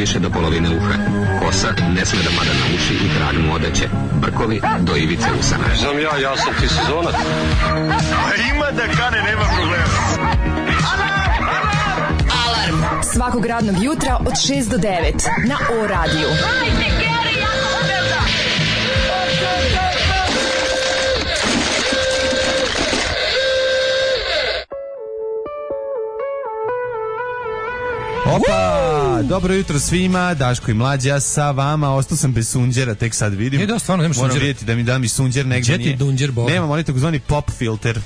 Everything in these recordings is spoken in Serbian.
više do polovine uha. Kosa ne sme da pada na uši i krag mu odeće. Brkovi do ivice usana. Znam ja sam ti sezonac. Ima da kane, nema problema. Alarm svakog radnog jutra od 6 do 9 na O-radiju. Opa, dobro jutro svima, Daško i Mlađa sa vama. Ostao sam bez sunđera, tek sad vidim. Da, stvarno nemaš sunđera. Moram vidjeti da mi da mi sunđer negdje nije. Gdje ti dunđer, Boga? Nemam, oni takozvani pop filter.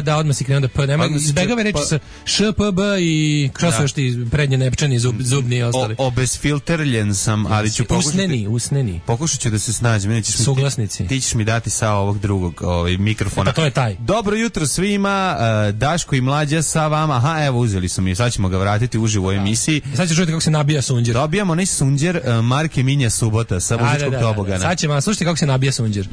Da, odmah si krenuo da p. Nema, izbegave reći sa š, p, b i što su još ti prednje nepčani, zubni i ostali. Obezfilterljen sam, ali ću pokušati. Usneni. Pokušat ću da se snađem. Suglasnici. Ti ćeš mi dati sa ovog drugog mikrofona. Pa to je taj. Dobro jutro svima, Daško i Mlađa sa vama. Aha, evo uzeli su mi, sad ćemo ga vratiti uživo u emisiji. Sad ćeš čuti kako se nabija sunđer. Dobijamo onaj sunđer marke Minja Subota sa muzičkog tobogana. Sad ćemo, slušajte kako se nabija sunđer.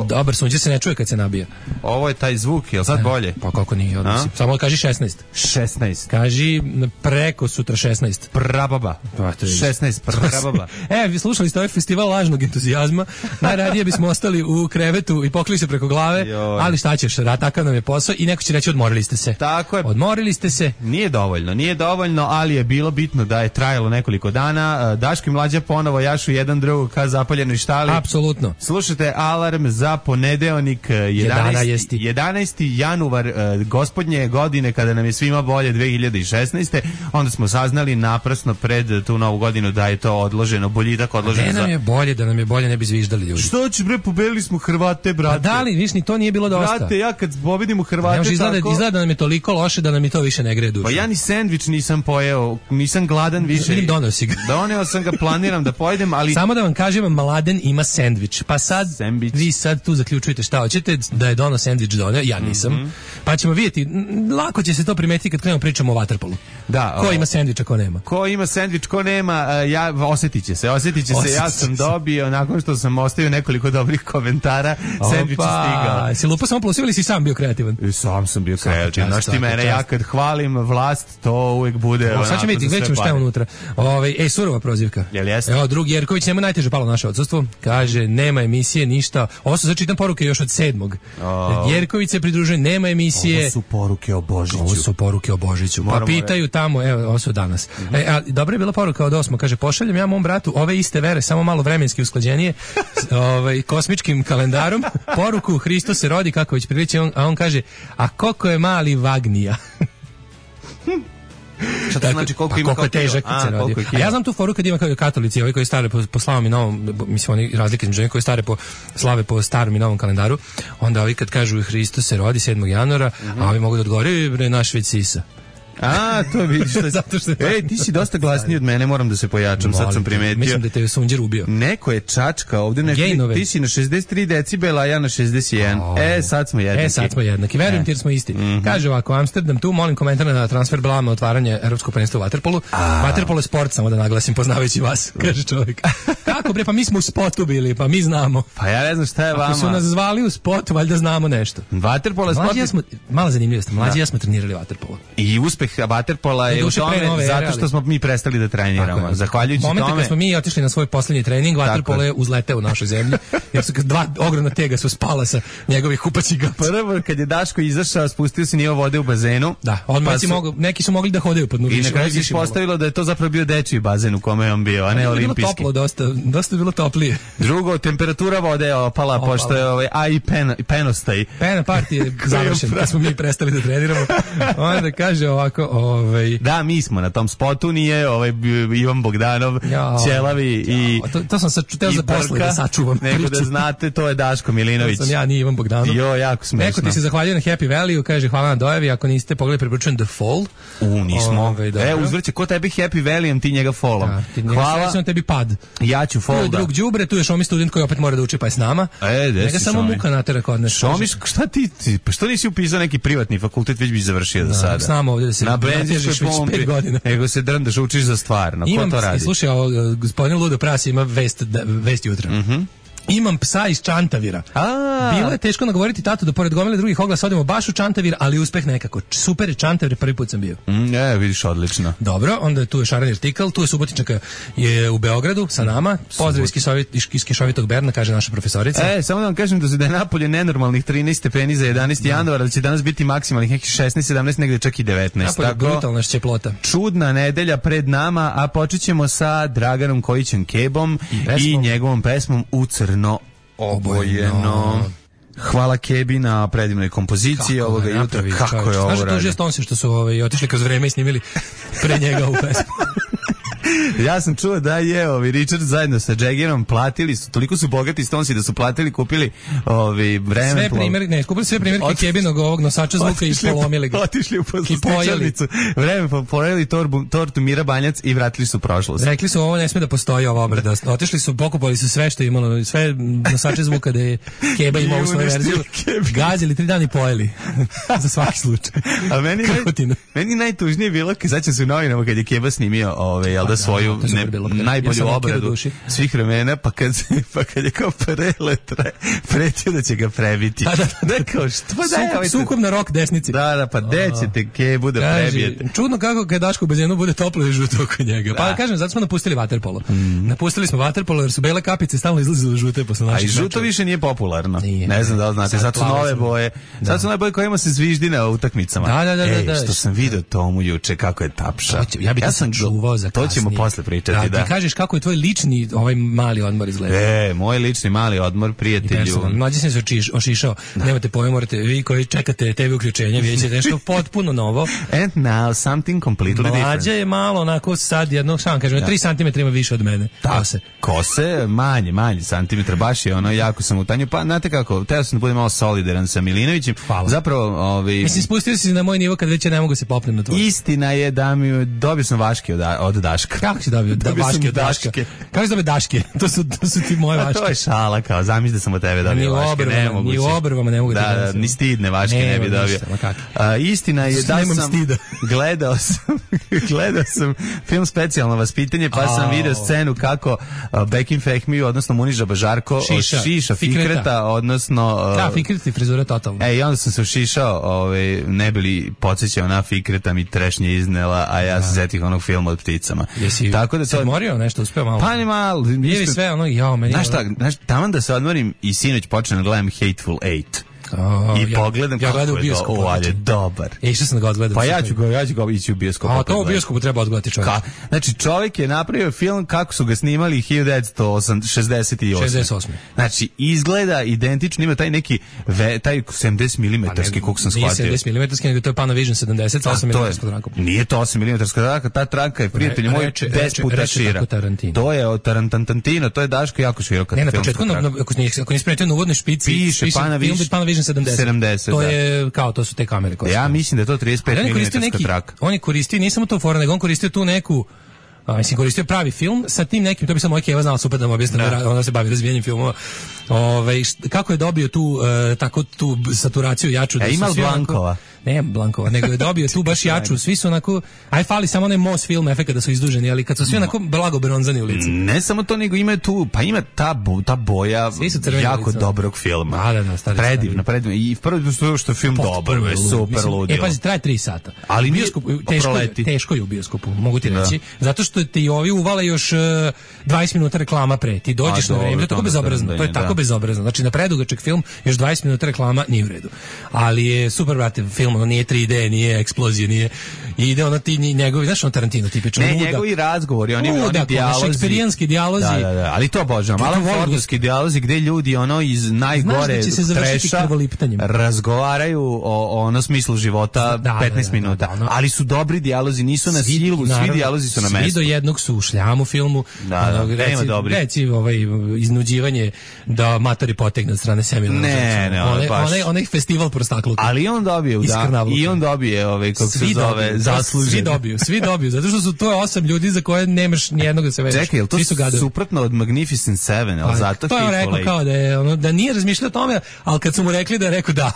Dobar sunđer se ne čuje kad se nabija. Ovo je taj zvuk, je li sad bolje? Pa kako nije, odnosi. Samo kaži 16. 16. Kaži preko sutra 16. Prababa. 16, prababa. Vi slušali ste ovaj festival lažnog entuzijazma. Najradije bismo ostali u krevetu i pokli se preko glave, ali šta ćeš, takav nam je posao i neko će reći odmorili ste se. Tako je. Odmorili ste se. Nije dovoljno, ali je bilo bitno da je trajalo nekoliko dana. Daško i Mlađa ponovo jašu jedan drugog ka zapaljenoj štali. Apsolutno. Slušajte alarm za ponedeljnik 11. januar gospodnje godine, kada nam je svima bolje 2016. Onda smo saznali naprasno pred tu novu godinu da je to odloženo, boljitak odložen. Da nam je bolje ne bi zviždali ljudi. Što će bre, pobedili smo Hrvate, brate. Da li, viš, ni to nije bilo dosta. Brate, ja kad pobedimo Hrvate izgleda da nam je toliko loše da nam i to više ne gre dušu. Pa ja ni sendvič nisam pojeo, nisam gladan više. Vidim, doneo si ga. Doneo sam ga, planiram da pojedem, ali... Samo da vam kažem, Mladen ima sendvič. Pa sad, vi sad tu zaključujete šta hoćete, da je doneo sendvič doneo, ja nisam. Pa ćemo vidjeti, lako će se to primetiti kad krenemo pričamo o vaterpolu. Da. Ko ima sendvič, a ko nema? Ko ima sendvič, ko nema, osjetit će se. Ja sam dobio, nakon što sam ostavio nekoliko dobrih komentara, sendvič je stigao. Si lupa samo plus ili si sam bio kreativan? Sam sam bio kreativan. Znaš ti mene, ja kad hvalim vlast, to uvijek bude... Sad ćemo vidjeti, gledamo šta je unutra. Surova prozivka. Jel jeste? Evo, drugi Jerković, nema najteže palo naše odsustvo. Kaže, nema emisije, ništa. Ovo su začitam poruke još od 7. Jerković se pridružuje, nema emisije. Ovo su poruke o Božiću. Pa pitaju tamo, evo, ovo su danas. Dobra je bila poruka od 8. Kaže, pošaljem ja mom bratu ove iste vere, samo malo vremenski usklađenije, kosmičkim kalendarom. Poruku, Hristos se rodi, kako već priliči, a on kaže, a koliko je mali Vagnija? Šta to znači koliko je težak kad se rodi. A ja znam tu foru kad ima kao katolici, ovi koji stare po slavom i novom, mislim oni razlike između onih koji stare po slave po starom i novom kalendaru, onda ovi kad kažu Hristos se rodi 7. januara, a ovi mogu da odgovore, bre, naš već sisa. To vidiš što... Zato što ti si dosta glasniji od mene, moram da se pojačam, sad sam primetio. Mislim da te je sunđer ubio. Neko je čačka ovdje, ti si na 63 decibela, a ja na 61. Sad smo jednaki. Verujem ti jer smo isti. Kaže ovako, Amsterdam tu, molim komentar na transfer blama otvaranje Evropskog prvenstva u vaterpolu. Vaterpolo je sport, samo da naglasim, poznavajući vas, kaže čovjek. Kako bre, pa mi smo u spotu bili, pa mi znamo. Pa ja ne znam šta je vama. Ako su nas zvali u spot, valjda znamo nešto. Vaterpolo je sport. Mala zanimljivost, mlađi ja smo trenirali vaterpolo. I uspeh vaterpola je u tome zato što smo mi prestali da treniramo. Zahvaljujući tome. Momentu kad smo mi otišli na svoj posljednji trening, vaterpolo je uzleteo u našoj zemlji, jer su dva ogromna tega su spala sa njegovih kupaćiga. Prvo kad je Daško izašao, spustio se nivo vode u bazenu. Da, neki su mogli da hodaju pod nurišem. I na kraju se ispostavilo da je to zapravo bio dečiji bazen u kome je on bio, a ne olimpijski. Bilo toplo, dosta je bilo toplije. Drugo, temperatura vode je opala, pošto je penostaj. Pena partija je završen, kad smo mi prestali da treniramo. Onda kaže ovako, Da, mi smo na tom spotu, nije Ivan Bogdanov, Ćelavi i to sam sačuteo za posle da sačuvam. Nego da znate, to je Daško Milinović. To sam ja, nije Ivan Bogdanov. Jako smešno. Neko ti se zahvaljuje na Happy Valley, kaže hvala na dojavi, ako niste pogledali preporučujem The Fall. Nismo. Uzvrće, ko tebi Happy Valleyem, ti njega Fallom. Hvala. Sam tebi pad. Ja ću Fall. Tu je drug đubre, tu je Šomi student koji opet mora da uči pa je s nama. Njega samo muka natera kod nas. Šomi, šta ti, pa što nisi upisao neki privatni fakultet, već bi završio do sada. S nama ovdje da se natežeš već 5 godina. Nego se drndaš, učiš za stvarno. Ko to radi? Slušaj, gospodin Ludo Prasi ima vest jutra. Imam psa iz Čantavira. Bilo je teško nagovoriti tatu da pored gomile drugih oglasa odemo baš u Čantavir, ali uspeh nekako. Super je Čantavir, prvi put sam bio. Vidiš, odlično. Dobro, onda tu je Šaran Artikal, tu je Subotičnjaka je u Beogradu sa nama. Pozdrav iz Kišovitog Berna, kaže naša profesorica. Samo da vam kažem da je napolje nenormalnih 13 stepeni za 11. januara, da će danas biti maksimalnih nekih 16, 17, negde čak i 19. Napolje brutalna šćeplota. Čudna nedelja pred nama, a počet ćemo sa Draganom Kojićem Kebom i njegovom pesmom U crno obojeno. Hvala Kebi na predivnoj kompoziciji ovoga jutra. Kako je ovo radio? Znaš da tužio Stonsi što su otišli kroz vreme i snimili pre njega u pesmu? Ja sam čuo da je Richard zajedno sa Jaggerom platili su, toliko su bogati Stonesi da su platili, kupili vremeplov. Kupili sve primjerke Kebinog ovog nosača zvuka i polomili ga. Otišli u poslustičarnicu, pojeli tortu Mira Banjac i vratili su prošlost. Rekli su ovo ne sme da postoji ova obrada. Otišli su, pokupali su sve što je imalo, sve nosače zvuka da je Keba imao u svoju verziju. Gazili 3 dana i pojeli. Za svaki slučaj. A meni najtužnije bilo kad začem se u novinama kad je Keba snimio svoju najbolju obradu svih vremena, pa kad je kao pretio da će ga prebiti. Da, kao što? Sukob na rok desnici. Da, pa gde ćete Kebu da prebijete? Čudno kako kad daš u bazenu bude toplo i žuto oko njega. Pa kažem, zato smo napustili vaterpolo. Napustili smo vaterpolo jer su bele kapice stalno izlazile žute posle naših. A i žuto više nije popularno. Ne znam da li znate. Sad su nove boje. Sad su nove boje kojima se zviždi na utakmicama. Da. Što sam vidio Tomu juče kako je tapša. Ja sam čuvao za kasnije. To ćemo posle pričati, da. Ti kažeš kako je tvoj lični mali odmor izgleda. Moj lični mali odmor, prijatelju. Mlađi sam se ošišao. Nemate pojma, morate, vi koji čekate TV uključenja, vidjet ćete nešto potpuno novo. And now something completely different. Mlađa je malo onako sad jednog, šta vam kažem, 3 cm ima više od mene. Kose, manje santimetra, baš je jako sam u tanju. Pa, znate kako, teo sam da budem malo solidaran sa Milinovićem. Hvala. Zapravo, mislim, spustio si na moj nivo kad već ne mogu se popnem na tvoj. Istina je da mi dobio sam vaške od Daška. Kako si dobio vaške od Daška? Kako si dobio Daške? To su ti moje vaške. A to je šala, kao, zamisli da sam od tebe dobio vaške, nemoguće. Ni u obrvama ne mogu da da ni stidne vaške ne bi dobio. Istina je da sam gledao sam film Specijalno vaspitanje, pa sam video scenu kako Bekim Fehmiju, odnosno Muniža Bažarko, šiša Fikreta, odnosno... Da, Fikret i frizura totalno. I onda sam se ušišao, ne bili podsjećao na Fikreta, mi trešnje iznela, a ja se zetih onog filma od pticama. Jesi se odmorio nešto, uspeo malo? Pa ne malo. Jevi sve ono, meni... Znaš, taman da se odmorim i sinoć počnem da gledam Hateful Eight. I pogledam kako je bioskopu, je dobar. Išao sam da ga odgledam. Pa ja ću ga ići u bioskopu. A to u bioskopu treba odgledati čovjek. Znači čovjek je napravio film kako su ga snimali 1968. Znači izgleda identično, ima taj neki taj 70 mm koliko sam shvatio. Nije 70 mm, nego to je Panavision 70 sa 8 mm trankom. Nije to 8 mm tranka, ta tranka je prijatelj moj 10 puta šira. To je od Tarantino, to je Daško jako široka. Ne, na početku ako nisi primetio na uvodnoj špici piše Panavision 70. To je kao, to su te kamere koje. Ja mislim da je to 35 mm traka. On je koristio, nije samo to fora, nego on koristio tu neku, mislim, koristio pravi film sa tim nekim, to bi sam moj Keva znala super da mu objasnim, ona se bavi razvijanjem filmova. Kako je dobio tu saturaciju jaču? Ima Blankova? Ne, Blankova, nego je dobio tu baš jaču, svi su onako, fali samo onaj Moss film efekt da su izduženi, ali kad su svi onako blago bronzani u licu. Ne samo to, nego ima tu, pa ima ta boja jako dobrog filma. Predivna. I prvo što je film dobar, je super ludio. Pazi, traje 3 sata. Ali teško je u bioskopu, mogu ti reći, zato što ti ovi uvale još 20 minuta reklama pre, ti dođeš na vreme, to je tako bezobrazno, bezobrazno. Znači na predugačak film još 20 minuta reklama nije u redu. Ali je super, brate, film, ono nije 3D, nije eksplozija, nije. I ide ono ti njegovi, znaš, on Tarantino tipično. Ne, njegovi razgovori, oni dijalozi. Šekspirijanski dijalozi. Da, ali to obožavam. Alan Fordovski dijalozi gdje ljudi ono iz najgore treša razgovaraju o ono smislu života 15 minuta. Ali su dobri dijalozi, nisu na silu, svi dijalozi su na mestu. Svi do jednog su u šljamu filmu. Nema dobri. Reci iznuđivanje da matori potegne od strane Samuela. Ne, onaj festival prostakluka. Ali on dobije, i on dobije kako se zove, zaslužen. Svi dobiju, zato što su to 8 ljudi za koje nemaš nijednog da se vežeš. Čekaj, je to suprotno od Magnificent Seven, ali zato to je rekao kao da nije razmišljao o tome, ali kad su mu rekli da je rekao da.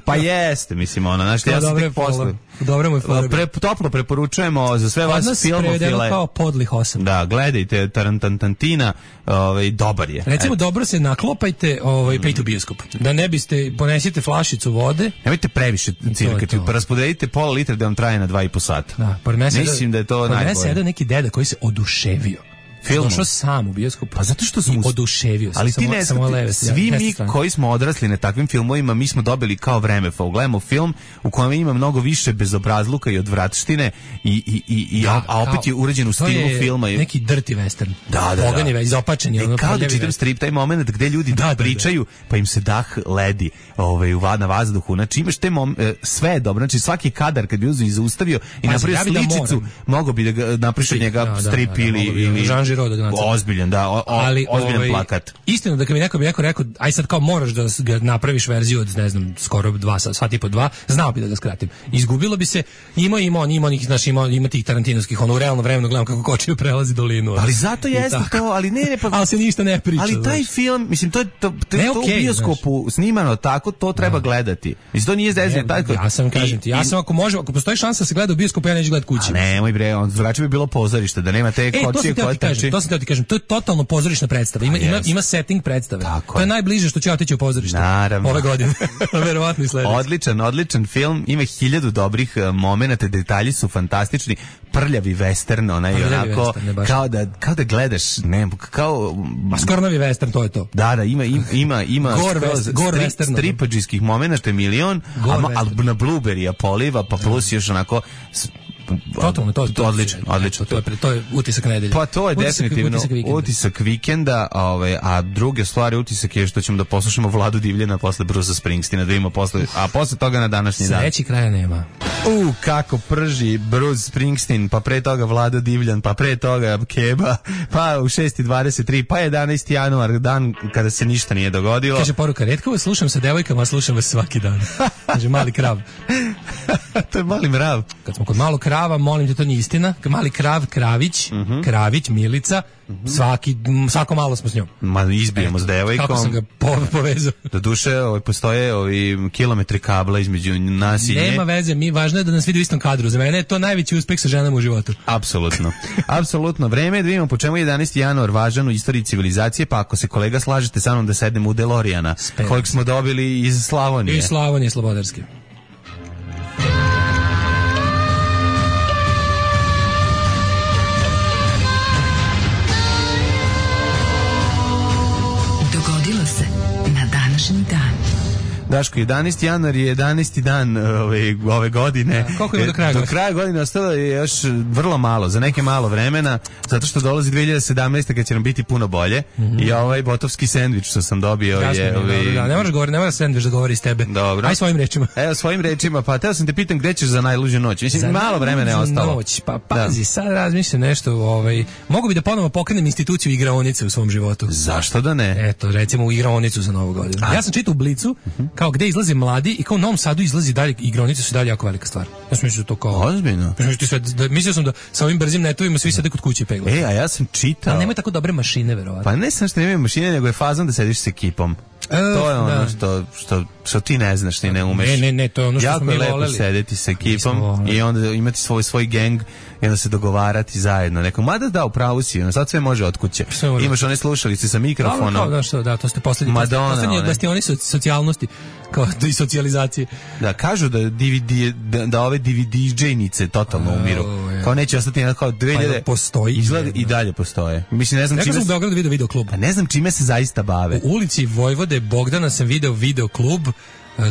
Pa jeste, mislim, ono, znaš, ja sam tek posle. Dobro mu je toplo preporučujemo za sve vas filmofile. Kao podlih 8. Da, gledajte Tarantantina, dobar je. Recimo, dobro se naklopajte, pa i u bioskop. Da ne biste, ponesite flašicu vode. Nemojte previše cirkati, pa raspodelite pola litra da vam traje na 2,5 sata. Da, mislim da je to najbolje. Pored mene sedao neki deda koji se oduševio. Došao sam u bioskop. Pa zato što sam oduševio se. Ali ti ne svi mi koji smo odrasli na takvim filmovima, mi smo dobili kao vreme. Gledamo film u kojem ima mnogo više bezobrazluka i odvratštine a opet je urađen u stilu filma. Neki dirty western. Da. Pogani, izopačeni. Kao da čitam strip, taj moment gde ljudi pričaju, pa im se dah ledi na vazduhu. Znači imaš te sve je dobro. Znači svaki kadar kad bi zaustavio i napravio sličicu, mogo bi da ga napriš od njega strip ili ozbiljan, ozbiljan plakat. Istina da kad mi neko rekao, aj sad kao moraš da ga napraviš verziju od, ne znam, skoro 2 sata i po 2, znao bi da ga skratim. Izgubilo bi se, ima tih tarantinovskih, u realno vremenu gledam kako kočiju prelazi dolinu. Ali zato jeste to, ali ne pa... ali se ništa ne priča. Ali taj film, mislim, to je u bioskopu snimano tako, to treba gledati. Mislim, to nije zezanje. Ja sam, kažem ti, ako postoji šansa da se gleda u bioskopu, ja neću gledati kući. Nemoj bre, drugačije bi bilo pozorište, da nema te kočije koje trči. To sam teo ti kažem, to je totalno pozorišna predstava. Ima setting predstave. To je najbliže što ću ja otići u pozorište. Naravno. Ove godine. Verovatno i sledeće. Odličan film. Ima 1000 dobrih momenata, detalji su fantastični. Prljavi western, onaj onako kao da gledaš, skornovi western, to je to. Da, ima stripadžijskih momenata milion, ali na Blueberry poliva, pa plus još onako totalno, odlično. To je utisak nedelje. Pa to je definitivno utisak vikenda, a druge stvari utisak je što ćemo da poslušamo Vladu Divljana posle Brusa Springsteena, da vidimo a posle toga na današnji dan. Sreći kraja nema. Kako prži Bruce Springsteen, pa pre toga Vlada Divljan, pa pre toga Keba, pa u 6:23, pa 11. januar, dan kada se ništa nije dogodilo. Kaže poruka, retko vas slušam sa devojkama, a slušam vas svaki dan. Kaže Mali krav. To je Mali mrav. Kad smo kod Malog krava, molim te, to nije istina. Mali krav, Kravić, Kravić, Milica, svako malo smo s njom. Izbijemo s devojkom. Kako sam ga povezao. Doduše, postoje kilometri kabla između nas i nje. Nema veze, važno je da nas vidi u istom kadru. Za mene je to najveći uspeh sa ženama u životu. Apsolutno. Vreme je da vidimo po čemu je 11. januar važan u istoriji civilizacije, pa ako se kolega slažete sa mnom da sednemo u DeLoreana, kojeg smo dobili iz Slavonije. Iz Slavonije, Slobodarske. Daško, 11. januar je 11. dan ove godine. Koliko ima do kraja? Do kraja godine ostalo je još vrlo malo, za neke malo vremena, zato što dolazi 2017. kad će nam biti puno bolje. I ovaj botovski sendvič što sam dobio je... Ne moraš govoriti, ne moraš sendvič da govori iz tebe. Dobro. Aj svojim rečima. Evo, svojim rečima, pa teo sam te pitam gde ćeš za najluđu noć. Mislim, malo vremena je ostalo. Noć, pa pazi, sad razmišljam nešto, mogu bi da ponovo pokrenem instituciju igraonice u svom životu. Zašto da ne? Eto, recimo u igraonicu za Novu godinu. Ja sam čitao u Blicu, kao gde izlaze mladi i kao u Novom Sadu izlazi dalje igraonice, su dalje jako velika stvar. Ja sam mislio da to kao... Ozbiljno? Mislio sam da sa ovim brzim netovima svi sede kod kuće peglaju. A ja sam čitao... Ali nemaju tako dobre mašine, verovatno. Pa ne sam što nemaju mašine, nego je fazon da sediš s ekipom. To je ono što ti ne znaš, ti ne umeš. Ne, to je ono što smo mi voleli. Jako lepo sedeti s ekipom i onda imati svoj geng i onda se dogovarati zajedno. Mada da, upravo si, sad sve može od kuće. Imaš one slušalice sa mikrofonom. Da, to ste poslednji od bastioni socijalnosti, kao i socijalizacije. Da, kažu da ove DVD-džejnice totalno umiru. Kao neće ostati kao 2000... Postoji. Izgleda i dalje postoje. Mislim, ne znam čime... Nekako sam u Beogradu video klub. Ne znam čime se zaista bave. U ulici Vojvode Bogdana sam video klub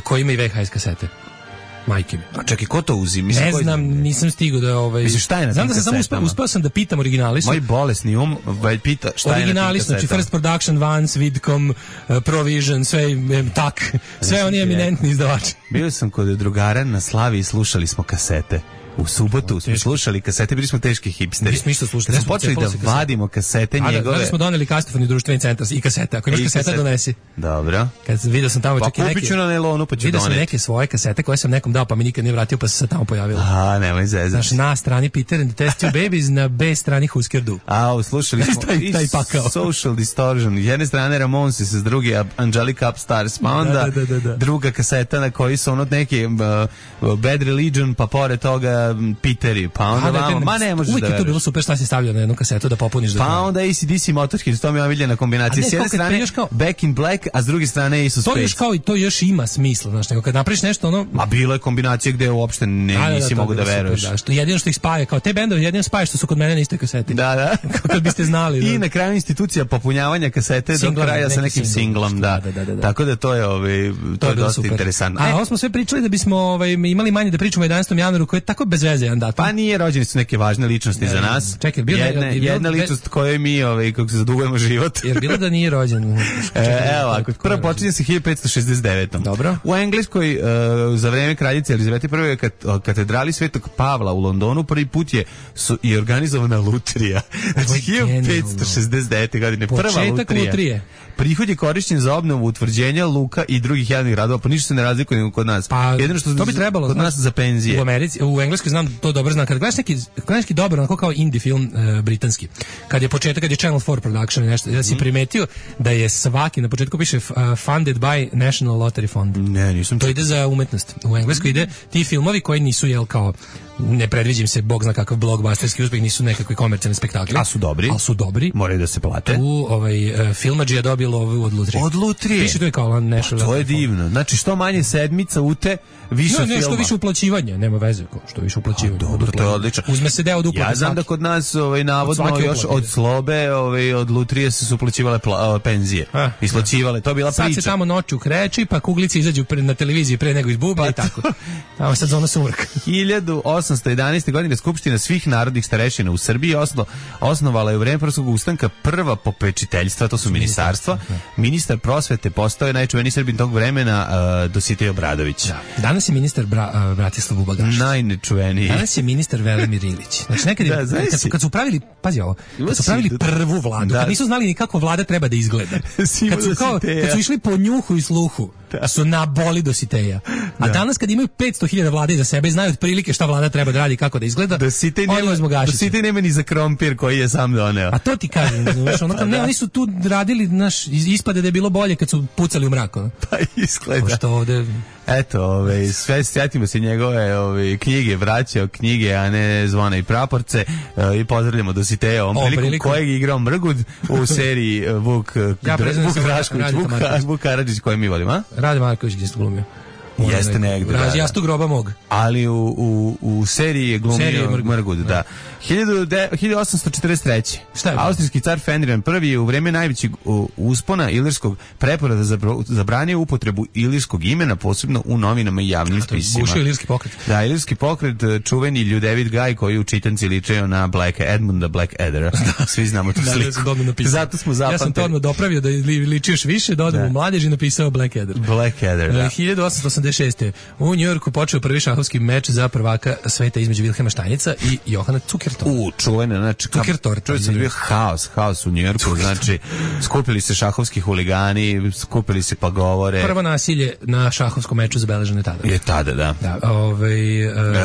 koji ima i VHS kasete. Majke mi. A čekaj, ko to uzim? Ne znam, nisam stigao da... Mislim, šta je na tim kasetama? Znam da sam uspeo sam da pitam originalistu. Moj bolesni pita šta je na tim originalistu, znači First Production, Vance, Vidcom, Provision, sve oni eminentni izdavači. Bio sam kod drugara na Slavi i slušali smo kasete. U subotu smo slušali kasete, bili smo teški hipsteri. Mi smo isto slušali. Smo počeli da vadimo kasete njegove. Da smo doneli Kastofoni društveni centar i kasete. Ako imaš kaseta, donesi. Dobro. Kad vidio sam tamo čak i neke. Pa kupit ću na nailonu, pa ću doneti. Vidio sam neke svoje kasete koje sam nekom dao, pa mi nikad nije vratio, pa se sad tamo pojavilo. A, nemoj zezati. Znaš, na strani Peter and the Test Tube Babies, na B strani Husker Du. A, slušali smo taj pakao. Social Distortion. S jedne strane Ramonsi, s druge Angelica Upstairs, pa onda druga kaseta na koji su ono neki Bad Religion, pa pored toga Peteri, pa onda vamo, ma ne možeš da veruješ. Uvijek je to bilo super šta si stavljao na jednu kasetu da popuniš do kraja. Pa onda AC/DC Motorhead, to mi je omiljena kombinacija. S jedne strane Back in Black, a s druge strane Ace of Spades. To još kao i to još ima smisla, znaš, nego kad napraviš nešto ono... Ma bilo je kombinacija gde uopšte nisi mogu da veruješ. Jedino što ih spaja, kao te bendove, jedino spaja što su kod mene na istoj kaseti. Da. Kad biste znali. I na kraju institucija popunjavanja kasete do kraja sa nekim singlom, da. Tako da to je to je dosta interesantno. A ovo smo sve pričali da bismo imali manje da pričamo o 11. januaru, koji je tako bez veze jedan datum. Pa nije, rođeni su neke važne ličnosti za nas. Čekaj, jedna ličnost kojoj mi kako se zadugujemo život. Jer bilo da nije rođen. Evo, ako prvo počinje se 1569. Dobro. U Engleskoj za vreme kraljice Elizabete I katedrali Svetog Pavla u Londonu prvi put je organizovana lutrija. Znači 1569. godine prva lutrija. Prihod je korišćen za obnovu utvrđenja luka i drugih javnih radova, pa ništa se ne razlikuje nego kod nas. Pa, jedino što to bi trebalo kod nas za penzije. U Americi, u Engleskoj znam to dobro znam. Kad gledaš neki dobar, onako kao indie film britanski. Kad je Channel 4 production i nešto, da si primetio da je svaki na početku piše funded by National Lottery Fund. Ne, nisam. To ide za umetnost. U Engleskoj ide ti filmovi koji nisu kao ne predviđim se, bog zna kakav blockbusterski uspeh, nisu nekakvi komercijalni spektakli. Ali su dobri. Moraju da se plate. Filmadžija dobilo ovu od lutrije. Od lutrije? Piše to je kao nešto. To je divno. Znači što manje sedmica ute, više filma. Ne, što više uplaćivanja, nema veze. Što više uplaćivanja. Dobro, to je odlično. Uzme se deo od uplate. Ja znam da kod nas navodno još od Slobe, od lutrije se uplaćivale penzije. Isplaćivale, to je bila priča. Sad se tamo noću kreći, pa kuglice izađu na televiziji pre nego izbuba i tako. Tamo sad zona sumrka. 1811. godine Skupština svih narodnih starešina u Srbiji osnovala je u vreme Prvog ustanka prva popečiteljstva, to su ministarstva. Ministar prosvete postao je najčuveniji Srbin tog vremena Dositej Obradović. Danas je ministar Bratislav Bubagašić. Najnečuveniji. Danas je ministar Velimir Ilić. Znači nekad kad su pravili, pazi ovo, kad su pravili prvu vladu, kad nisu znali ni kako vlada treba da izgleda. Kad su išli po njuhu i sluhu, su naboli Dositeja. A danas kad imaju 500.000 vlade za sebe, znaju otprilike šta vlada treba da radi, kako da izgleda. Dositej nema ni za krompir koji je sam doneo. A to ti kažem, oni su tu radili, ispade da je bilo bolje kad su pucali u mrak. Pa izgleda. Što ovde... Eto, sve sjetimo se njegove knjige, vraćao knjige, a ne Zvona i praporce, i pozdravljamo Dositeja ovom prilikom kojeg je igrao Mrgud u seriji Vuk Drašković, Vuk Karadžić koji mi volimo, a? Rade Marković gdje ste glumio. Jeste negdje. Jastu groba mog. Ali u seriji je glumio Mrgud, da. 1843. Austrijski car Ferdinand I je u vreme najvećeg uspona ilirskog preporada zabranio upotrebu ilirskog imena, posebno u novinama i javnim spisima. Bušio ilirski pokret. Da, ilirski pokret, čuveni Ljudevit Gaj koji u čitanci ličeo na Edmunda Blackaddera. Svi znamo tu sliku. Zato smo zapamtili. Ja sam to odmah dopravio da ličiš više, da odem u mladeži napisao Blackadder. Blackadder, da. 1886. U Njujorku počeo prvi šahovski meč za prvaka sveta između Vilhelma Štajnica i Johana Zukertorta. Čuvene, znači Zukertorta. Čuje bio haos u Njujorku, znači skupili se šahovski huligani, skupili se pa govore. Prvo nasilje na šahovskom meču zabeleženo je tada. Je tada, da.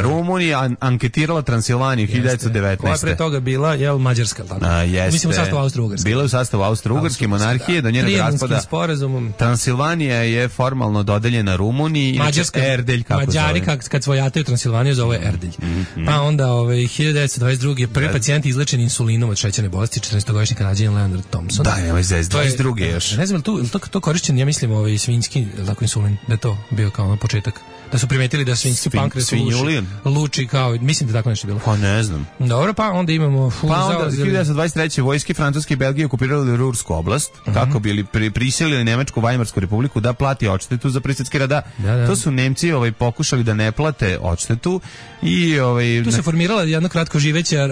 Rumunija anketirala Transilvaniju 1919. Koja je pre toga bila, Mađarska, tako? Mislim u sastavu Austro-Ugarske. Bila je u sastavu Austro-Ugarske monarhije, do njenog raspada. Transilvanija je formalno dodeljena Rumuniji, Mađarska, Erdelj, kako Mađari kad svojataju Transilvaniju zove Erdelj. Pa onda 1922. prvi pacijent izlečen insulinom od šećerne bolesti, 14-godišnji Kanadjanin Leonard Thompson. Da, nemoj zez, 22. još. Ne znam, to korišćen, ja mislim, svinjski insulin, da je to bio kao početak. Da su primetili da svinjski pankreas luči kao, mislim da tako nešto bilo. Pa ne znam. Dobro, pa onda imamo... Pa onda 1923. vojske Francuske i Belgije okupirali Rursku oblast, kako bili prisilili Nemačku Vajmarsku republiku da plati odštetu za Prisjetski rada. To su Nemci pokušali da ne plate odštetu i... Tu se formirala jedna kratko živeća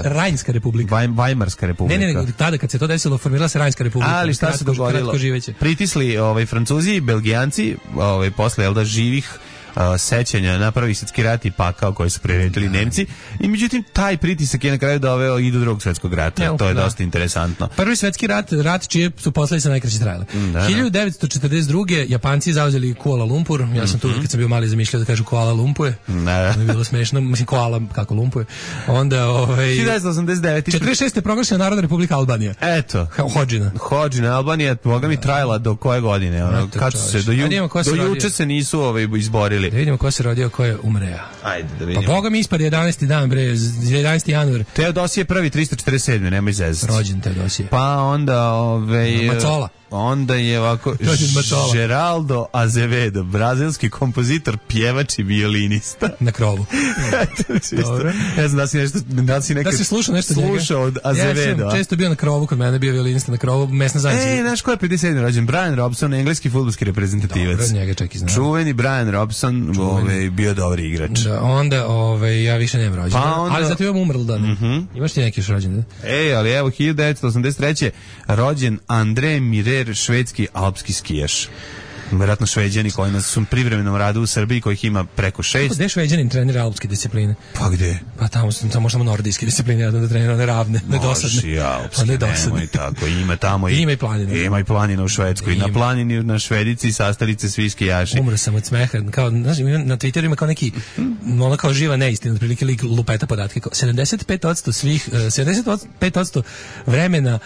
Rajnska republika. Vajmarska republika. Ne, tada kad se to desilo, formirala se Rajnska republika. Ali šta se dogodilo? Pritisli Francuzi i Belgijanci, posle, živih sećanja na Prvi svjetski rat i pakao koji su priredili Nemci. I međutim, taj pritisak je na kraju doveo i do Drugog svjetskog rata. To je dosta interesantno. Prvi svjetski rat čije su posledice najkraće trajale. 1942. Japanci zauzeli Kuala Lumpur. Ja sam tu kad sam bio mali zamišljao da kažu Kuala Lumpur. To je bilo smešno. Mislim, Kuala kako Lumpur. Onda 1989. 46. je proglašena Narodna Republika Albanija. Eto. Hodžina. Albanija, boga mi trajala do koje godine? Kad su se, do juče se nisu izborili. Da vidimo ko se rodio, ko je umreo. Ajde, da vidimo. Pa boga mi ispad 11. dan, bre, 11. januar. Teodosije prvi 347. Nemoj zezati. Rođen Teodosije. Pa onda Macola. Onda je ovako Geraldo Azevedo, brazilski kompozitor, pjevač i violinista. Na krovu. Dobro. Ne znam da si slušao nešto slušao od Azevedo. Ja sam često bio na krovu, kod mene bio violinista na krovu, mesna zajednica. Znaš ko je 57. rođen? Brian Robson, engleski fudbalski reprezentativac. Dobro, njega čak i znam. Čuveni Brian Robson, bio dobar igrač. Da, onda, ja više nemam rođen. Ali zato imam umrl dan. Imaš ti neki još rođen? Ali evo, 1983. rođen Andre Mire, švedski alpski skijaš. Vjerojatno Šveđani koji nas su privremenom radu u Srbiji, kojih ima preko 6. Gde Šveđanin trenira alpske discipline? Pa gde? Pa tamo samo nordijske discipline, da trenira one ravne, nedosadne. Može i alpske, nemoj tako. Ima tamo ima i planina. Ima i planina u Švedskoj. Na planini na Švedici sastalice svi skijaši. Umro sam od smeha. Kao, znaš, na Twitteru ima kao neki, ono kao živa neistina, otprilike lik lupeta podatke. 75% vremena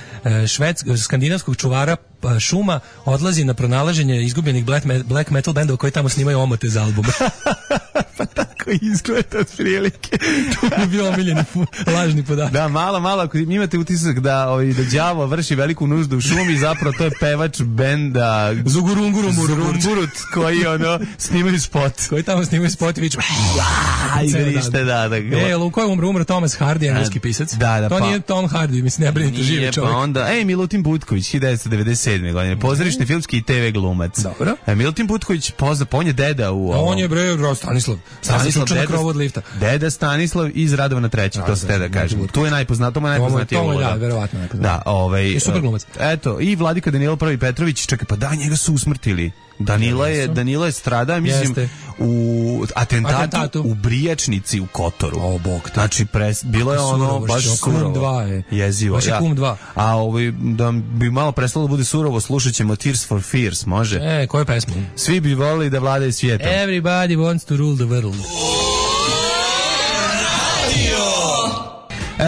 skandinavskog čuvara šuma odlazi na pronalaženje izgubljenih black metal bendova koji tamo snimaju omote za albume. Pa tako izgleda od prilike. To bi bio omiljeni lažni podatak. Da, malo, ako imate utisak da đavo vrši veliku nuždu u šumi, zapravo to je pevač benda Zugurungurut koji snimaju spot. Koji tamo snimaju spot i viču. U kojoj umro Thomas Hardy, engleski pisac. To nije Tom Hardy, mislim, ne brinite, živi čovjek. Pa onda, Milutin Butković, 1997. godine, pozorišni filmski i TV glumac. Dobro. Milutin Butković, on je deda u... On je Stanislav deda od lifta. Deda Stanislav iz Radovana III, to ste da kažem. Tu je najpoznatiji ovo. Da, verovatno najpoznatiji. Da, super glumac. Eto, i Vladika Danilo I Petrović, čekaj, pa da, njega su usmrtili. Danilo je strada, mislim, u atentatu u Brijačnici u Kotoru. O, bog te. Znači, bilo je baš surovo. Jezivo. Baš je Kum 2. A da bi malo prestalo da bude surovo, slušat ćemo Tears for Fears, može? Koju pesmu? Svi bi volili da vladaju svijetom. Everybody wants to rule the world.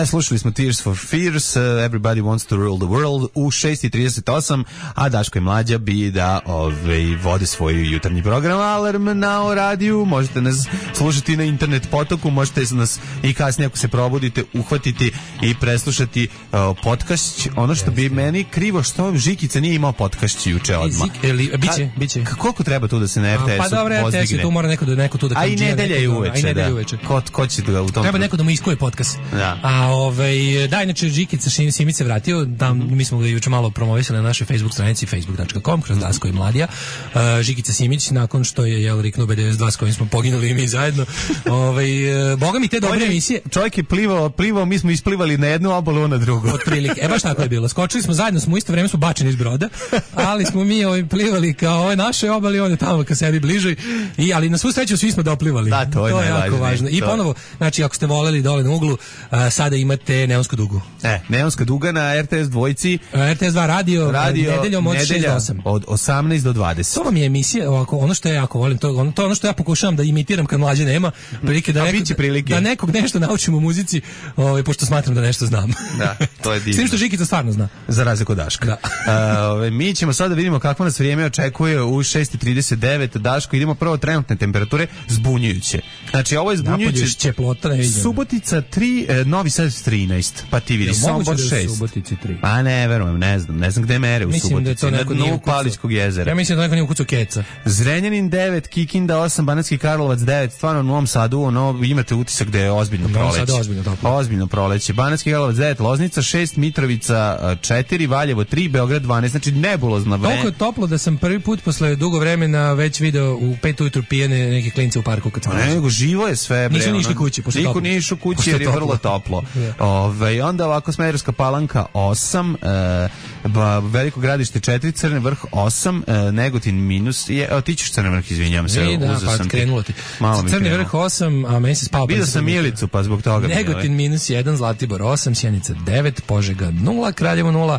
Slušali smo Tears for Fears, Everybody Wants to Rule the World u 6:38, a Daško i Mlađa bi da vode svoj jutarnji program Alarm na radiju. Možete nas slušati na internet potoku, možete nas i kasnije ako se probudite uhvatiti i preslušati podcast. Ono što bi meni krivo, što Žikica nije imao podcast juče odmah. Biće. Koliko treba tu da se na RTS-u pa dobro, RTS tu mora neko tu da a i nedelja je uveče. Ko će da u tom... Treba neko da mu iskuje podcast. Da. Inače Žikica Simić se vratio, mi smo ga juče malo promovisali na našoj Facebook stranici facebook.com kroz Dasko i Mladija. Žikica Simić, nakon što je riknuo B92 s kojim smo poginuli i mi zajedno. Boga mi te dobre emisije. Čovjek je plivao, mi smo isplivali na jednu obalu, na drugu. Otprilike. Baš tako je bilo. Skočili smo zajedno, u isto vreme smo bačeni iz broda, ali smo mi plivali kao naše obali, on je tamo ka sebi bliže. Ali na svu sreću svi smo doplivali. Da, to je jako važno. I ponovo, znači ako ste voleli dole na uglu, sada imate Neonsku dugu. Neonska duga na RTS dvojci. RTS 2 radio nedeljom od 6 do 8. Od 18 do 20. To vam je emisija, ono što ja jako volim, to ono što ja pokušavam da imitiram kad Mlađe nema, prilike da nekog nešto naučim u muzici, pošto smatram da nešto znam. Da, to je divno. S tim što Žikica stvarno zna. Za razliku od Daška. Da. Mi ćemo sada vidimo kakvo nas vrijeme očekuje u 6:39. Daško, idemo prvo trenutne temperature, zbunjujuće. Znači, ovo je zbunjujuće. Subotica 3, Novi Sad 13, pa ti vidi, Sombor 6. Subotici 3. Pa ne, verujem, ne znam gde mere u Subotici, na dnu Paličkog jezera. Ja mislim da neko nije ukucao keca. Zrenjanin 9, Kikinda 8, Banatski Karlovac 9, stvarno u Novom Sadu, imate utisak da je ozbiljno proleće. Ozbiljno proleće. Banatski Karlovac 9, Loznica 6, Mitrovica 4, Valjevo 3, Beograd 12, znači nebulozna vreme. Toliko je toplo da sam prvi put posle dugo vremena već video u 5 ujutru pijene neke klince u parku kad sam. Nego živo je sve, bre. Nisu ni išli kući, niko nije išao kući jer je vrlo toplo. ovo. Onda ovako Smederevska Palanka 8, Veliko Gradište 4, Crni Vrh 8, Negotin minus, ti ćeš Crni Vrh, izvinjam se. Da, pa krenulo ti. Crni Vrh 8, a meni se spao. Vidio sam Milicu, pa zbog toga. Negotin minus 1, Zlatibor 8, Sjenica 9, Požega 0, Kraljevo 0,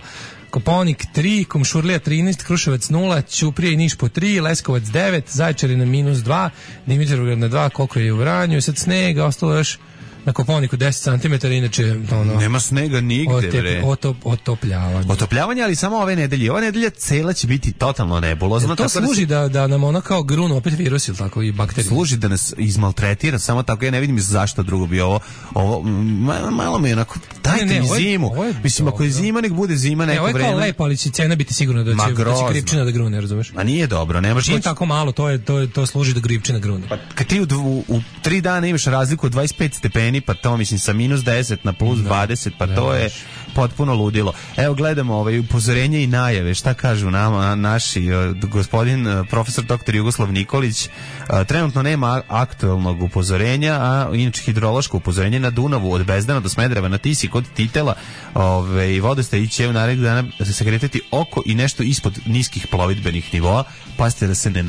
Kopaonik 3, Kumšurlija 13, Kruševac 0, Ćuprija i Niš po 3, Leskovac 9, Zaječarina minus 2, Dimitrovgrad na 2, koliko je u Vranju, sad snega, ostalo još na Koponiku 10 cm, inače nema snega nigde, bre. Otopljavanje, ali samo ove nedelje. Ova nedelja cela će biti totalno nebulozna. To služi da nam ono kao grunu opet virus ili tako i bakterije. Služi da nas izmaltretira, samo tako ja ne vidim zašto drugo bi ovo malo mi onako dajte mi zimu. Mislim, ako je zima, nek bude zima neko vreme. Ovo je kao lepo, ali će cena biti sigurno da će gripčina da grune, razumeš? A nije dobro, nemaš čim tako malo, to služi da gripčina grune. Pa kad ti u 3 dana imaš razliku od 25 stepeni, pa to mislim sa minus 10 na plus 20, pa to je potpuno ludilo. Evo gledamo upozorenje i najave, šta kažu nama naši gospodin profesor dr. Jugoslav Nikolić. Trenutno nema aktualnog upozorenja, a inače hidrološko upozorenje na Dunavu od Bezdana do Smedereva, na Tisi kod Titela, vodostaj će u narednih dana se kretati oko i nešto ispod niskih plovidbenih nivoa. Pazite da se ne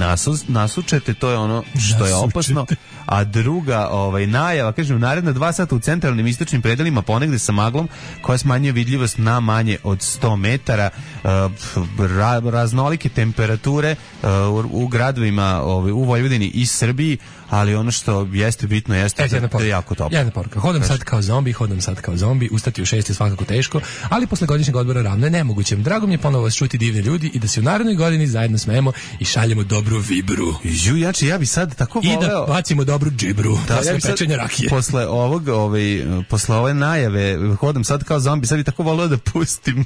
nasučete, to je ono što je opasno. A druga najava, kažem, u naredna 2 sata u centralnim istočnim predelima ponegde sa maglom koja smanjuje vidljivost na manje od 100 metara, raznolike temperature u gradovima u Vojvodini i Srbiji, ali ono što jeste bitno jeste da je jako toplo. Jedna poruka. Hodam sad kao zombi, ustati u 6 je svakako teško, ali posle godišnjeg odmora ravno je nemoguće. Drago mi je ponovo vas čuti divne ljudi i da se u narednoj godini zajedno smejemo i šaljemo dobru vibru. Ja bi sad tako voleo. I da bacimo dobru džibru. Ja pečenje rakije. Posle ove najave hodam sad kao zombi, sad bi tako voleo da pustim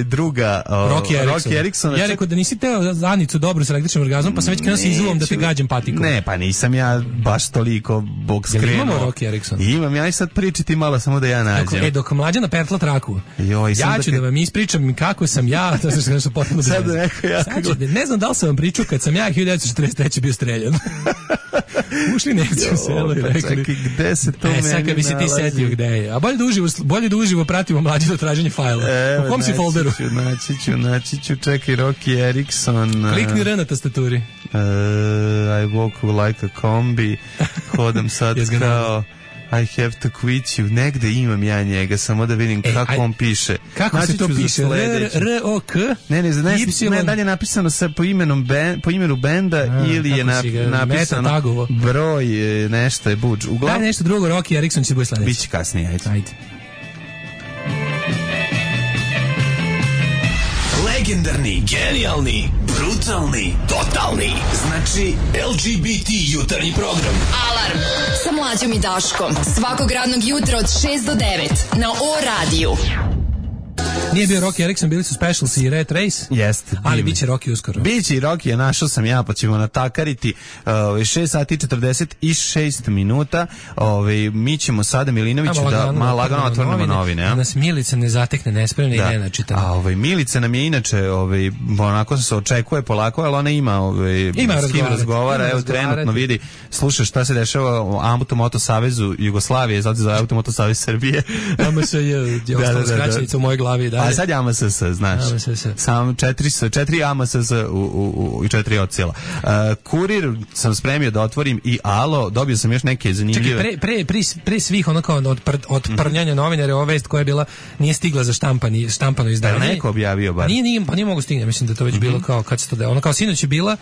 druga Rocky Erickson. Ja rekao da nisi teo Anicu dobru s električnim orgazmom, pa sam već krenuo sa izluvom da te gađam patikom. Ne, pa nisam ja baš toliko bog skrenuo. Imamo Rocky Erickson? Imam, ja i sad pričati malo samo da ja nađem. Dok Mlađana pertla traku, ja ću da vam ispričam kako sam ja, to je nešto potpuno sad neko ja. Ne znam da li sam vam pričao kad sam ja 1943. bio streljan. Ušli Nemci u selo i rekli. Čekaj, gde se to meni sad kad bi se ti setio gde je. A bolje da uživo pratimo Mlađe traženje fajla. U kom si folderu? Naći ću, čekaj, Rocky Erickson. Klikni R na tastaturi. I walk like a combi. Hodam sad kao I have to quit you. Negde imam ja njega, samo da vidim kako on piše. Kako se to piše? R-O-K? Ne, dalje napisano po imenu benda ili je napisano broj, nešto je buđ. Daj nešto drugo, Rocky Erickson će bude sledeći. Biće kasnije, ajde. Legendarni, genijalni, brutalni, totalni. Znači LGBT jutarnji program. Alarm sa Mlađom i Daškom. Svakog radnog jutra od 6 do 9 na O-radiju. Nije bio Rocky Erickson, bili su Specials i Red Race. Jeste. Ali biće Rocky uskoro. Biće i Rocky, našao sam ja, pa ćemo natakariti 6 sati 46 minuta. Mi ćemo sada Milinoviću da malo lagano otvorimo novine. Da nas Milica ne zatekne nespremne i ne načitamo. Milica nam je inače, onako se očekuje polako, ali ona ima s kim razgovara. Evo trenutno vidi, sluša šta se dešava u Automoto Savezu Jugoslavije, zato za Automoto Savez Srbije. AMS je ostala skraćenica u mojoj glavi. A sad je AMSS, znaš. Sam 4 AMSS i 4 odsjela. Kurir sam spremio da otvorim i Alo, dobio sam još neke zanimljive. Čekaj, pre svih onako od prnjanja novinara, ova vest koja je bila nije stigla za štampano izdanje. Da neko objavio bar. Nije mogu stigne, mislim da to već bilo kao kad se to ono kao sinoć je bila.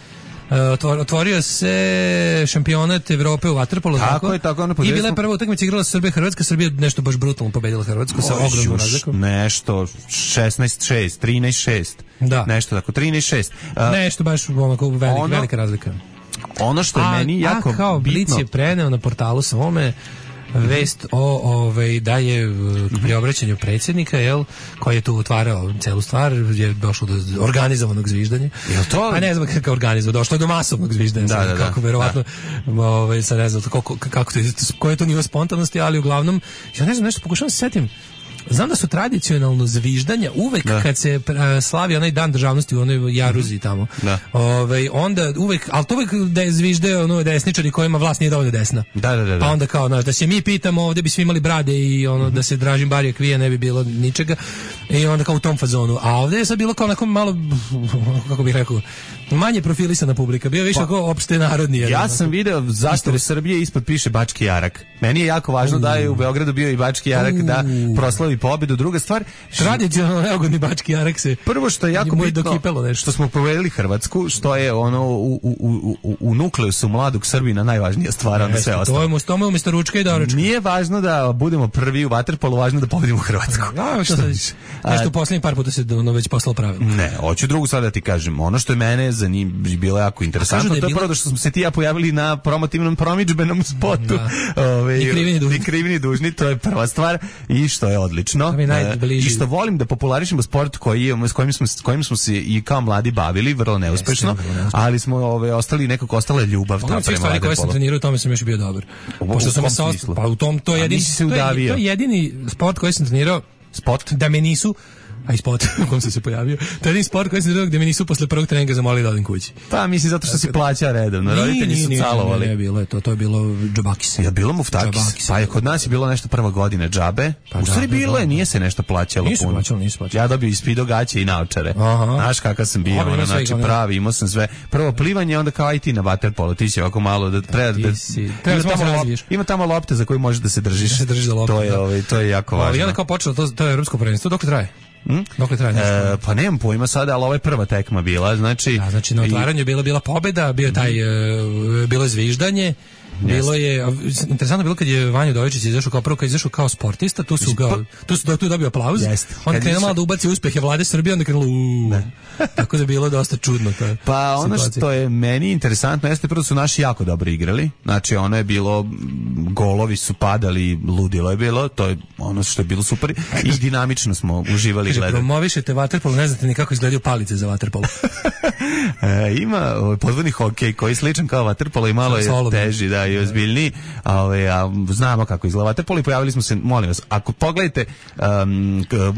Otvorio se šampionat Evrope u vaterpolu, tako? I bila je prva utakmica, igrala Srbija nešto baš brutalno pobedila Hrvatsku sa ogromnom razlikom. Nešto 16-6, 13-6. Da. Nešto tako 13-6. Nešto baš velika razlika. Ono što je meni jako kao bitno. Blic je preneo na portalu svome vest o da je pri obraćanju predsjednika, koji je tu otvarao celu stvar, je došlo do organizovanog zviždanja. Jel to? A ne znam kako organizovano, došlo je do masovnog zviždanja. Da. Kako verovatno, sad ne znam kako to, koji je to nivo spontanosti, ali uglavnom, ja ne znam, nešto pokušavam se setim. Znam da su tradicionalno zviždanja uvek kad se slavi onaj dan državnosti u onoj Jaruzi tamo. Onda uvek, ali to uvek da je zviždaju ono desničari kojima vlast nije dovoljno desna. Da. Pa onda kao, znaš, da se mi pitamo, ovdje bi svi imali brade i ono da se Dražin Barija kvije, ne bi bilo ničega. I onda kao u tom fazonu. A ovdje je sad bilo kao onako malo, kako bih rekao, manje profilisana publika. Bio više kao opšte narodni. Ja sam video zastavu Srbije, ispod piše Bački Jarak. Meni je jako važno da je u Beogradu bio i Bački Jarak da proslavi pobedu. Druga stvar, tradicionalno neugodni Bački Jarak se. Prvo što je jako bitno, što smo povedali Hrvatsku, što je ono u nukleusu mladog Srbina najvažnija stvar, onda sve ostalo. To je umjesto ručka i doručka. Nije važno da budemo prvi u vaterpolu, važno da pobedimo Hrvatsku. Nešto posljednji par puta se već poslalo pravilo. Ne, hoću drugu stvar da ti kažem. Ono što je mene bilo jako interesantno, to je prvo da što smo se ti ja pojavili na promotivnom promidžbenom spotu. I krivini dužni, to je prva stvar i što je odlično. I što volim da popularišemo sport s kojim smo se i kao mladi bavili, vrlo neuspešno, ali smo nekako ostala ljubav ta prema vaterpolu. Stvari koje sam trenirao, u tome sam još bio dobar. Pošto sam se pa u tom to je jedini sport koji sam trenirao, sport da me nisu a i sport u kom sam se pojavio. To je jedan sport koji sam trenirao gde me nisu posle prvog treninga zamolili da odim kući. Pa mislim zato što si plaća redovno. Roditelji su calovali. Ne, bilo je to je bilo džabakis. Je bilo muftakis. Pa je kod nas je bilo nešto prva godina džabe. U stvari bilo je, nije se nešto plaćalo puno. Nisu plaćalo. Ja dobio i spido gaće i naočare. Znaš kakav sam bio, znači pravi, imao sam sve. Prvo plivanje, onda kao aj ti na vaterpolo, ti će ovako malo da ima tamo lopte za koju možeš da se držiš. To je jako važno. I onda kao počelo to je evropsko prvenstvo, dok traje? Dokle traje nešto? Pa nemam pojma sada, ali ovo je prva tekma bila, znači na otvaranju je bila pobeda, bilo je zviždanje. Bilo je interesantno bilo kad je Vanja Udovičić izašao kao sportista, tu dobio aplauz. Onda krenuo malo da ubaci uspehe vlade Srbije, onda krenulo tako da je bilo dosta čudno to. Pa ono što je meni interesantno jeste prvo su naši jako dobro igrali. Znači ono je bilo, golovi su padali, ludilo je bilo, to je ono što je bilo super i dinamično smo uživali gledati. Promovišete vaterpolo, ne znate ni kako izgledaju palice za vaterpolo. Ima podvodni hokej koji je sličan kao vaterpolo i malo je teži, da, i ozbiljniji, a znamo kako izgleda vaterpolo i pojavili smo se, molim vas, ako pogledajte,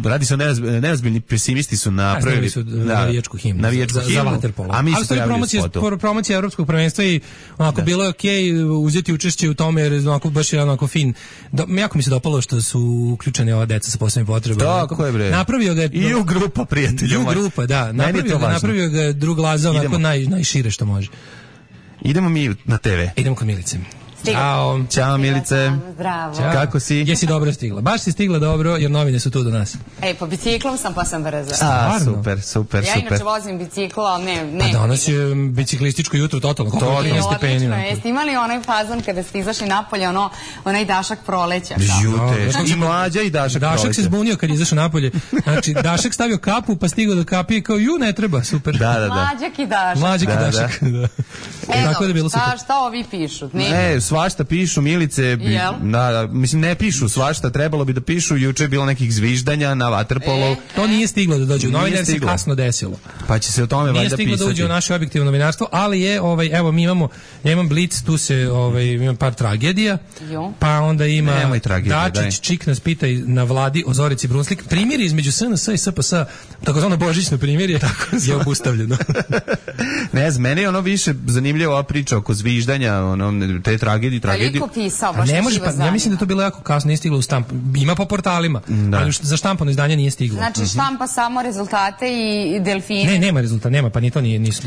radi se o neozbiljni pesimisti su napravili navijačku himnu za vaterpolo. A mi se pojavili u spotu. Promocija evropskog prvenstva i onako bilo je okej uzeti učešće u tome jer onako baš je onako fin. Jako mi se dopalo što su uključeni ova deca sa posebnim potrebama. Tako je bre. Napravio ga i u grupa prijatelja. I u grupa, da. Napravio ga drug Laza onako najšire što može. Idemo mi na TV. Idemo kod Milice. Ćao Milice. Zdravo. Kako si? Jesi dobro stigla? Baš si stigla dobro jer novine su tu do nas. Po biciklom sam pa sam brzo. Super. Ja inače vozim biciklo, ali ne. A danas je biciklističko jutro totalno. Odlično. Jeste imali onaj fazon kada ste izašli napolje, onaj dašak proleća? I Mlađa i dašak proleća. Dašak se zbunio kad je izašao napolje. Znači, Dašak stavio kapu pa stigao do kapije kao ne treba, super. Da. Mlađak i dašak. Tako da je bilo super. Šta ovi pišu? Svašta pišu, Milice, mislim ne pišu svašta, trebalo bi da pišu, juče je bilo nekih zviždanja na vaterpolu. To nije stiglo da dođe u novine, jer se kasno desilo. Pa će se o tome valjda pisati. Nije stiglo da uđe u naše objektivno novinarstvo, ali je, evo mi ja imam Blic, tu se, imam par tragedija, pa onda ima Dačić, Čik nas pita na vladi o Zorici Brunslik, primjer između SNS i SPS, takozvano božićno primjer je obustavljeno. Ne znam, meni je ono više zanimljivo ova priča oko zviždanja, te tragedije. Koliko pisao, baš ne može, ja mislim da to bilo jako kasno, nije stiglo u štampu. Ima po portalima, ali za štampano izdanje nije stiglo. Znači štampa samo rezultate i delfine? Ne, nema rezultata, nema, pa ni to nije. Nisu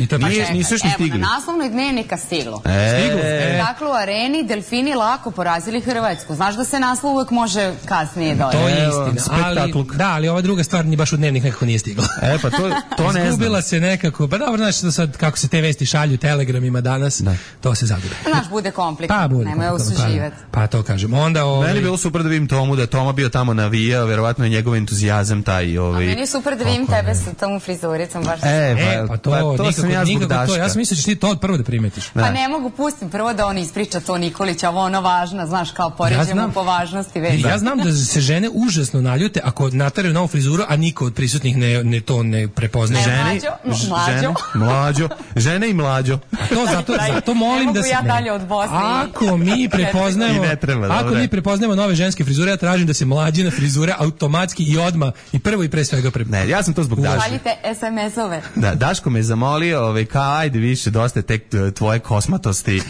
još ni stigli. Evo, na naslovnoj Dnevnika stiglo. Stiglo? Dakle, u areni delfini lako porazili Hrvatsku. Znaš da se naslov uvek može kasnije dodati. To je istina, ali ova druga stvar ni baš u Dnevnik nekako nije stigla. Pa to ne znam. Izgubila se nekako, pa dobro, znaš da sad kako se te vesti šalju telegramima danas, to se zagube. Znaš, bude komplikovano, nemoj usuživati. Pa to kažem. Onda meni je bilo super da vidim Tomu, da je Toma bio tamo navijao, verovatno je njegov entuzijazam taj. A meni je super da vidim tebe sa tom frizuricom, baš. Pa to sam ja zbog Daška. Ja sam mislio da ćeš ti to prvo da primetiš. Pa ne mogu, pustim prvo da on ispriča to Nikolića, ovo ono važno, znaš, kao poređemo po važnosti već. Ja znam da se žene užasno naljute ako nataraju novu frizuru, a niko od prisutnih ne prepoznaje. Žene i mlađo. Zato molim da se... Ne mogu ja dalje od Bosne. Ako mi prepoznajemo nove ženske frizure, ja tražim da se mlađina frizure automatski i odmah i prvo i pre svega Ne, ja sam to zbog Daške. Šaljite SMS-ove. Da, Daško me zamolio, kao ajde više, dosta tek tvoje kosmatosti,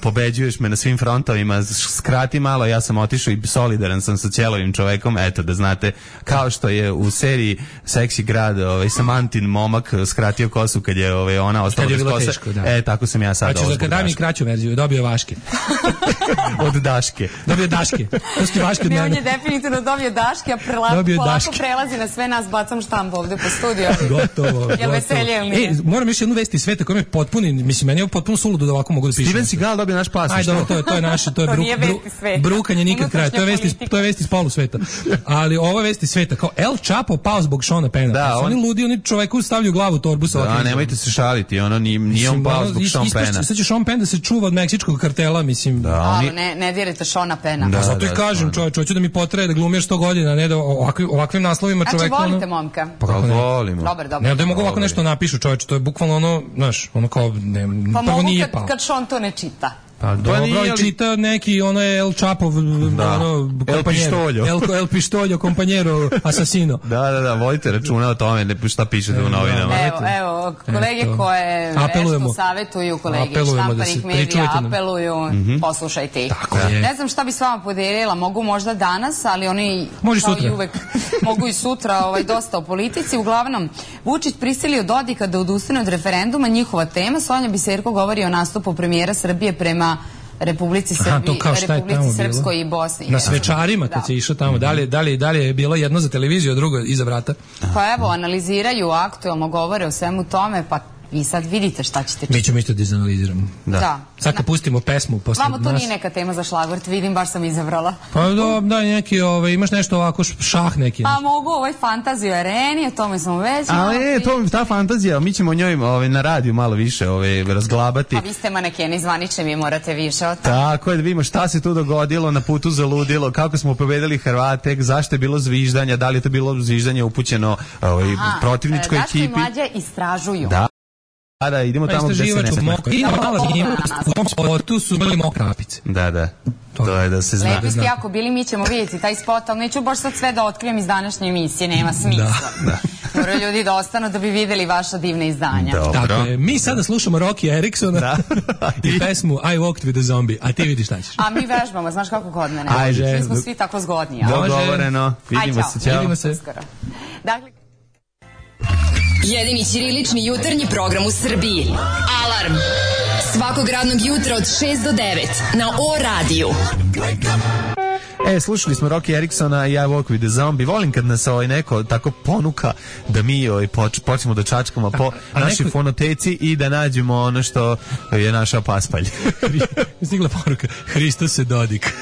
pobeđuješ me na svim frontovima, skrati malo, ja sam otišao i solidaran sam sa cijelovim čovekom, eto da znate, kao što je u seriji Seksi grad Samantin momak skratio kosu kad je ona ostala bez kose. Teško, da. Tako sam ja sad. Znači, kada mi kraću verziju, dobio Vaške. Od Daške. Dobio Daške. To su Vaške od mene. On je definitivno dobio Daške, a polako prelazi na sve nas, bacam štampu ovde po studiju. Gotovo. Jel veselje ili nije? Moram još jednu vesti sveta koja me potpuni, mislim, meni je potpuno suludo da ovako mogu da pišem. Steven Seagal dobio naš pas. Ajde, to je naše, to je brukanje nikad kraja. To je vesti iz polu sveta. Ali ovo je vesti sveta. Kao El Chapo pao zbog Seana Penna. Da, oni ludi, oni čoveku stavljaju glavu u torbu sa ovakvim. Da, nemojte se šaliti, nije on pao zbog Seana Penna. Sad će Sean Penn da se čuva od meksičkog kartela, mislim. Da, ali ne dirajte Seana Penna. Da, zato i kažem, čovječ, hoću da mi potraje da glumir 100 godina, ne da ovakvim naslovima čovjek. Znači, volite momka? Pa volimo. Dobar. Ne da mogu ovako nešto napišu, čovječ, to je bukvalno ono, znaš, ono kao, prvo nije pao. Kad Sean to ne čita. Pa dobro, čita neki, ono je El Chapov, El Pištoljo. El Pištoljo, kompanjero, asasino. Da, vodite računa o tome, šta pišete u novinama. Evo, kolege koje nešto savjetuju, kolege štampanih medija, apeluju, poslušajte ih. Ne znam šta bi s vama podelila, mogu možda danas, ali oni, kao i uvek, mogu i sutra, dosta o politici. Uglavnom, Vučić prisilio Dodika da odustane od referenduma, njihova tema. Sonja Biserko govori o nastupu premijera Srbije prema Republici Srpskoj i Bosni. Na svečarima kad se išao tamo, da li je bilo jedno za televiziju, a drugo iza vrata? Pa evo, analiziraju aktuelno, govore o svemu tome, pa vi sad vidite šta ćete čuti. Mi ćemo isto da izanaliziramo. Da. Sad kad pustimo pesmu posle nas. Vamo to nije neka tema za šlagvort, vidim, baš sam izabrala. Pa da, neki, imaš nešto ovako šah neki. Pa mogu fantaziju areni, o tome smo već. Ali ta fantazija, mi ćemo o njoj na radiju malo više razglabati. Pa vi ste manekeni zvanični, vi morate više o tome. Tako je, da vidimo šta se tu dogodilo na putu za ludilo, kako smo pobedili Hrvate, zašto je bilo zviždanja, da li je to bilo zviždanje upućeno protivničkoj ekipi. Zašto i mlađe istražuju. Da, idemo tamo gde se ne smije. U tom spotu su bili mokrapice. Da. To je da se zna. Lepi ste jako bili, mi ćemo vidjeti taj spot, ali neću baš sad sve da otkrijem iz današnje emisije, nema smisla. Moraju ljudi da ostanu da bi videli vaša divna izdanja. Tako je, mi sada slušamo Rocky Eriksona i pesmu I Walked with a Zombie, a ti vidiš šta ćeš. A mi vežbamo, znaš kako kod mene. Mi smo svi tako zgodni. Dogovoreno, vidimo se. Dakle, jedini ćirilični jutarnji program u Srbiji. Alarm! Svakog radnog jutra od 6 do 9 na O-radiju. Slušali smo Rocky Eriksona i I Walk with the Zombie. Volim kad nas neko tako ponuka da mi počnemo da čačkamo po našoj fonoteci i da nađemo ono što je naša paspalj. Stigla poruka, Hristos se Dodik.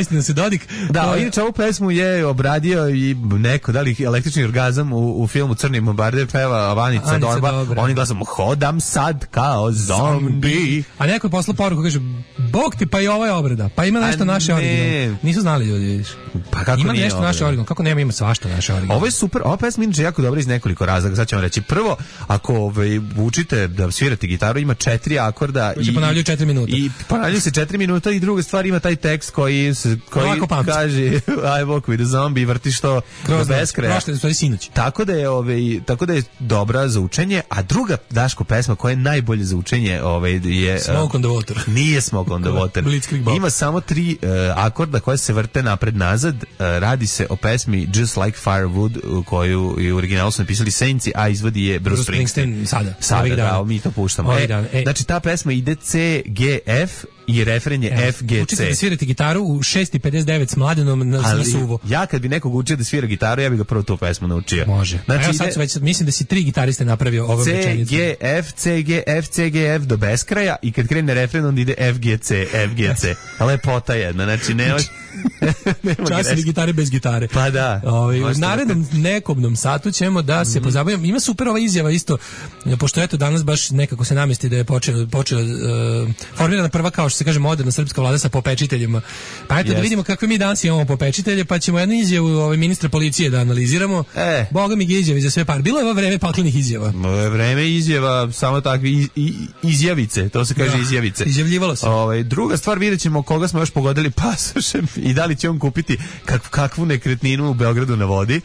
Istina se Dodik. Da, inače ovu pesmu je obradio i neko, da li električni orgazam u filmu Crni bombarder, peva Vanica Dorba. Oni glasom, hodam sad kao zombi. A neko je poslao poruku, kaže, Bog ti, pa i ovo je obrada. Pa ima nešto naše originalno. Nisu znali ljudi, vidiš. Pa kako ima nešto naše originalno. Kako nema, ima svašta naše originalno. Ovo je super, ova pesma inače jako dobra iz nekoliko razloga. Sad ćemo reći, prvo, ako učite da svirate gitaru, ima 4 akorda i ponavljaju 4 minuta. I ponavljaju se 4 minuta i druga stvar ima taj tekst koji kaže I walk with a zombie i vrtiš to do beskraja. Tako da je dobra za učenje, a druga Daško pesma koja je najbolje za učenje je Smoke on the Water. Nije Smoke on the Water. Ima samo 3 akorda koje se vrte napred-nazad. Radi se o pesmi Just Like Firewood koju je u originalu su napisali Saints, a izvodi je Bruce Springsteen. Sada, da, mi to puštamo. Znači ta pesma ide C, G, F i refren je F, G, C. Učite da svirate gitaru u 6:59 s Mladenom na suvo. Ja kad bi nekog učio da svira gitaru, ja bih ga prvo tu pesmu naučio. Može. Znači, sad već, mislim da si 3 gitariste napravio ovom rečenicu. C, G, F, C, G, F, C, G, F do beskraja i kad krene refren onda ide F, G, C, F, G, C. Lepota jedna, znači nema časili gitare bez gitare. Pa da. U narednom nekobnom satu ćemo da se pozabavimo. Ima super ova izjava isto, pošto eto danas baš nekako se namesti da je počeo formirana prva kao što se kaže moderna srpska vlada sa popečiteljima. Pa eto da vidimo kakve mi danas imamo popečitelje, pa ćemo jednu izjavu ministra policije da analiziramo. Boga mi izjavi za sve par. Bilo je ovo vreme paklenih izjava. Vreme izjava, samo takvi izjavice, to se kaže izjavice. Izjavljivalo se. Druga stvar, vidjet ćemo koga smo još pogodili pasošem i da li će on kupiti kakvu nekretninu u Beogradu na vodi.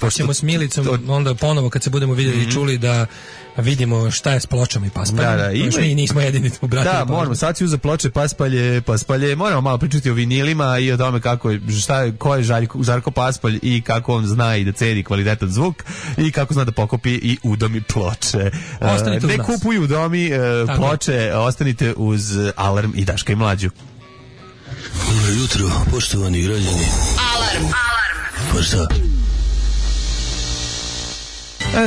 Pa ćemo s Milicom onda ponovo kad se budemo vidjeli i čuli da vidimo šta je s pločama i paspaljem. Mi nismo jedini obratili. Da, moramo, sad si uza ploče, paspalje, moramo malo pričati o vinilima i o tome ko je Žarko Paspalj i kako on zna i da ceni kvalitetan zvuk i kako zna da pokopi i udomi ploče. Ne kupuju udomi ploče, ostanite uz Alarm i Daška i Mlađu. Dobro jutro, poštovani građani. Alarm. Pa šta?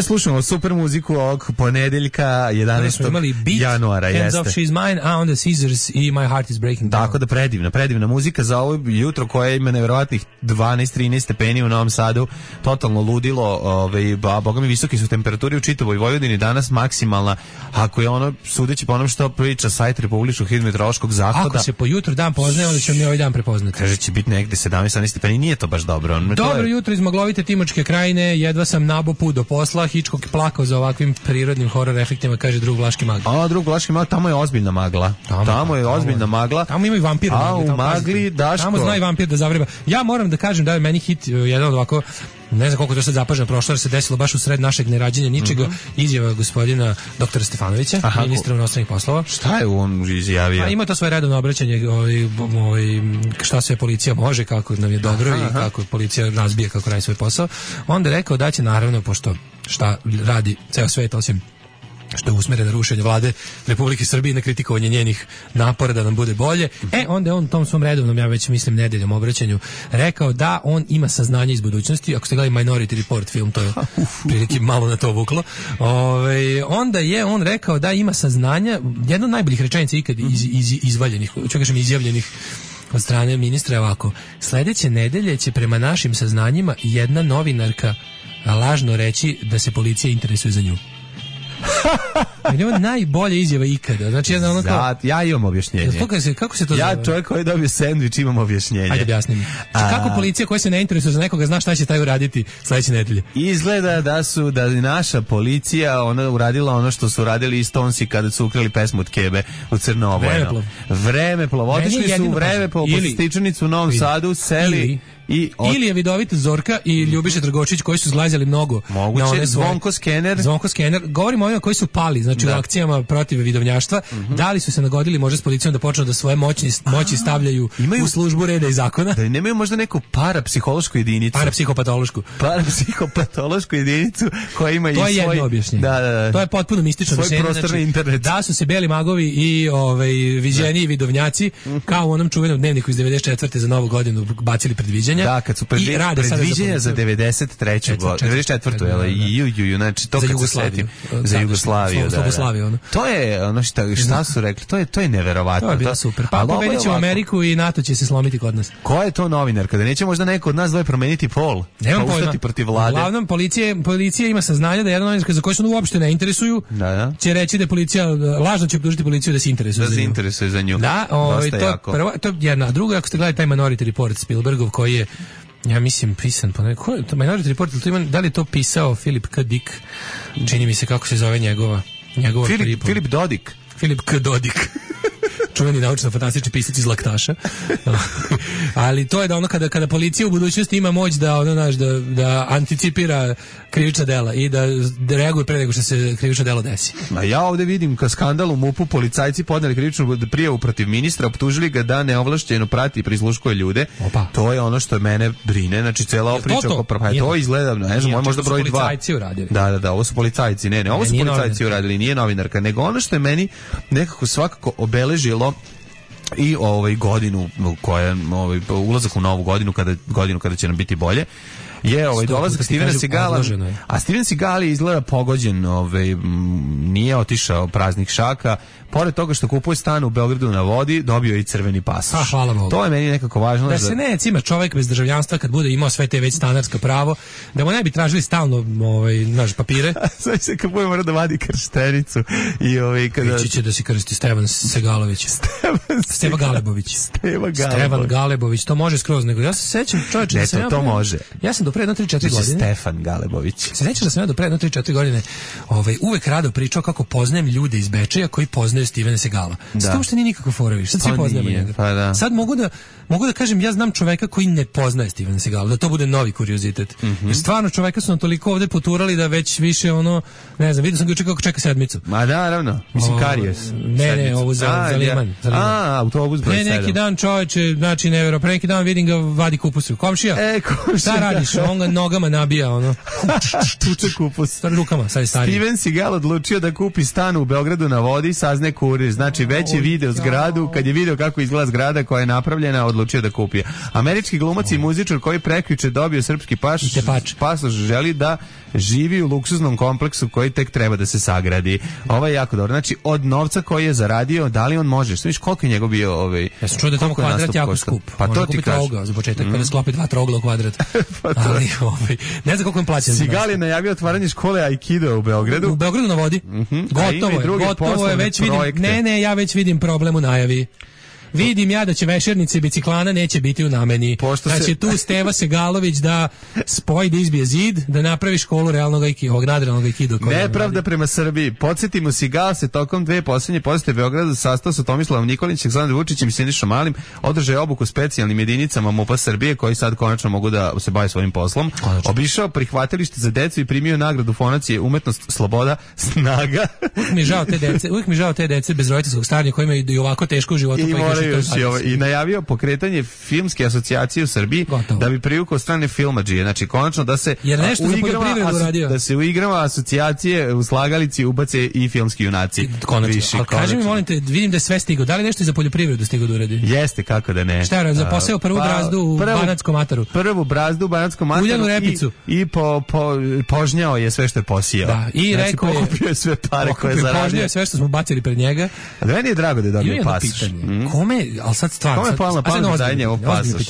Slušamo super muziku ovog ponedeljka 11. januara. Hands Off She's Mine, a onda Scissors i My Heart Is Breaking Down. Tako da predivna muzika za ovo jutro koje ima nevjerovatnih 12-13 stepeni u Novom Sadu, totalno ludilo, boga mi visoki su temperaturi u čitavoj Vojvodini danas maksimalna, ako je ono, sudeći po onom što priča sajt Republičkog hidrometeorološkog zavoda. Ako se po jutru dan poznaje, onda ćemo mi ovaj dan prepoznati. Kaže će biti negde 17-18 stepeni, nije to baš dobro. Dobro jutro iz maglovite Timočke krajine, jedva sam nabo put do posla. Hitchcock plakao za ovakvim prirodnim horor efektima, kaže drug Vlaški mag. Drug Vlaški mag, tamo je ozbiljna magla. Tamo je ozbiljna magla. Tamo ima i vampir. U magli, Daško. Tamo zna i vampir da zavreba. Ja moram da kažem da je meni hit jedan od ovako, ne znam koliko to sad zapaženo prošlo, jer se desilo baš u sred našeg nerađenja ničega, izjava gospodina doktora Stefanovića, ministra inostranih poslova. Šta je on izjavio? Ima to svoje redovno obraćanje, šta sve policija može, kako nam je dobro i kako policija razbije, kako radi svoj posao. Onda je rekao da će naravno, pošto šta radi ceo svet osim što je usmeren na rušenje vlade Republike Srbije, na kritikovanje njenih napora da nam bude bolje. Onda je on u tom svom redovnom, ja već mislim nedeljom obraćanju, rekao da on ima saznanje iz budućnosti. Ako ste gledali Minority Report film, to je prilike malo na to vuklo. Onda je on rekao da ima saznanja, jedna od najboljih rečenica ikad izvaljenih, ću kažem izjavljenih od strane ministra, ovako: sledeće nedelje će prema našim saznanjima jedna novinarka lažno reći da se policija interesuje za nju. Je ovo najbolja izjava ikada. Znači, ja imam objašnjenje. Kako se to zove? Ja, čovjek koji dobio sendvič, imam objašnjenje. Ajde, objasnim. Kako policija koja se ne interesuje za nekoga zna šta će taj uraditi sledeće nedelje? Izgleda da je naša policija uradila ono što su radili i Stonesi kada su ukrali pesmu od Kebe u Crno-Obojeno. Vremeplov. Otišli su u Vremeplov po Stičanicu u Novom Sadu, seli... Ili je vidovita Zorka i Ljubiša Trgočić koji su zglazjali mnogo. Moguće, Zvonko Skener. Govorimo o ovima koji su pali, znači u akcijama protiv vidovnjaštva. Da li su se nagodili možda s policijom da počnu da svoje moći stavljaju u službu reda i zakona? Da nemaju možda neku parapsihološku jedinicu. Parapsihopatološku jedinicu koja ima i svoj... To je jedno objašnjenje. To je potpuno mistično objašnjenje. Svoj prostorni internet. Da su se beli magovi i viđeni vidovnjaci kao u onom čuvenom dnevniku iz 94. za Novu godinu bacili predviđanja. Da, kad su predviđenja za 93. godinu, 94. Znači, to kad se setim. Za Jugoslaviju. To je ono šta su rekli, to je neverovatno. To je bilo super. Pa pobedit ćemo Ameriku i NATO će se slomiti kod nas. Ko je to novinar? Kada neće možda neko od nas dvoje promeniti pol? Nemam pojma. Ustati protiv vlade? Uglavnom, policija ima saznanja da jedna novinarka za koju se uopšte ne interesuju, će reći da policija, lažno će optužiti policiju da se interesuje za nju. Da, to je jedna. A druga, ako ste gledali taj Minority Report Spielbergov, koji je, ja mislim, pisan po neko... Minority Report, da li je to pisao Philip K. Dick? Čini mi se kako se zove njegova Filip Dodik. Filip K. Dodik. Čuveni naučno-fantastični pisac iz Laktaša. Ali to je da ono kada policija u budućnosti ima moć da anticipira krivična dela i da reaguje pre nego što se krivično delo desi. A ja ovde vidim kao skandal u MUP-u, policajci podneli krivičnu prijavu protiv ministra, optužili ga da neovlašćeno prati i prisluškuje ljude. To je ono što mene brine, znači cela ova priča oko to izgleda, ne znam, možda broj 2. Policajci uradili. Da, ovo su policajci, ne, ovo su policajci uradili, nije novinarka, nego ono što je meni nekako svakako obeležilo i godinu koja ulazak u novu godinu kada će nam biti bolje je dolazak Stevena Segala, a Steven Seagal je izgleda pogođen, nije otišao praznih šaka. Pored toga što kupuje stan u Beogradu na vodi, dobio i crveni pasoš. Hvala Bogu. To je meni nekako važno. Da se ne cima čovjek bez državljanstva kad bude imao sve te već stanarska pravo, da mu ne bi tražili stalno naš papire. Sve se kad bude mora da vadi krštenicu i kada ići će da se krsti Stevan Segalović. Stevan Galebović. Stevan Galebović, to može skroz, nego ja se sećam čovječe da sam to može. Ja sam do pre 3-4 godine. Stefan Galebović. Se sećam da sam ja do pre 3-4 godine uvek rado pričao kako poznajem ljude iz Bečeja koji poznaju Stevena Segala. Sad uopšte nije nikako fora, sad svi poznajemo njega. Pa da. Sad mogu da kažem, ja znam čoveka koji ne poznaje Stevena Segala, da to bude novi kuriozitet. Jer stvarno čoveka su nam toliko ovde poturali da već više ne znam, vidio sam ga juče kako čeka sedmicu. Ma da, naravno, mislim Karijes. Ne, ovo za Liman. Autobus broj 7. Neki dan čoveče, znači nevero, pre neki dan vidim ga vadi kupus. Komšija, šta radiš? On ga nogama nabija, tuče kupus. Rukama, sad je stariji. Steven Seagal odlučio da kupi stan u Beogradu na vodi, sazne kurir. Znači, već je video zgradu, kad je video kako izgleda zgrada koja je napravljena, odlučio da kupi. Američki glumac i muzičar koji prekjuče dobio srpski pasoš želi da živi u luksuznom kompleksu koji tek treba da se sagradi. Ovo je jako dobro. Znači, od novca koji je zaradio, da li on može? Što viš, koliko je njegov bio Ja sam čuo da je tamo kvadrat jako skup. Pa to ti kažeš. Za početak, pa da sklopi 2 trogla u kvadrat. Ali, ne znam koliko im plaćam. Seagal je najavio otvaranje škole Aikido u Beogradu. U Beogradu na vodi. Gotovo je, već vidim. Ne, ja već vidim problem u najavi. Vidim ja da će vešernice biciklana neće biti u nameni. Da će tu Steva Segalović da spoji, da izbije zid, da napravi školu realnog aikido, nadrealnog aikido. Nepravda prema Srbiji. Podsjetimo, Seagal se tokom 2 posljednje posete Beogradu sastao sa Tomislavom Nikolićem, Aleksandrom Vučićem i Sinišom Malim, održao je obuku specijalnim jedinicama MUP-a Srbije koji sad konačno mogu da se bave svojim poslom. Obišao prihvatilište za decu i primio nagradu Fonacije Umetnost, Sloboda, Snaga. Uvijek mi žao te dece bez roditeljskog staranja koji imaju i ovako teško u životu. I najavio pokretanje filmske asocijacije u Srbiji. Da bi privukao strane filmadžije. Znači, konačno da se da se u igrama asocijacije u slagalici ubace i filmski junaci. Ali kaži mi, molim te, vidim da je sve stigao. Da li nešto i za poljoprivredu stigao da uradi? Jeste, kako da ne. Šta je, za poseo prvu brazdu u Banatskom Ataru? Prvu brazdu u Banatskom Ataru. Uljanu repicu. I požnjao je sve što je posijao. Da, i znači, rekao je pokupio je sve pare koje je zaradio. Požnjao je sve što smo bacili pred njega. A da meni je drago da je dobio pasoš. Kome, ali sad stvarno... Kome je pala na pamet da je njegov pasoš?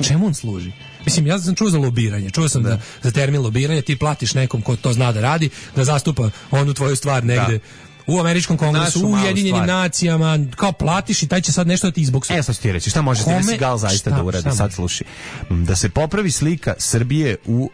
Čemu on služi? Mislim, ja sam čuo za lobiranje, čuo sam da za termin lobiranje ti platiš nekom ko to zna da radi, da zastupa onu tvoju stvar negde. U američkom kongresu, u Ujedinjenim nacijama, kao platiš i taj će sad nešto da ti izboksu. Sad ću ti reći, šta može Steven Seagal zaista da uradi, sad sluši. Da se popravi slika Srbije u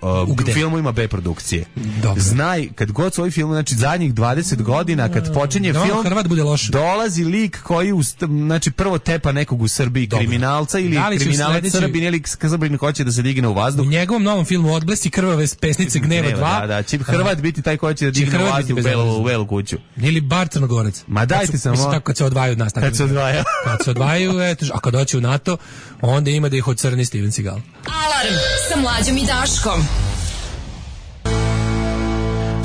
filmovima B produkcije. Dobro. Znaj, kad god svoj film, znači zadnjih 20 godina, kad počinje film, Hrvat bude loš. Dolazi lik koji, znači prvo tepa nekog u Srbiji, kriminalca ili kriminalac Srbin, ili Srbin hoće da se digne u vazduh. U njegovom novom filmu Odblesi krvave pesnice Gneva 2. Da, će Hrvat biti taj koji će da digne u vazduh u Belu kuću. Bar Crnogorac. Ma dajte samo. Mislim, tako kad se odvajaju od nas. Kad se odvajaju, eto, a kad doći u NATO, onda ima da ih ocrni Steven Seagal. Alarm sa Mlađom i Daškom.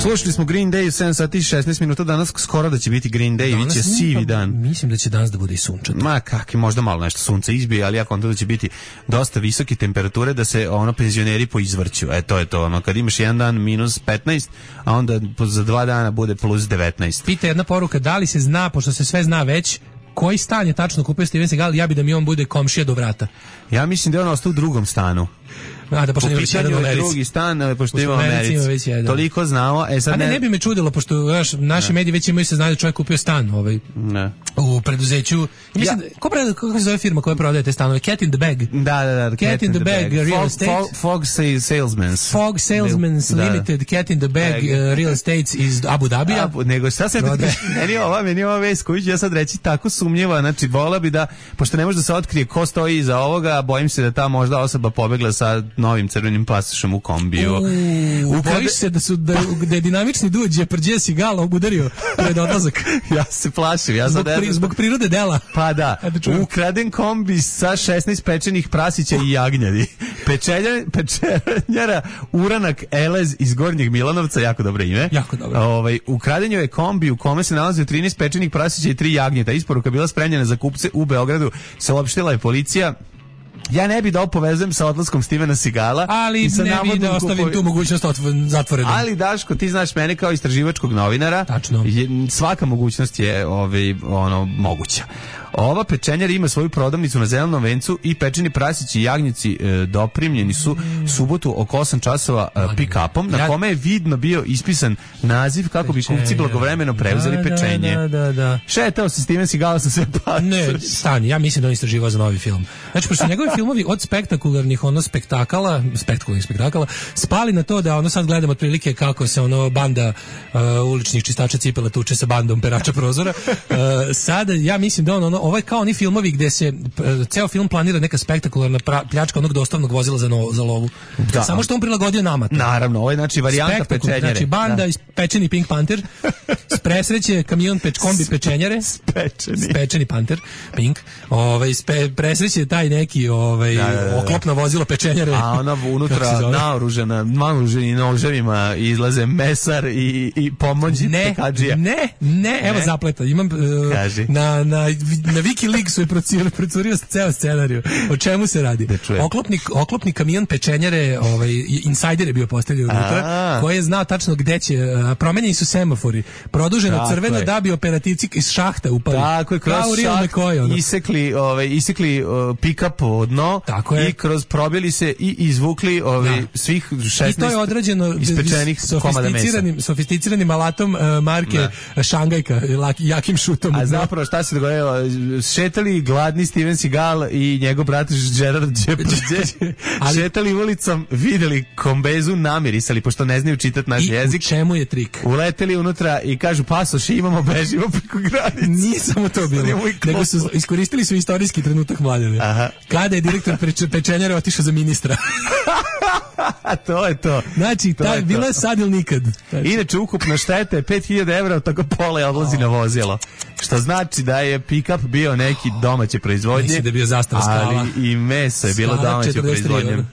Slušali smo Green Day 7 sati i 16 minuta, danas skoro da će biti Green Day, bit će sivi dan. Mislim da će danas da bude i sunčato. Ma kakvi, možda malo nešto sunce izbije, ali ja kontam da će biti dosta visoke temperature, da se penzioneri poizvrću. To je to, kad imaš jedan dan minus 15, a onda za 2 dana bude plus 19. Pita jedna poruka, da li se zna, pošto se sve zna već, koji stan je tačno kupio Steven Seagal, ja bi da mi on bude komšija do vrata. Ja mislim da je on ostao u drugom stanu. Da, pošto ima već jedan u Americi. Drugi stan, pošto ima u Americi. Toliko znamo. Sad ne bi me čudilo, pošto naši mediji već imaju se znaju da čovjek kupio stan u preduzeću. Mislim, kako se zove firma koja prodaje te stanove? Cat in the Bag. Da. Cat in the Bag, Real Estate. Fog Salesmans. Fog Salesmans Limited, Cat in the Bag, Real Estates iz Abu Dhabija. Nego šta se... Meni je ova vest koju ću ja sad reći tako sumnjiva. Znači, vola bi da, pošto ne može da se otkrije ko stoji iza ovoga, bojim se da ta možda osoba pobegla sa novim crvenim pasošem u kombiju. Bojiš se da je dinamični duđ je prđe Seagal udario pred odlazak. Ja se plašim. Zbog prirode dela. Pa da. Ukraden kombi sa 16 pečenih prasića i jagnjadi. Pečenjara Uranak Elez iz Gornjeg Milanovca, jako dobro ime. Jako dobro. Ukraden je kombi u kome se nalaze 13 pečenih prasića i 3 jagnjeta. Isporuka bila spremljena za kupce u Beogradu. Saopštila je policija. Ja ne bi da povezujem sa odlaskom Stevena Seagala, ali ne bi da ostavim tu mogućnost zatvorenom. Ali Daško, ti znaš mene kao istraživačkog novinara. Tačno. Svaka mogućnost je moguća. Ova pečenjara ima svoju prodavnicu na Zelenom vencu i pečeni prasići i jagnjeci doprimljeni su subotu oko 8 časova pick-upom, na kome je vidno bio ispisan naziv kako bi kupci blagovremeno preuzeli pečenje. Da. Šetao se Steven Seagal sa sve pace. Ne, stani, ja mislim da on istraživao za novi film. Znači, pošto njegovi filmovi od spektakularnih spektakala spali na to da sad gledamo otprilike kako se banda uličnih čistača cipela tuče sa bandom perača prozora. Sada ja mislim da ovo je kao oni filmovi gde se ceo film planira neka spektakularna pljačka onog dostavnog vozila za lovu. Da. Samo što on prilagodio nama. Naravno, ovo je znači varijanta pečenjare. Znači banda ispečeni Pink Panther, presreće kamion kombi pečenjare, spečeni Panther, Pink, presreće taj neki oklopno vozilo pečenjare. A ona unutra naoružena noževima izlaze mesar i pomoćnik pekadžija. Ne, evo zapleta. Imam na Wikileaksu je procurio ceo scenariju. O čemu se radi? Oklopni kamion pečenjare, insajder je bio postavljen unutra, koji je znao tačno gde će, promenjeni su semafori, produženo crveno da bi operativci iz šahta upali. Tako je, kroz šaht isekli pick-up od dno i kroz probili se i izvukli svih 16 i to je odrađeno ispečenih komada mesa. Sofisticiranim alatom marke Šangajka, jakim šutom. A zapravo šta se dogodilo? Šetali gladni Steven Seagal i njegov brat Gerard Depardieu. Šetali ulicom, videli kombezu, namirisali, pošto ne znaju čitati naš jezik. I u čemu je trik? Uleteli unutra i kažu pasoši, imamo, bežimo preko granice. Nije samo to bilo, nego su iskoristili su istorijski trenutak mladene. Kada je direktor pečenjare otišao za ministra. To je to. Znači, bila je sad ili nikad. Inače, ukupna šteta je 5.000 evra, od toga pola je odlazi na vozilo. Što znači da je pick-up bio neki domaće proizvodnje. Mislim da je bio Zastava Skala. Ali i meso je bilo domaće proizvodnje.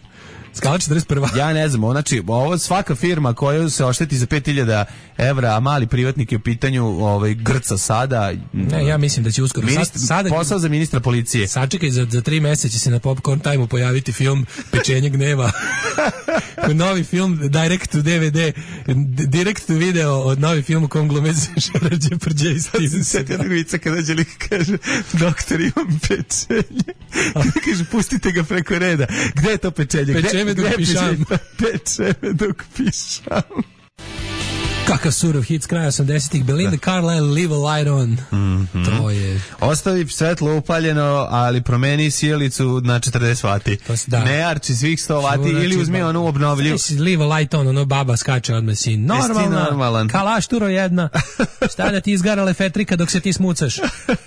Skala 41. Ja ne znam, znači, ovo svaka firma koja se ošteti za 5.000 evra, a mali privatnik je u pitanju grca sada. Ne, ja mislim da će uskoro. Posao za ministra policije. Sačekaj, za 3 meseca će se na Popcorn Time-u pojaviti film Pečenje gneva. Novi film, direct to DVD, direct to video od novi film u kom glume Gerard Depardieu i Steven Seagal. Sjeti jednog vica kada dođe lik kaže, doktor, imam pečenje. Kaže, pustite ga preko reda. Gde je to pečenje? Pečeme dok pišam. Pečeme dok pišam. Kakav surov hit s kraja 80-ih. Belinda Carlisle, Leave a Light On. To je... Ostavi svetlo upaljeno, ali promeni sjelicu na 40 vati. Ne arči svih 100 vati ili uzmi onu obnovljivu. Leave a Light On, ono baba skače odmah si. Normalan. Kalašturo jedna. Šta da ti izgarale fetrika dok se ti smucaš?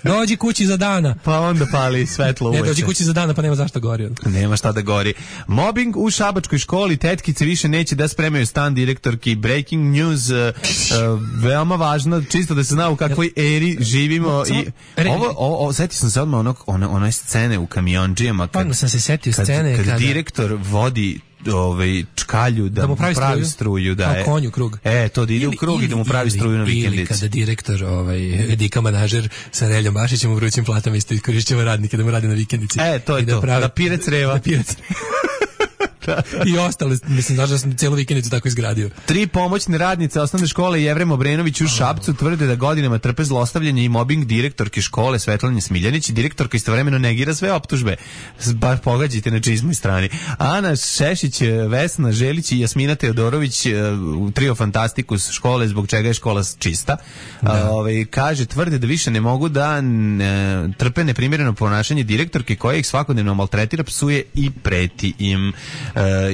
Dođi kući za dana. Pa onda pali svetlo uveče. Ne, dođi kući za dana, pa nema zašto gori. Nema šta da gori. Mobbing u šabačkoj školi. Tetkice više neće da spremaju stan direktorki. Breaking news. Veoma važno, čisto da se zna u kakvoj eri živimo. I setio sam se odmah one scene u kamionđijama kad direktor vodi čkalju da mu pravi struju, da je konju krug. To da ide u krug i da mu pravi struju na vikendici. Ili kada direktor Dika manažer sa Reljom Bašićem u vrućim platama isto iskorišćava radnike da mu radi na vikendici. To je to. Da pire creva. I ostale, mislim, znaš da sam cijelu vikendicu tako izgradio. 3 pomoćne radnice osnovne škole Jevrem Obrenović u Šapcu tvrde da godinama trpe zlostavljanje i mobbing direktorke škole Svetlane Smiljanić. Direktorka istovremeno negira sve optužbe. Bar pogađajte na čizmoj strani. Ana Šešić, Vesna Želić i Jasmina Teodorović u trio Fantastikus škole, zbog čega je škola čista. Kaže, tvrde da više ne mogu da trpe neprimjereno ponašanje direktorke koja ih svakodnevno maltretira, psuje i preti im.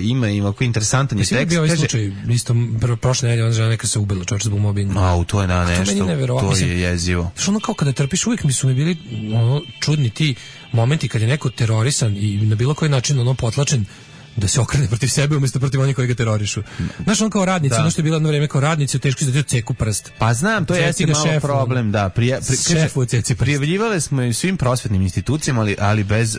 Ima ovako interesantan je tekst. Bio ovaj slučaj, isto prošle nedelje ona žena neka se ubila čovječ zbog mobinga. To je nešto, to je jezivo. Što ono kao kada trpiš, uvijek mi su mi bili čudni ti momenti kad je neko terorisan i na bilo koji način potlačen da se okrene protiv sebe umjesto protiv onih koji ga terorišu. Znaš, on kao radnici, ono što je bilo jedno vreme kao radnici, teško se da ceku prst. Pa znam, to je malo problem, da. Prijavljivali smo i svim prosvetnim institucijama, ali bez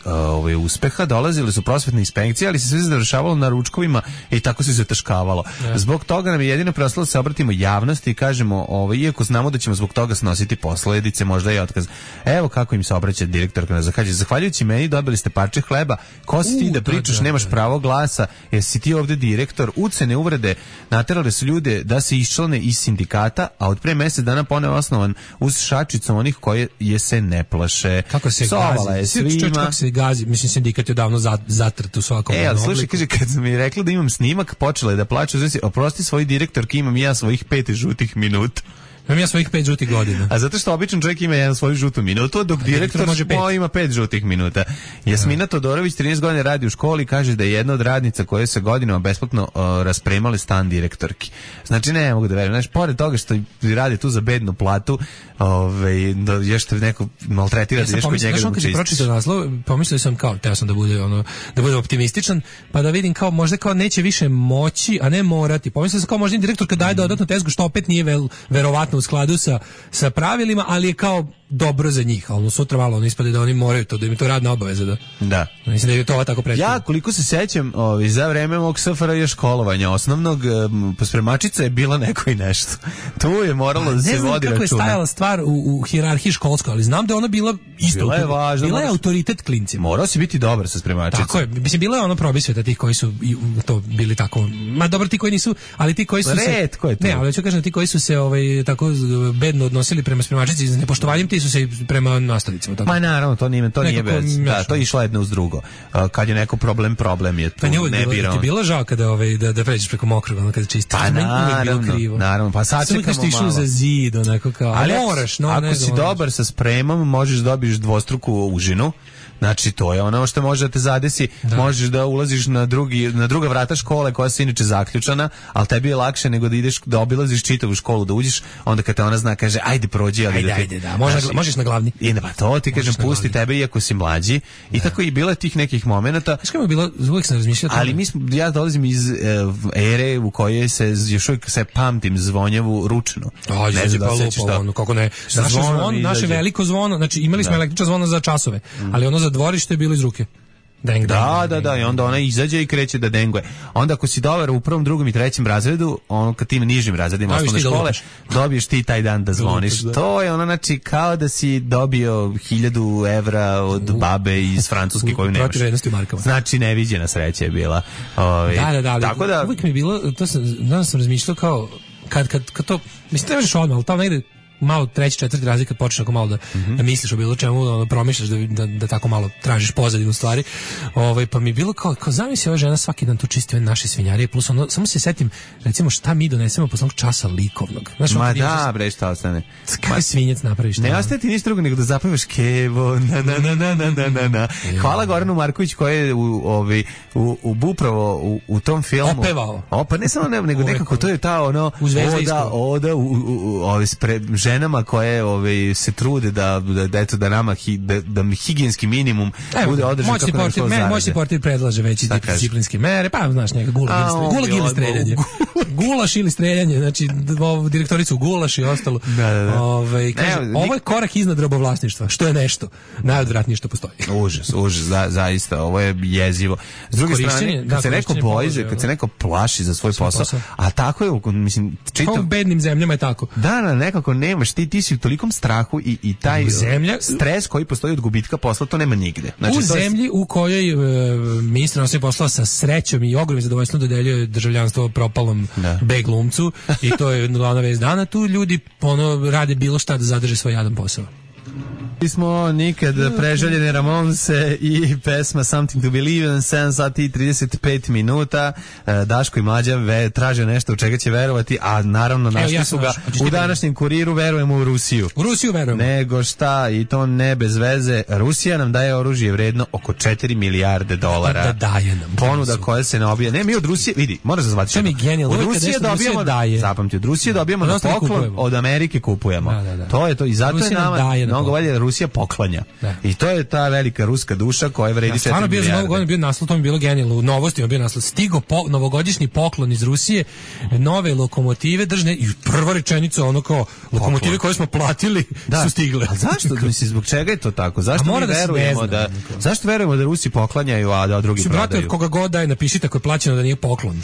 uspeha. Dolazile su prosvetne inspekcije, ali se sve završavalo na ručkovima i tako se zataškavalo. Zbog toga nam je jedino preostalo da se obratimo javnosti i kažemo, iako znamo da ćemo zbog toga snositi posledice, možda i otkaz. Evo kako im se obraća direktorka na Zahvaljujući. Zahvaljujući meni dobili ste parče hleba. Ko si ti da pričaš, nemaš pravo glasa, jer si ti ovde direktor. Ucene, uvrede naterale su ljude da se iščlane iz sindikata, a od pre mesec dana ponovo osnovan uz šačicu onih koje je se ne plaše. Kako se gazi? Kako se gazi? Mislim, sindikat je davno zatrt u svakom. Slušaj, kaže, kad sam mi rekla da imam snimak, počela je da plače. Oprosti svoj direktorki, imam ja svojih 5 žutih minuta. Imam ja svojih 5 žutih godina. A zato što običan čovjek ima jedan svoju žutu minutu, dok direktor ima 5 žutih minuta. Jasmina Todorović 13 godina radi u školi i kaže da je jedna od radnica koje se godinama besplatno raspremale stan direktorki. Znači ne mogu da verujem. Znači, pored toga što radi tu za bednu platu, još te neko maltretira da ješ kod njega da mu čistiš. Pročitao naslov, pomislio sam kao, teo sam da bude optimističan, pa da vidim kao možda kao neće više moći, a ne morati. Pomislio sam kao možda direktor kad daje dodatnu tezgu, što opet nije verovatno u skladu sa pravilima, ali je kao dobro za njih, ali sutra malo on ispade da oni moraju to, da im je to radna obaveza. Da. Mislim da je to tako predstavljeno. Ja, koliko se sećam, za vreme mog SFRJ školovanja osnovnog, spremačica je bila neko i nešto. Tu je moralo da se vodi računa. Ne znam kako je stajala stvar u hijerarhiji školskoj, ali znam da je ona bila isto. Bila je važna. Bila je autoritet klincima. Morao si biti dobar sa spremačicom. Tako je. Mislim, bila je ono probisveta tih koji su to bili tako. Ma dobro, ti koji nisu, ali ti koji su Retko je to. Ne, ali ću kažem, ti koji su se tako bedno odnosili prema spremačici s nepoštovanjem, ti su se prema nastavnicima. Ma naravno, to nije bez. Da, to je išlo jedno uz drugo. Kad je neko problem je tu ne birao. Ti bilo žao kada da pređeš preko mokrog, kada čistiš. Pa naravno, pa sačekamo malo. Išao za zid, onako kao. Ali moraš, ako si dobar sa spremom, možeš dobiješ dvostruku užinu. Znači, to je ono što može da te zadesi. Da. Možeš da ulaziš na druga vrata škole koja se inače zaključana, ali tebi je lakše nego da ideš da obilaziš čitavu školu, da uđeš, onda kad te ona zna, kaže, ajde prođi. Ajde, da. Možeš na glavni. I pa to ti kažem, pusti tebe iako si mlađi. I tako i bilo tih nekih momenata. Znaš kako je bilo, uvijek sam razmišljao. Ali ja dolazim iz ere u kojoj se još uvijek se pamtim zvonjavu ručno. Ne znam da se sećaš to. Kako ne? Naše veliko zvono, znači imali smo električno zvono za časove, ali ono za dvorište je bilo iz ruke. Da, i onda ona izađe i kreće da denguje. Onda ako si dobar u prvom, drugom i trećem razredu, ono kad ti na nižim razredima osnovne škole, dobiješ ti taj dan da zvoniš. To je ono, znači, kao da si dobio 1000 evra od babe iz Francuske koju nemaš. Znači, neviđena sreća je bila. Da, tako da uvijek mi je bilo, danas sam razmišljao kao, kad to, mislim, ne možeš odmah, ali tamo negde malo 3., 4. razred kad počneš ako malo da misliš o bilo čemu, promišljaš da tako malo tražiš pozadinu stvari. Pa mi je bilo kao zamisli ova žena svaki dan tu čisti ove naše svinjarije, plus ono, samo se setim recimo šta mi donesemo posle časa likovnog. Znaš, ma da, bre, šta ostane. Kaj svinjec napraviš? Ne ostaje ti ništa drugo nego da zapevaš Kevo, na. Hvala Goranu Marković koji je upravo u tom filmu opevao. Pa ne samo nego nekako to je ta ono oda ženama koje se trude da nama da higijenski minimum bude održan kako nam to zarade. Moćni portir predlaže veći disciplinske mere, pa znaš njega gulag ili streljanje. Gulaš ili streljanje, znači direktoricu gulaš i ostalo. Ovo je korak iznad robovlasništva, što je nešto najodvratnije što postoji. Užas, zaista, ovo je jezivo. S druge strane, kad se neko boji, kad se neko plaši za svoj posao, a tako je, mislim, čitam. U bednim zemljama je tako. Da, nekako nemaš, ti si u tolikom strahu i taj stres koji postoji od gubitka posla, to nema nigde. Znači, u zemlji u kojoj ministar inostranih poslova sa srećom i ogromnim zadovoljstvom dodeljuje državljanstvo propalom B glumcu i to je glavna vest dana, tu ljudi rade bilo šta da zadrže svoj jadan posao. Smo nikad preželjene Ramonse i pesma Something to Believe in, 7 sati i 35 minuta. Daško i Mlađa traže nešto u čega će verovati, a naravno našli su ga u današnjem Kuriru. Verujemo u Rusiju. U Rusiju verujemo. Nego šta, i to ne bez veze. Rusija nam daje oružje vredno oko 4 milijarde dolara. Da daje nam. Ponuda koja se ne obija. Ne, mi od Rusije, vidi, moraš zazvati. Od Rusije dobijamo, zapamti, od Rusije dobijamo na poklon, od Amerike kupujemo. To je to i zato je nama mnogo valje Rusija poklanja. I to je ta velika ruska duša koja vredi 4 milijarde. Bio za Novu godinu bio naslov, to mi je bilo genijalno. U novostima bio naslov: stigo novogodišnji poklon iz Rusije, nove lokomotive držne, i prva rečenica ono kao lokomotive koje smo platili su stigle. A zašto? Mislim, zbog čega je to tako? Zašto mi verujemo zašto verujemo da Rusi poklanjaju, a da drugi prodaju? Brate, od koga god daje, napišite ako je plaćeno da nije poklon.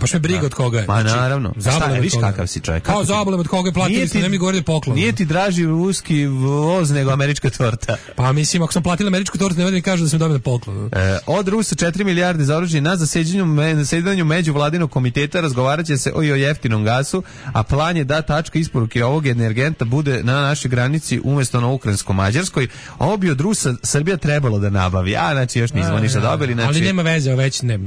Baš me briga od koga je. Ma naravno. Viš kakav si čovjek. Kao zabolem od koga je platili, ste ne mi govorili poklon. Nije ti draži ruski voz nego američka torta. Pa mislim, ako sam platila američku tortu, ne mi kažu da sam dobila poklon. Od Rusa 4 milijarde za oružje. Na zasedanju međuvladinog komiteta razgovarat će se o jeftinom gasu, a plan je da tačka isporuke ovog energenta bude na našoj granici umjesto na ukrajinsko-mađarskoj. Ovo bi od Rusa Srbija trebalo da nabavi. Znači još nismo ništa dobili. Ali nema veze, već ne.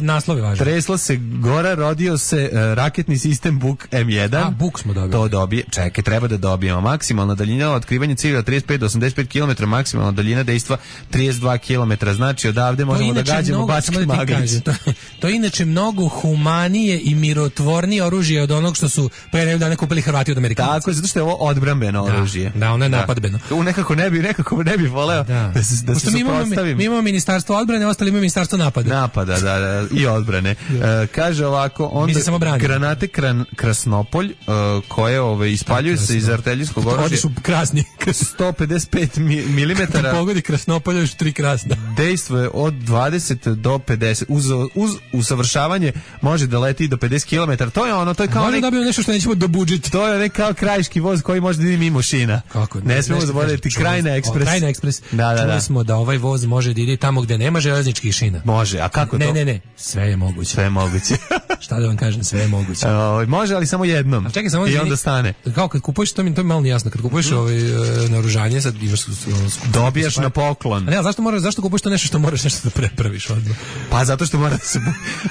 Naslov je važan. Tresla se gora, rodio se raketni sistem Buk M1. Buk smo dobili. To dobije. Čekaj, treba da dobijemo. Maksimalna daljina otkrivanja cilja 35 do 85 km, maksimalna daljina dejstva 32 km. Znači odavde možemo da gađamo Bački Magrić. To je inače mnogo humanije i mirotvornije oružje od onog što su pre nekog dana kupili Hrvati od Amerikanaca. Tako je, zato što je ovo odbrambeno oružje. Da, ono je napadbeno. Nekako ne bi voleo da se suprotstavim. Mi imamo ministarstvo odbrane, ostali imamo ministarstvo napada. Napada, da, i odbrane. Kaže ovako, onda granate Krasnopolj, koje ispaljuju se iz artiljerijskog oružja. Oni su krasni. 155 mm. Kad pogodi Krasnopolj, još 3 krasna. Dejstvo je od 20 do 50. Uz usavršavanje može da leti do 50 km. To je ono, to je kao... Možda dobijemo nešto što nećemo dobudžiti. To je kao krajiški voz koji može da ide mimo šina. Kako? Ne smemo zaboraviti Krajina Ekspres. Krajina Ekspres. Čuli smo da ovaj voz može da ide tamo gde nema železničkih šina. Može, a kako to? Ne. Sve je moguće. Sve je moguće. Šta da vam kažem, sve je moguće. Može, ali samo jednom. Čekaj, samo i onda stane. Kao kad kupuješ, to mi je malo nejasno. Kad kupuješ naoružanje, sad imaš dobijaš na poklon. A ne, zašto kupuješ to nešto što moraš nešto da prepraviš odmah? Pa zato što mora da se...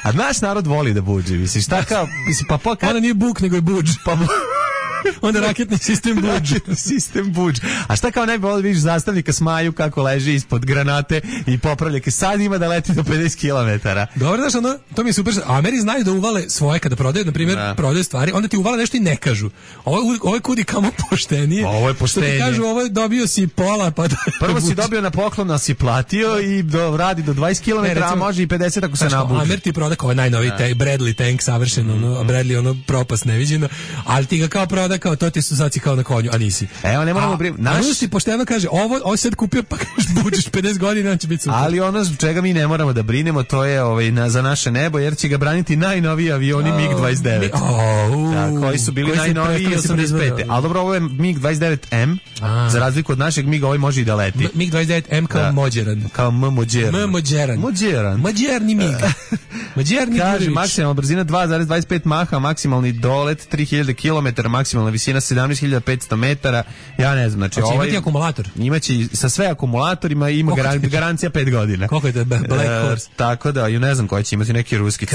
A naš narod voli da buđi, misliš, šta kao... Ona nije buk, nego je buđ. Onda raketni sistem buđ. A šta kao ne bi vidiš zastavnika Smaju kako leži ispod granate i popravljake. Sad ima da leti do 50 km. Dobro, znaš, ono, to mi je super. Ameri znaju da uvale svoje kada prodaju, na primjer, prodaju stvari, onda ti uvale nešto i ne kažu. Ovo je kudi kamo poštenije. Ovo je poštenije. Što ti kažu, ovo je dobio si pola, pa da... Prvo si dobio na poklon, a si platio i radi do 20 km, a može i 50 ako se nabuđi. Amer ti proda kao najnoviji Bradley tank, savršeno, Bradley, propast neviđeno, ali ti ga kao proda kao to ti su sad si kao na konju, a nisi. Evo, ne moramo Naš si pošteno kaže, ovo sad kupio, pa kažeš buđeš 50 godina, on će biti super. Ali ono zbog čega mi ne moramo da brinemo, to je za naše nebo, jer će ga braniti najnoviji avioni MiG-29. Koji su bili najnoviji 85. Ali dobro, ovo je MiG-29M, za razliku od našeg MiG, ovaj može i da leti. MiG-29M kao mođeran. Kao mođeran. Mođerni MiG. Kaže, maksimalna brzina 2,25 maha, maksimalni dolet 3000 km, maksimalna visina 17.500 metara. Ja ne znam, znači imati akumulator. Imaće sa sve akumulatorima, ima garancija 5 godina. Koliko je to Black Horse? Tako da, ne znam koji će imati neki ruski.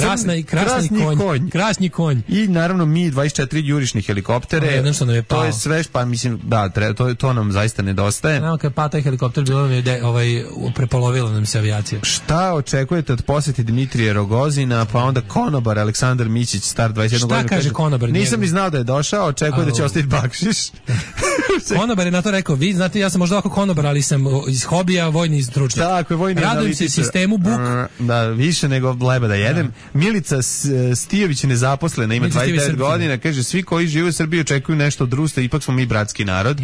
Krasni konj. I naravno Mi-24 jurišni helikoptere. To je sve, pa mislim, da, to nam zaista nedostaje. Znamo kad pa taj helikopter bilo nam je prepolovilo nam se avijacija. Šta očekujete od posjeti Dimitrije Rogozina, pa onda konobar Aleksandar Mićić, star 21 godina. Šta kaže konobar? Nisam ni znao da je došao, očekuje da će ostaviti bakšiš. Konobar je na to rekao, vi znate, ja sam možda ovako konobar, ali sam iz hobija vojni stručnjak. Tako je, vojni analitičar. Radujem se sistemu Buk. Da, više nego leba da jedem. Milica Stijović je nezaposlena, ima 29 godina, kaže, svi koji žive u Srbiji očekuju nešto od Rusa, ipak smo mi bratski narod.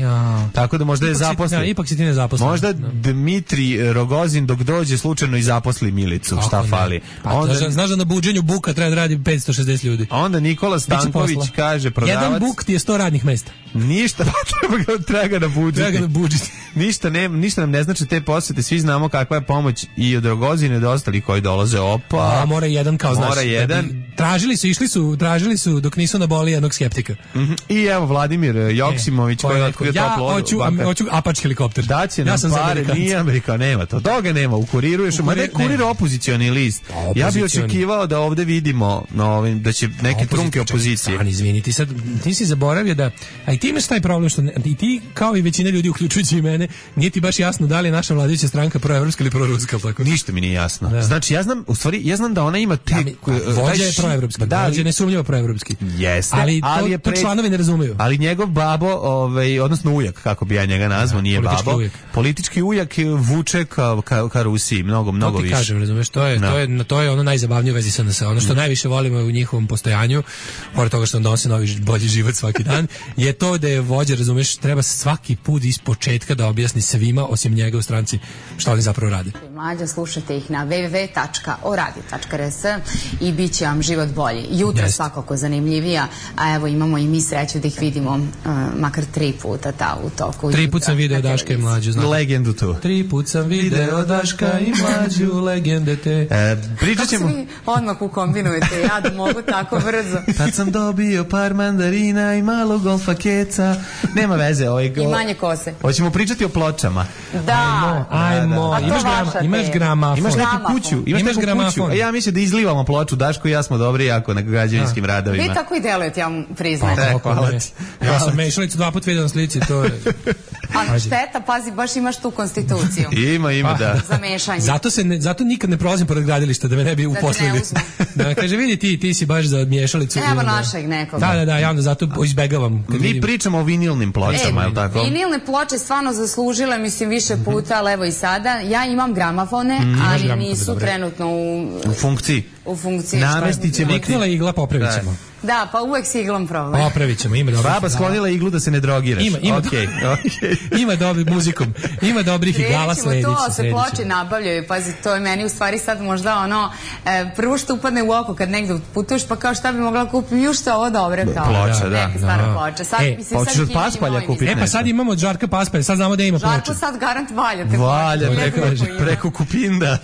Tako da možda je zaposlen. Ipak si ti nezaposlen. Možda Dmitri Rogozin dok dođe slučajno i zaposli Milicu, šta fali. Znaš da na buđenju Buka treba da radi 560 ljudi. Onda Nikola Stanković kaže, prodavac... Jedan Buk ti je 100 radnih mesta. Ništa, treba ga nabuđiti. Ništa nam ne znači te posjete, svi znamo kakva je pomoć i od Rogozine do ostalih koji dolaze. Opa. Mora jedan kao znaš. Mora jedan. Tražili su dok nisu naboli jednog skeptika. I evo Vladimir Joksimović koji je otkrio toplu vodu. Hoću Apač helikopter. Daće nam pare, nije Amerika, nema to. Toga nema, u Kuriru još. Mada je Kurir opozicioni list. Ja bih očekivao da ovde vidimo da će neke trunke opozicije. Izvini, ti si zaboravio da... A i ti imaš taj problem što i ti, kao i većina ljudi, uključujući i mene, nije ti baš jasno da li je naša vladajuća stranka proevropska ili proruska. Tako. Ništa mi nije jasno. Da. Znači, ja znam da ona ima vođa je proevropski, vođa je nesumnjivo proevropski. Jeste, ali to članovi ne razumeju. Ali njegov babo, odnosno ujak, kako bi ja njega nazvao, nije babo. Politički ujak vuče ka Rusiji, mnogo više. To ti kažem, razumeš, to je ono najzabavnije u vezi SNS. Ono što najviše volimo u njihovom postojanju, pored toga što nam donosi novi bolji život svaki dan, je to da je vođa, razumeš, treba svaki put iz početka da objasni svima, osim njega u stranci, šta oni zapravo rade. Mlađa, slušajte ih na www.oradio.rs i bit će vam život bolji. Jutro svakako zanimljivija, a evo imamo i mi sreću da ih vidimo makar 3 puta u toku. 3 puta sam video Daška i Mlađu. Legendu tu. 3 puta sam video Daška i Mlađu, legende te. Pričat ćemo... Kako se vi odmah ukombinujete, ja da mogu tako brzo. Tad sam dobio par mandarina i malo golfa keca. Nema veze. I manje kose. Hoćemo pričati o pločama. Da. Ajmo. Imaš gramafon. Imaš neku kuću. Imaš gramafon. Ja mislim da izlivamo ploču. Daško i ja smo dobri jako na građevinskim radovima. Vi tako i delujete, ja vam priznajem. Hvala ti. Ja sam mešalicu 2 puta vidio na slici, to je... Ali šteta, pazi, baš imaš tu konstituciju. Ima, da. Za mešanje. Zato nikad ne prolazim pored gradilišta, da me ne bi uposlili. Da me kaže, vidi ti si baš za mješalicu. Evo našeg nekog. Da, ja onda zato izbegavam. Mi pričamo o vinilnim pločama, je li tako? Vinilne ploče stvarno zaslužile, mislim, više puta, ali evo i sada. Ja imam gramafone, ali nisu trenutno u funkciji. Namestit ćemo. Niknula igla, popravit ćemo. Da, pa uvek s iglom problem. Popravit ćemo, ima dobrih. Baba sklonila iglu da se ne drogiraš. Ima dobrih muzikom. Ima dobrih igala, slediće. To se ploče nabavljaju, pazi, to je meni u stvari sad možda ono, prvo što upadne u oko kad negde putuješ, pa kao šta bi mogla kupiti, još što ovo dobro, kao ploča, da. Neka stara ploča. Sad, pa hoćeš od Paspalja kupiti. Pa sad imamo od Žarka Paspalja, sad znamo da ima ploča. Žarko sad garant valjate. Valja, preko Kupinda.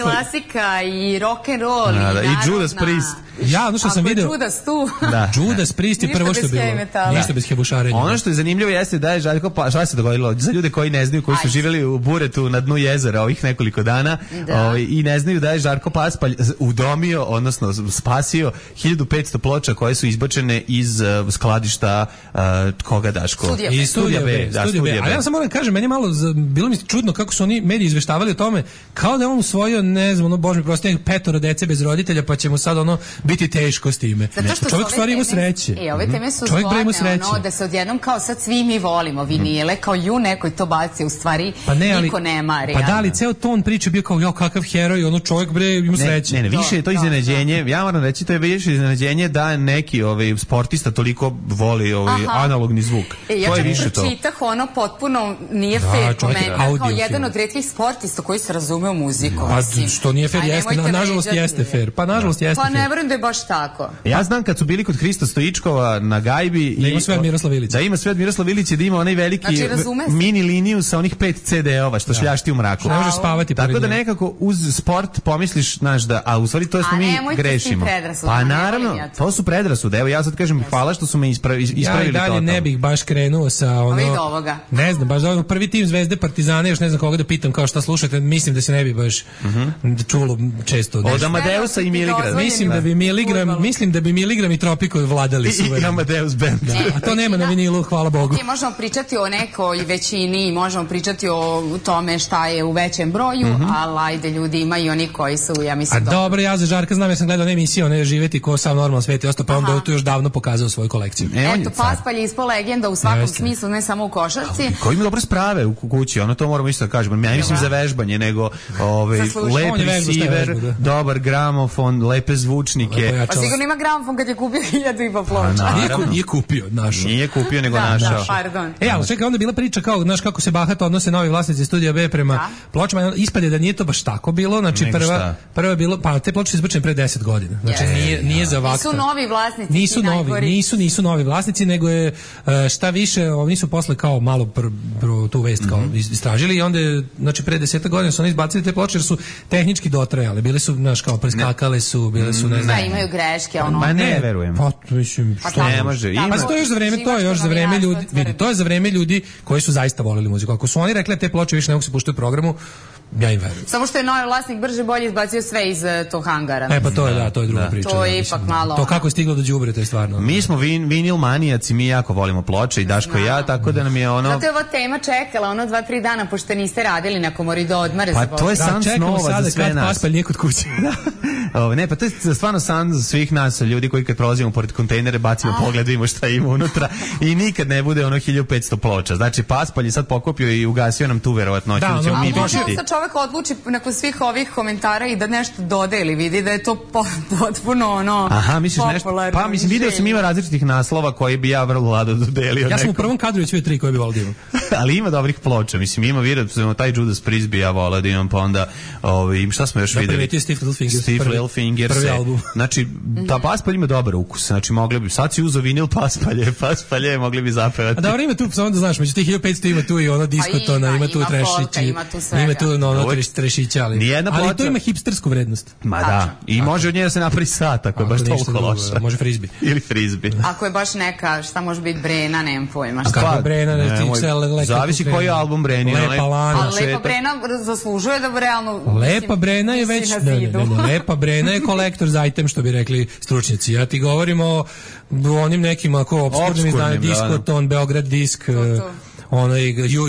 Klasika i rock'n'roll. I Judas Priest. Ja, ono što sam video... Judas tu. Judas Priest je prvo što je bilo. Ništa bez hebušarenja. Ono što je zanimljivo jeste da je Žarko Paspalj, šta se dogodilo? Za ljude koji ne znaju, koji su živjeli u buretu na dnu jezera ovih nekoliko dana i ne znaju da je Žarko Paspalj udomio, odnosno spasio 1500 ploča koje su izbačene iz skladišta koga, Daško? Iz Studija B. Ali ja sam moram kažem, meni malo bilo mi čudno kako su oni mediji izveštavali o tome, kao da je on usvojio, ne znam, ono, bože mi prosto, 5 dece bez roditelja, pa će mu sad ono biti teško s time. Čovjek stvari ima sreće. Ove teme su zgodne, ono, da se odjednom kao sad svi mi volimo vinile, kao nekoj to baci, u stvari niko ne mari. Pa da li, ceo ton priče bio kao, kakav heroj, ono čovjek ima sreće. Ne, više je to iznenađenje, ja moram reći, to je više iznenađenje da neki sportista toliko voli analogni zvuk. Ja čak pročitah, ono potpuno nije fair komentar, kao jedan od retkih sportista koji se razume u muziku. Što nije fair, jeste, nažalost jeste fair. Pa nažalost jeste fair. Pa ne verujem da je baš tako. Ja znam kad su bili kod Hrista Stoičkova na gajbi da ima sve od Miroslav Ilić. Da ima sve od Miroslav Ilić i da ima onaj veliki mini liniju sa onih 5 CD-ova što šljašti u mraku. Ne možeš spavati. Tako da nekako uz sport pomisliš, znaš, da, a u stvari to smo mi grešimo. Pa naravno, to su predrasude. Evo ja sad kažem hvala što su me ispravili to. Ja i dalje ne bih baš krenuo sa ono. Ne znam, baš da prvi tim Zvezde, Partizana, još ne znam koga da pitam kao šta slušate, mislim da se ne bi baš čulo često. Od Amadeusa i Miligrama. Mislim da bi Miligram i Tropiko vladali su. I Amadeus Band. A to nema na vinilu, hvala Bogu. Možemo pričati o nekoj većini, možemo pričati o tome šta je u većem broju, ali ajde, ljudi ima i oni koji su, ja mislim... A dobro, ja za Žarka znam, ja sam gledao emisiju, one živeti ko sam normalno sveti, ostao pa onda tu još davno pokazao svoju kolekciju. Eto, Paspalj je ispao legenda u svakom smislu, ne samo u košarci. Koji ima dobre sprave u kući, ono to moramo isto da kažemo. Ja mislim za vežbanje, nego lep receiver, dobar gramofon, lepe zvučnike. Pa sigurno ima gramofon kad je kupio 1000 ploča. Nije kupio, našao. Nije kupio, nego našao. Da, pardon. Ali čekaj, onda je bila priča kao, znaš kako se bahato odnose novi vlasnici Studija B prema pločama. Ispade da nije to baš tako bilo. Znači prva je bilo, pa te ploče su izbačene pre 10 godina. Znači nije za vakta. Nisu novi vlasnici. Nisu novi vlasnici, nego je šta više, oni su posle kao malo tu vest kao istražili i onda je, znači pre 10 godina su oni izbacili te ploče jer su tehnički dotrajale. Bile su, znaš, kao preskakale su, bile su, ne znam. Da, imaju greške, ono. Ma ne verujem. Pa, mislim, što ne može. Pa to je još za vreme ljudi, vidi, to je za vreme ljudi koji su zaista voleli muziku. Ako su oni rekli te ploče više ne mogu se puštati u programu, Ja im verujem. Samo što je novi vlasnik brže bolje izbacio sve iz tog hangara. Pa to je, to je druga priča. To je ipak malo... To kako je stiglo do đubre, to je stvarno... Mi smo vinil manijaci, mi jako volimo ploče i Daško i ja, tako da nam je ono... Zato je ova tema čekala 2-3 dana, pošto niste radili na Komori do odmare. Pa to je san snova za sve nas. Paspalj nije kod kuće. Ne, pa to je stvarno san za svih nas, ljudi koji kad prolazimo pored kontejnere bacimo pogled, vidimo šta ima unutra i nikad ne bude 1500 ploča. Znači Paspalj je sad pokupio i ugasio nam tu verovatnoću. Da, ali možda se čovek odluči nakon svih ovih komentara i da nešto dode ili vidi da je to potpuno misliš nešto? Pa mislim, video sam ima različitih naslova koji bi ja vrlo lado dodelio. Ja sam u prvom kadru već 3 koje bi volio da imam. Ali ima dobrih ploča, mislim, ima video, taj Judas Priest bi ja volio da imam, pa onda šta smo još videli? Steve Little Fingers. Prvi album. Znači, ta Paspalj ima dobar ukus, znači mogli bi, sad si uzeo vinil Paspalje, mogli bi zapevati. A dobro, ima tu, samo da znaš, među tih 1500 ima tu i ono diskotona, ima tu trešići, ima tu trešića, ali to ima hipstersku vrednost. Ma da, i može od nje da se napravi sat, ako je baš toliko loša. Može frizbi. Ili frizbi. Ako je baš neka, šta može biti Brena, nemam pojma. A kako Brena, zavisi koji je album Breni. Lepa Lana. Ali Lepa Brena zaslužuje da realno... Lepa Brena je već... Lepa Brena je kolektor za item, što bi rekli stručnjaci. Ja ti govorim o onim nekim ako opskurnim izdanjima, Diskoton, Beograd Disk, onaj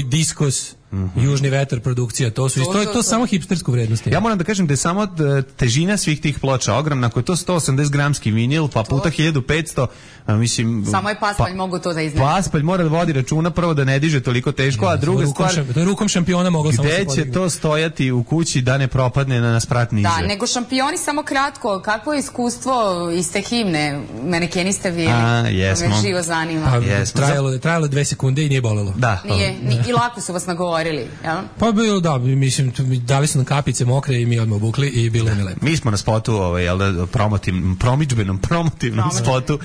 Diskos, Južni vetar produkcija, to su to samo hipstersku vrednost. Ja moram da kažem da je samo težina svih tih ploča ogromna, ako je to 180 gramski vinil, pa puta 1500, mislim... Samo je Paspalj mogu to da iznese. Paspalj mora da vodi računa, prvo da ne diže toliko teško, a druga stvar... To je rukom šampiona moglo samo se podigne. Gde će to stojati u kući da ne propadne na sprat niže? Da, nego šampioni samo kratko, kakvo je iskustvo iz te himne? Menekeni ste bili. Jesmo. Me živo zanima. Trajalo 2 sekunde i nije bolelo. Da. Nije, i lako su vas nagovorili, jel? Pa bilo, da, mislim, dali su nam kapice mokre i mi odmah obukli i bilo mi lepo. Mi smo na spotu, promidžbenom spotu,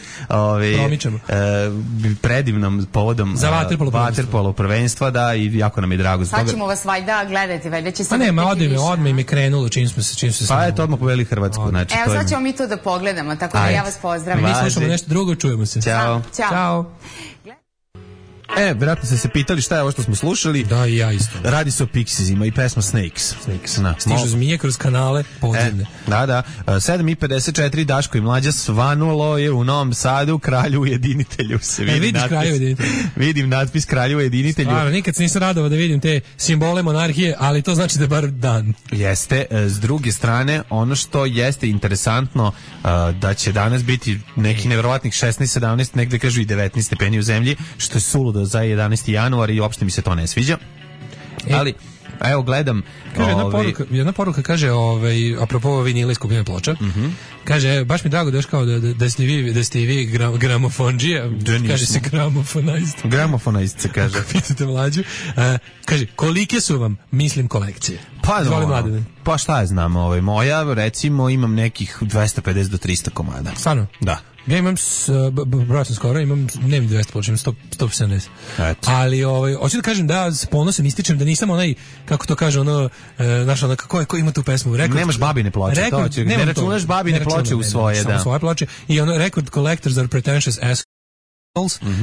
predivnom povodom za vaterpolo prvenstva, da, i jako nam je drago. Sad ćemo vas valjda gledati, valjda će se... Pa nema, odmah im je krenulo čim smo se... Pa eto, odmah poveli Hrvatsku. Evo, sad ćemo mi to da pogledamo, tako da ja vas pozdravim. Mi slušamo nešto drugo, čujemo se. Ćao. Vjerojatno ste se pitali šta je ovo što smo slušali. Da, i ja isto. Radi se o Pixiesima i pesma Snakes. Stižu zmije kroz kanale podzemne. Da. 7:54, Daško i Mlađa, svanulo je u Novom Sadu, Kralju ujedinitelju. Vidim natpis Kralju ujedinitelju. Stvarno, nikad se nisam radovao da vidim te simbole monarhije, ali to znači da je bar dan. Jeste. S druge strane, ono što jeste interesantno, da će danas biti neki nevjerovatnih 16-17, negde kažu i 19 stepeni u zemlji, što je suludo za 11. januar i uopšte mi se to ne sviđa. Ali, evo gledam... Kaže, jedna poruka kaže, apropo vinila i skupljene ploča, kaže, baš mi drago da još kao da ste i vi gramofonđija, kaže se gramofonajst. Gramofonajst se kaže. Pitate Mlađu. Kaže, kolike su vam, mislim, kolekcije? Pa šta je znam, moja, recimo, imam nekih 250 do 300 komada. Stvarno? Da. Ja imam, broj sam skoro, nemam 200 ploča, imam 170. Ali, hoću da kažem da s ponosom ističem da nisam onaj, kako to kaže, ko ima tu pesmu? Nemaš babine ploče, ne računaš babine ploče u svoje, da. Samo svoje ploče. I record collectors are pretentious assholes.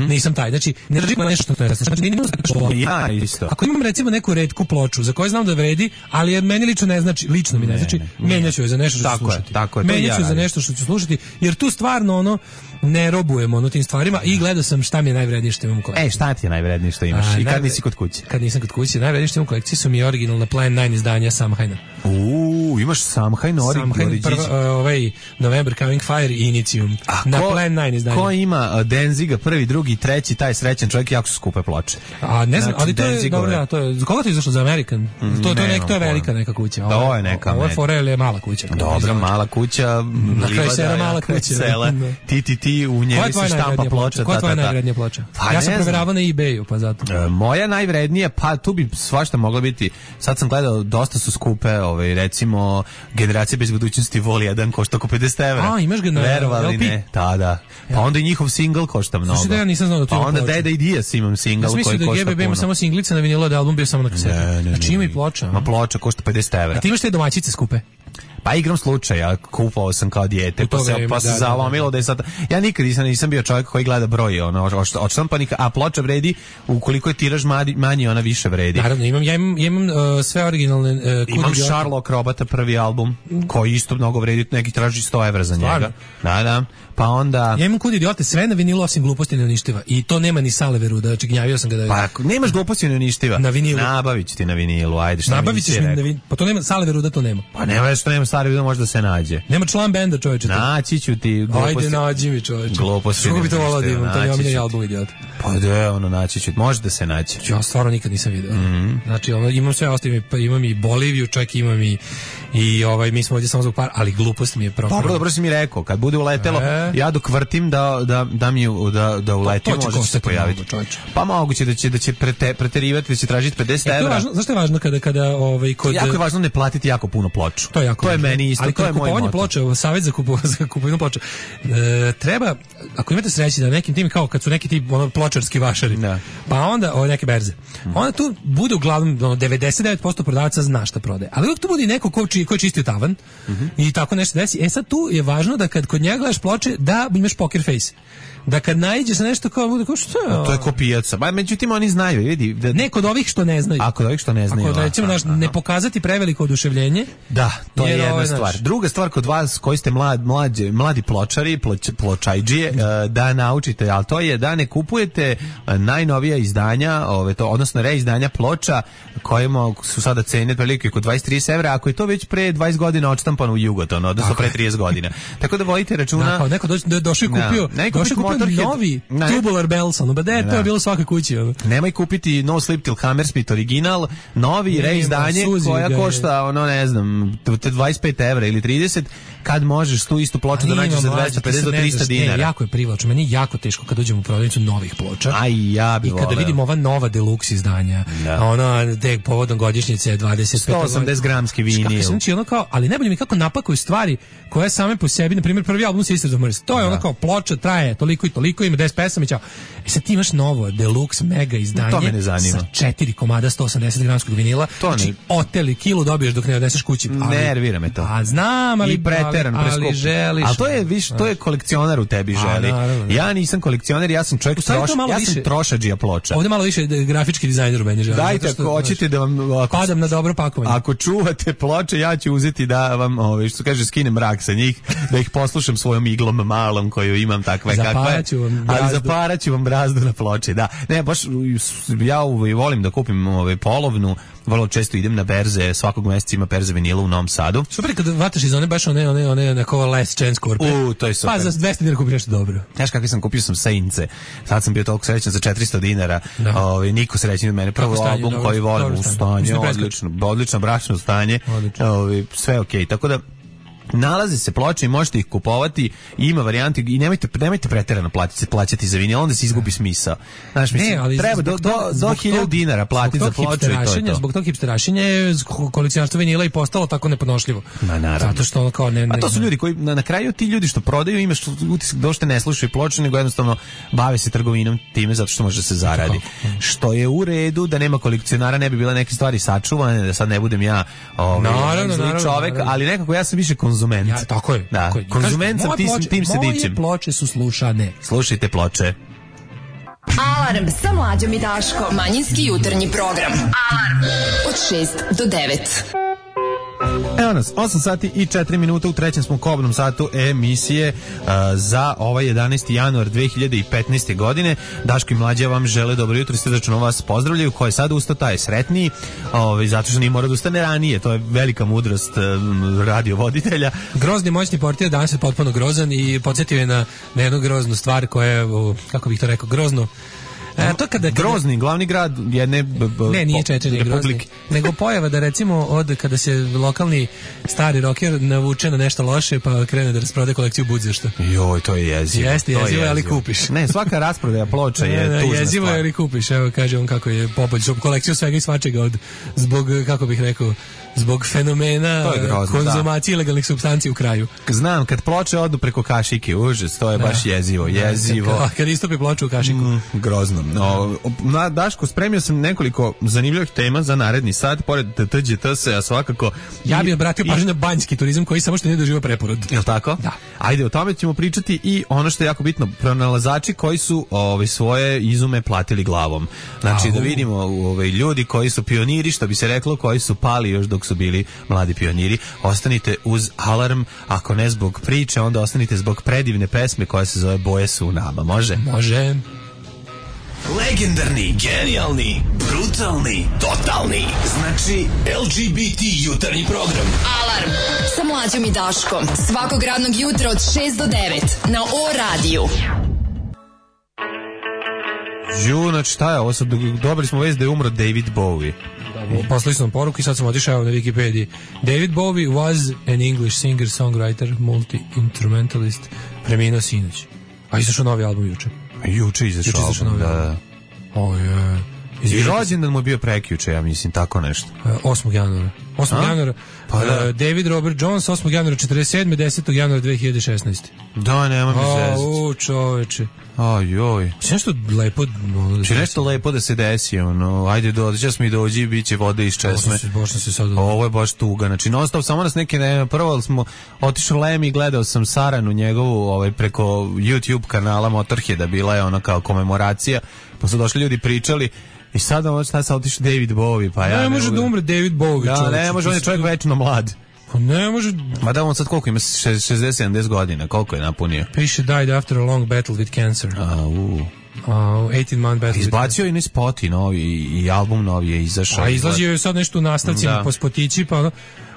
Nisam taj, znači ne držim nešto što je ja isto. Ako imam recimo neku retku ploču za koju znam da vredi, ali meni lično ne znači, menjaću je za nešto što ću slušati. Menjaću za nešto što ću slušati, jer tu stvarno ne robujem tim stvarima i gledao sam šta mi je najvrednije što imam u kolekciji. Šta ti je najvrednije što imaš? I kad nisi kod kuće? Kad nisam kod kuće, najvrednije što imam u kolekciji su mi originalna Plan 9 izdanja Samhaina. Imaš Samhain November Coming Fire i Initium na Plan 9 izdanja. Ko ima Denziga, prvi, drugi, treći, taj srećan čovjek, jako su skupe ploče. A ne znam, ali to je dobro, za koga to je izašlo, za American? To je velika neka kuća. To je neka. Ovo je Forel je mala kuća. Dobra, mala kuća. Na kraju sera mala kuća. Ti u njeli se štampa ploča. Koja je tvoja najvrednija ploča? Ja sam proveravao na eBayu, pa zato. Moja najvrednija, pa tu bi svašta mogla biti. Sad sam gledao, dosta su skupe, recimo Generacija bez budućnosti Vol 1 košta oko 50 evra. Imaš ga na verovali ne? Da. Pa onda i njihov single košta mnogo. Slušaj, da ja nisam znao da to pa onda Deda i Dias imam single koji košta puno. Ja mislim da GBB ima samo singlice na vinilu, da album bio samo na kaseti. Znači ima i ploča. Ma ploča košta 50 evra. A ti imaš te domaćice skupe? Pa igram slučaja, kupovao sam kao dijete, pa se zalomilo da je sad... Ja nikad nisam bio čovjek koji gleda broj odštampanih, a ploča vredi, ukoliko je tiraž manji, ona više vredi. Naravno, imam sve originalne... Imam Sherlock Robota, prvi album, koji isto mnogo vredi, neki traži 100 evra za njega. Da. Pa onda... Ja imam Kud idiote, sve na vinilu osim Gluposti neuništiva. I to nema ni Saleveru, da gnjavio sam ga da... Pa ako nemaš Gluposti neuništiva, na vinilu. Nabavit ću ti na vinilu, ajde, šta nabavit ćeš mi na vinilu. Pa to nema Saleveru da to nema. Pa nema što nema Saleveru da može da se nađe. Nema član benda, čoveče. Naći ću ti Gluposti. Ajde, nađi mi, čoveče. Gluposti neuništiva. Što bi to volao da imam, to je omiljeni album idiota. Pa da, naći ću, može da se naći. Ja stvarno nikad nisam vidio. Znači, imam sve ostalo, imam i Boliviju, čak imam i mi smo ovdje samo zbog para, ali Glupost mi je propao. Dobro si mi rekao, kad bude uletelo, ja dok vrtim da uleti, može se pojaviti. Pa moguće da će preterivati, da će tražiti 50 evra. Zašto je važno kada kod... Jako je važno ne platiti jako puno ploču. To je meni isto, ali to je moj moto. Ali ploča, savjet za kupovinu ploča, treba, ako imate sreći da nekim tim, kao kad su neki ti pločarski vašari, pa onda neke berze, onda tu bude uglavnom 99% prodavaca zna šta prodaje, ali uvijek tu bude neko ko je čistio tavan i tako nešto desi. Sad tu je važno da kad kod njega gledaš ploče da imaš poker face, da kad naiđeš na nešto kao bude kao što je to je ko pijaca. Ba međutim oni znaju, vidi, ne kod ovih što ne znaju. Kod ovih što ne znaju. Ako recimo ne pokazati preveliko oduševljenje. Da, to je jedna stvar. Druga stvar kod vas koji ste mladi pločari, pločajdžije, da naučite, al to je da ne kupujete najnovija izdanja, odnosno reizdanja ploča kojima su sada cene otprilike oko 20-30 evra, ako je to već pre 20 godina odštampano u Jugoton, odnosno pre 30 godina. Tako da vodite računa. Kao neko došao i kupio novi Tubular Bells, to je bilo svake kući. Nemoj kupiti No Sleep Till Hammersmith original, novi reizdanje koja košta, ne znam, 25 evra ili 30, kad možeš tu istu ploču da nađeš za 250 do 300 dinara. Jako je privlačno, meni je jako teško kad dođem u prodavnicu novih ploča. Ja bi voleo. I kada vidim ova nova deluxe izdanja, povodom godišnjice 25 180 gramski vinil. Znači ali najbolje mi kako napakuju stvari koje same po sebi, na primjer prvi album Sisters of Mercy, to je ono kao ploča traje toliko i toliko, ima 10 pesama i ćao. Sad ti imaš novo deluxe mega izdanje sa 4 komada 180 gramskog vinila, znači oteli kilu dobiješ dok ne odneseš kući. Nervira me to. Znam, ali ali želiš. Ali to je to je kolekcionar u tebi želi. Ja nisam kolekcioner, ja sam čovjek trošadžija ploča. Ovdje malo više grafički dizajner u meni želi. Dajte, ako hoćete da vam padam na dobro pakovanje. Ako čuvate ploče, ja ću uzeti da vam, što kaže, skinem mrak sa njih, da ih poslušam svojom iglom malom koju imam takve kakve. Zaparaću vam brazdu na ploči, da. Ne, baš ja volim da kupim polovnu, vrlo često idem na berze, svakog mjeseca ima berze vinila u Novom Sadu. Super kad vataš iz one baš one neko last chance korpe. To je super. Pa za 200 dinara kupiš nešto dobro. Znaš kakvi sam kupio sam Saince. Sad sam bio toliko srećan za 400 dinara. Niko srećan od mene. Prvo album koji volim u stanje, odlično bračno stanje. Sve okej. Tako da nalaze se ploče i možete ih kupovati, ima varijanti i nemojte preterano plaćati za vinil, onda se izgubi smisao. Znaš, mislim, treba do 1000 dinara platiti za ploču i to je to. Zbog tog hipsterašenja je kolekcionarstvo vinila i postalo tako nepodnošljivo. Zato što ono kao a to su ljudi koji, na kraju ti ljudi što prodaju, imaš utisak da uopšte ne slušaju ploče, nego jednostavno bave se trgovinom time zato što može da se zaradi. Što je u redu, da nema kolekcionara, ne bi bile neke stvari sačuvane, da sad ne budem ja čovek, ali nekako ja sam više konzument. Tako je. Da, konzument sam, tim se dičem. Moje ploče su slušane. Slušajte ploče. Alarm sa Mlađom i Daškom. Manjinski jutarnji program. Alarm od 6 do 9. Evo nas, 8 sati i 4 minuta, u trećem smo kobnom satu emisije za ovaj 11. januar 2015. godine. Daško i Mlađa vam žele dobro jutro i srdačno vas pozdravljaju. Ko je sad ustao, taj je sretniji, zato što nije mora da ustane ranije. To je velika mudrost radiovoditelja. Grozni moćni portir danas je potpuno grozan i podsjetio je na jednu groznu stvar koja je, kako bih to rekao, grozno. To kada Grozni, glavni grad jedne nije Čečenje Grozni, nego pojava da recimo kada se lokalni stari rocker navuče na nešto loše pa krene da rasprodaje kolekciju budzašta. Joj, to je jezivo. Jeste jezivo, ali kupiš. Ne, svaka rasprodaja ploča je tužna stvar. Jezivo je, ali kupiš. Evo kaže on kako je poboljšao kolekciju svega i svačega zbog, kako bih rekao, zbog fenomena konzumacije ilegalnih supstanci u kraju. Znam, kad ploče odu preko kašike, užas, to je baš jezivo. Kad istopi ploču u kašiku. Grozno. Na Daško, spremio sam nekoliko zanimljivih tema za naredni sat, pored TGTS, a svakako... Ja bih obratio pažnju na banjski turizam koji samo što nije doživio preporod. Jel' tako? Da. Ajde, o tome ćemo pričati i ono što je jako bitno, pronalazači koji su svoje izume platili glavom. Znači, da vidimo ljudi koji su pioniri, što bi se reklo, koji su pali još dok su bili mladi pioniri. Ostanite uz Alarm, ako ne zbog priče, onda ostanite zbog predivne pesme koja se zove Boje su u nama. Može? Može. Legendarni, genijalni, brutalni, totalni. Znači, LGBT jutarnji program. Alarm sa Mlađom i Daškom. Svakog radnog jutra od 6 do 9 na O-radiju. Znači, šta je ovo? Dobili smo vez da je umro David Bowie. Poslali smo poruku i sad sam otišao na Wikipediji. David Bowie was an English singer, songwriter, multi-instrumentalist. Preminuo sinoć. A izašao novi album juče. Juče izašao album, da. I rođendan mu je bio prekjuče, ja mislim, tako nešto. 8. januara. 8. januara. Pa da. David Robert Jones, 8. januara 47. 10. januara 2016. Da, nema mi zezati. Čoveče. Ajoj. Če nešto lepo... Če nešto lepo da se desi, ajde, dođe smo i dođi, bit će vode iz česme. Ovo je baš tuga, znači, non stop, samo nas neke, prvo smo otišli Lem i gledao sam Saranu njegovu, preko YouTube kanala Motorheada, bila je kao komemoracija, pa su došli ljudi pričali. I sada šta se otišao David Bowie, pa ja ne može da umre David Bowie. Da, ne može, on je čovjek večno mlad. Pa ne može... Ma da, on sad koliko ima? 60-70 godina, koliko je napunio? Patient died after a long battle with cancer. 18-month battle. Izbacio i ne spoti novi, i album novi je izašao. A izlazio je sad nešto u nastavcima po spotići, pa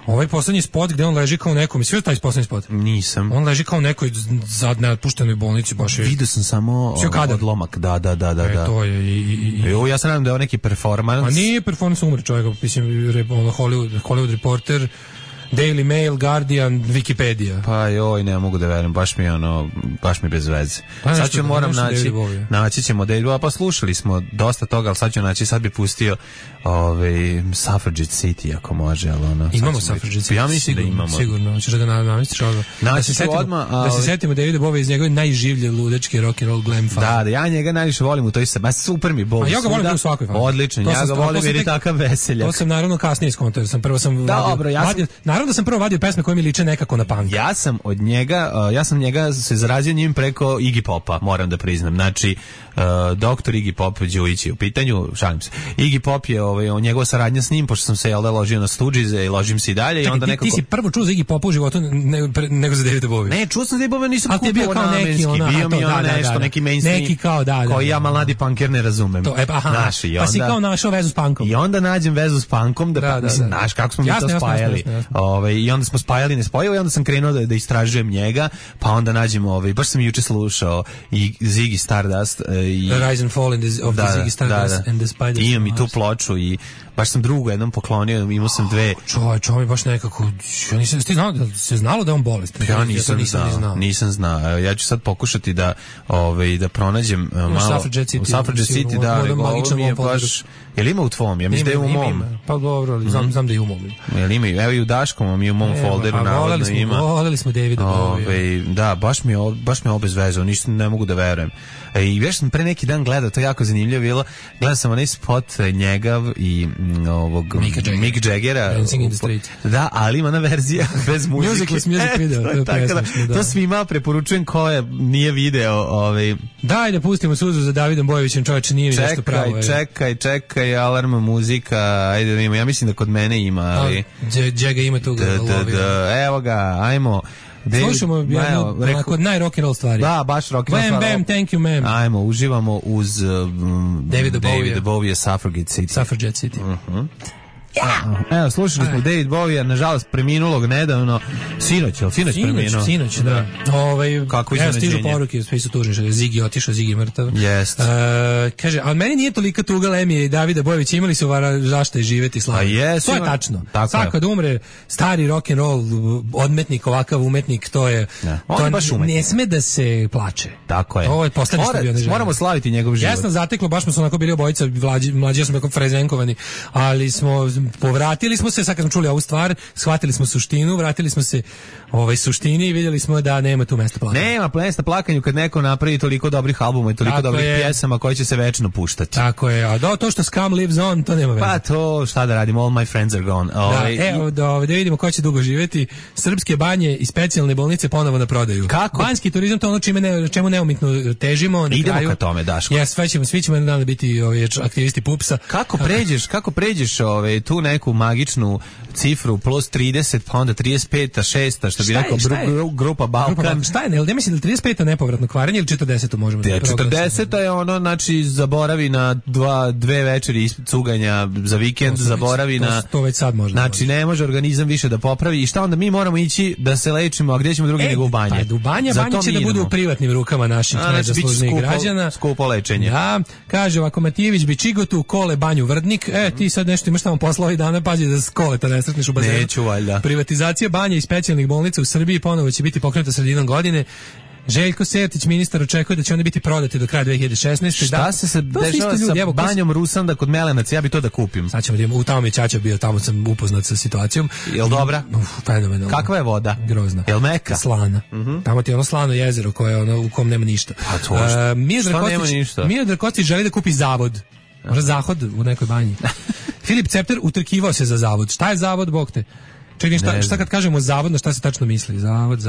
ovaj poslednji spot gde on leži kao nekom, i sve taj poslednji spot? Nisam. On leži kao nekoj sad neotpuštenoj bolnici, baš je... Vidio sam samo odlomak, da. To je ja se nadam da je on neki performans. A nije performans, umre čovjek, mislim, Hollywood Reporter, Daily Mail, Guardian, Wikipedia. Pa joj, ne mogu da verujem, baš mi bez veze. Sad ću moram naći ćemo David Bowie, pa slušali smo dosta toga, ali sad ću naći, sad bi pustio Suffragette City, ako može, ali imamo Suffragette City. Ja mislim da imamo. Sigurno, hoćeš da ga namestiš odmah. Da se setimo Davida Bowie iz njegove najživlje ludačke rock and roll glam faze. Da, ja njega najviše volim u toj se, super mi Bowie. A ja ga volim u svakoj fazi. Odlično, ja ga volim jer je takav veseljak. To sam naravno kasnije skontao, naravno da sam prvo vadio pesme koje mi liče nekako na punk. Ja sam njega se zarazio njim preko Iggy Popa, moram da priznam. Znači, doktor Iggy Pop Đujić je u pitanju, šalim se. Iggy Pop je njegova saradnja s njim, pošto sam se ložio na Stooges i ložim se i dalje. Čekaj, i onda ti si prvo čuo za Iggy Popa u životu nego za Davida Bowie? Ne, čuo sam za Davida Bowie, nisam kupio namenski. Bio mi nešto, neki mainstream, neki kao, koji ja mladi punker ne razumem. Pa si kao našao vezu s punkom. I onda nađem vezu s punkom, znaš kako smo mi to spajali. I onda smo spajali nespojivo i onda sam krenuo da istražujem njega, pa onda nađem baš sam juče slušao i Ziggy Stardust i Rise and Fall of the Ziggy Stardust and the Spiders. Imam i tu ploču i baš sam drugu jednom poklonio, imao sam dve. Čovjek baš nekako, se znalo da je on bolestan? Ja nisam znao. Ja ću sad pokušati da pronađem malo u Suffragette City, da, ovo mi je baš... Jel ima u tvom? Ja mislim da je u mom. Pa dobro, ali znam da je u mom. Jel ima? Evo i u Daškom, mi u mom folderu navodno ima. Voleli smo Davida Bowie. Da, baš mi je obezvezao, ništa ne mogu da verujem. I već sam pre neki dan gledao, to je jako zanimljivo bilo, gledao sam onaj spot njega i ovog Mick Jaggera. Dancing in the Street. Da, ali ima ona verzija bez muzike. Music video. To svima preporučujem ko je nije video. Daj da pustimo suzu za Davidom Bojevićem, čovječe, nije mi nešto pravo. Čekaj, Alarm muzika, ajde da vidimo, ja mislim da kod mene ima, ali... Jagga ima tu ga lovio. Evo ga, ajmo... Slušamo onako naj-rock'n'roll stvari. Da, baš rock'n'roll stvari. Bam, thank you, ma'am. Ajmo, uživamo uz David Bowie, Suffragette City. Evo, slušali smo David Bowie, nažalost preminulog nedavno, sinoć preminuo. Sinoć, da. Kako iznenađenje. Stižu poruke, sve su tužni, Ziggy otišao, Ziggy mrtav. Jest. Kaže, ali meni nije tolika tuga Lemije i Davida Bojević, imali su zašto je živeti slavno. To je tačno. Svako da umre stari rock'n'roll odmetnik, ovakav umetnik, to je... Ne sme da se plače. Tako je. Ovo je poslednje što bio neželjen. Moramo slaviti njegov život. Jasno zateklo, baš smo se onako bili obojica, mlađi smo jako frezenkovani, ali smo povratili smo se, sad kad smo čuli ovu stvar, shvatili smo suštinu, vratili smo se suštini i vidjeli smo da nema tu mesta plakanju. Nema mesta plakanju kad neko napravi toliko dobrih albuma i toliko dobrih pjesama koje će se večno puštati. Tako je, a to što Scum lives on, to nema veze. Pa to, šta da radimo, all my friends are gone. Da vidimo ko će dugo živjeti. Srpske banje i specijalne bolnice ponovo na prodaju. Kako? Banjski turizam, to ono čemu neumitno težimo. Idemo ka tome, Daško. Ja, svi ćemo jedan dan biti aktivisti PUPS-a. Kako pređeš tu neku magičnu cifru plus 30, pa onda 35-a, 6-a, što bi rekao grupa Balkan. Šta je, ne mislim da 35-a nepovratno kvarenje ili 40-a možemo da 40-a je ono, znači, zaboravi na dve večeri cuganja za vikend, zaboravi na... To već sad možda. Znači, ne može organizam više da popravi i šta onda mi moramo ići da se lečimo, a gdje ćemo drugi nego u banje? Pa, banja će da bude u privatnim rukama naših najzaslužnijih građana. Skupo lečenje. Da, kaže ovako, Matijević bi Čigotu, Kole, banju Vrdnik. Ti sad nešto imaš tamo posla ovih dana, pazi da Koleta ne sretneš u bazenu. Neću, valjda. Privatizacija banja i specijalnih bolnica u Srbiji ponovo će biti pokrenuta sredinom godine. Željko Sertić, ministar, očekuje da će one biti prodate do kraja 2016. Šta se dešava sa banjom Rusanda kod Melenac? Ja bi to da kupim. Sad ćemo da imamo, tamo mi je ćaća bio, tamo sam upoznat sa situacijom. Jel dobra? Fenomenalno. Kakva je voda? Grozna. Jel meka? Slana. Tamo ti je ono slano jezero koje ono, u kom nema ništa. Miodrag Kostić želi da kupi zavod. Možda zahod u nekoj banji. Filip Cepter utrkivao se za zavod. Šta je zavod, bog te? Čekaj, šta kad kažemo zavod, na šta se tačno misli? Zavod.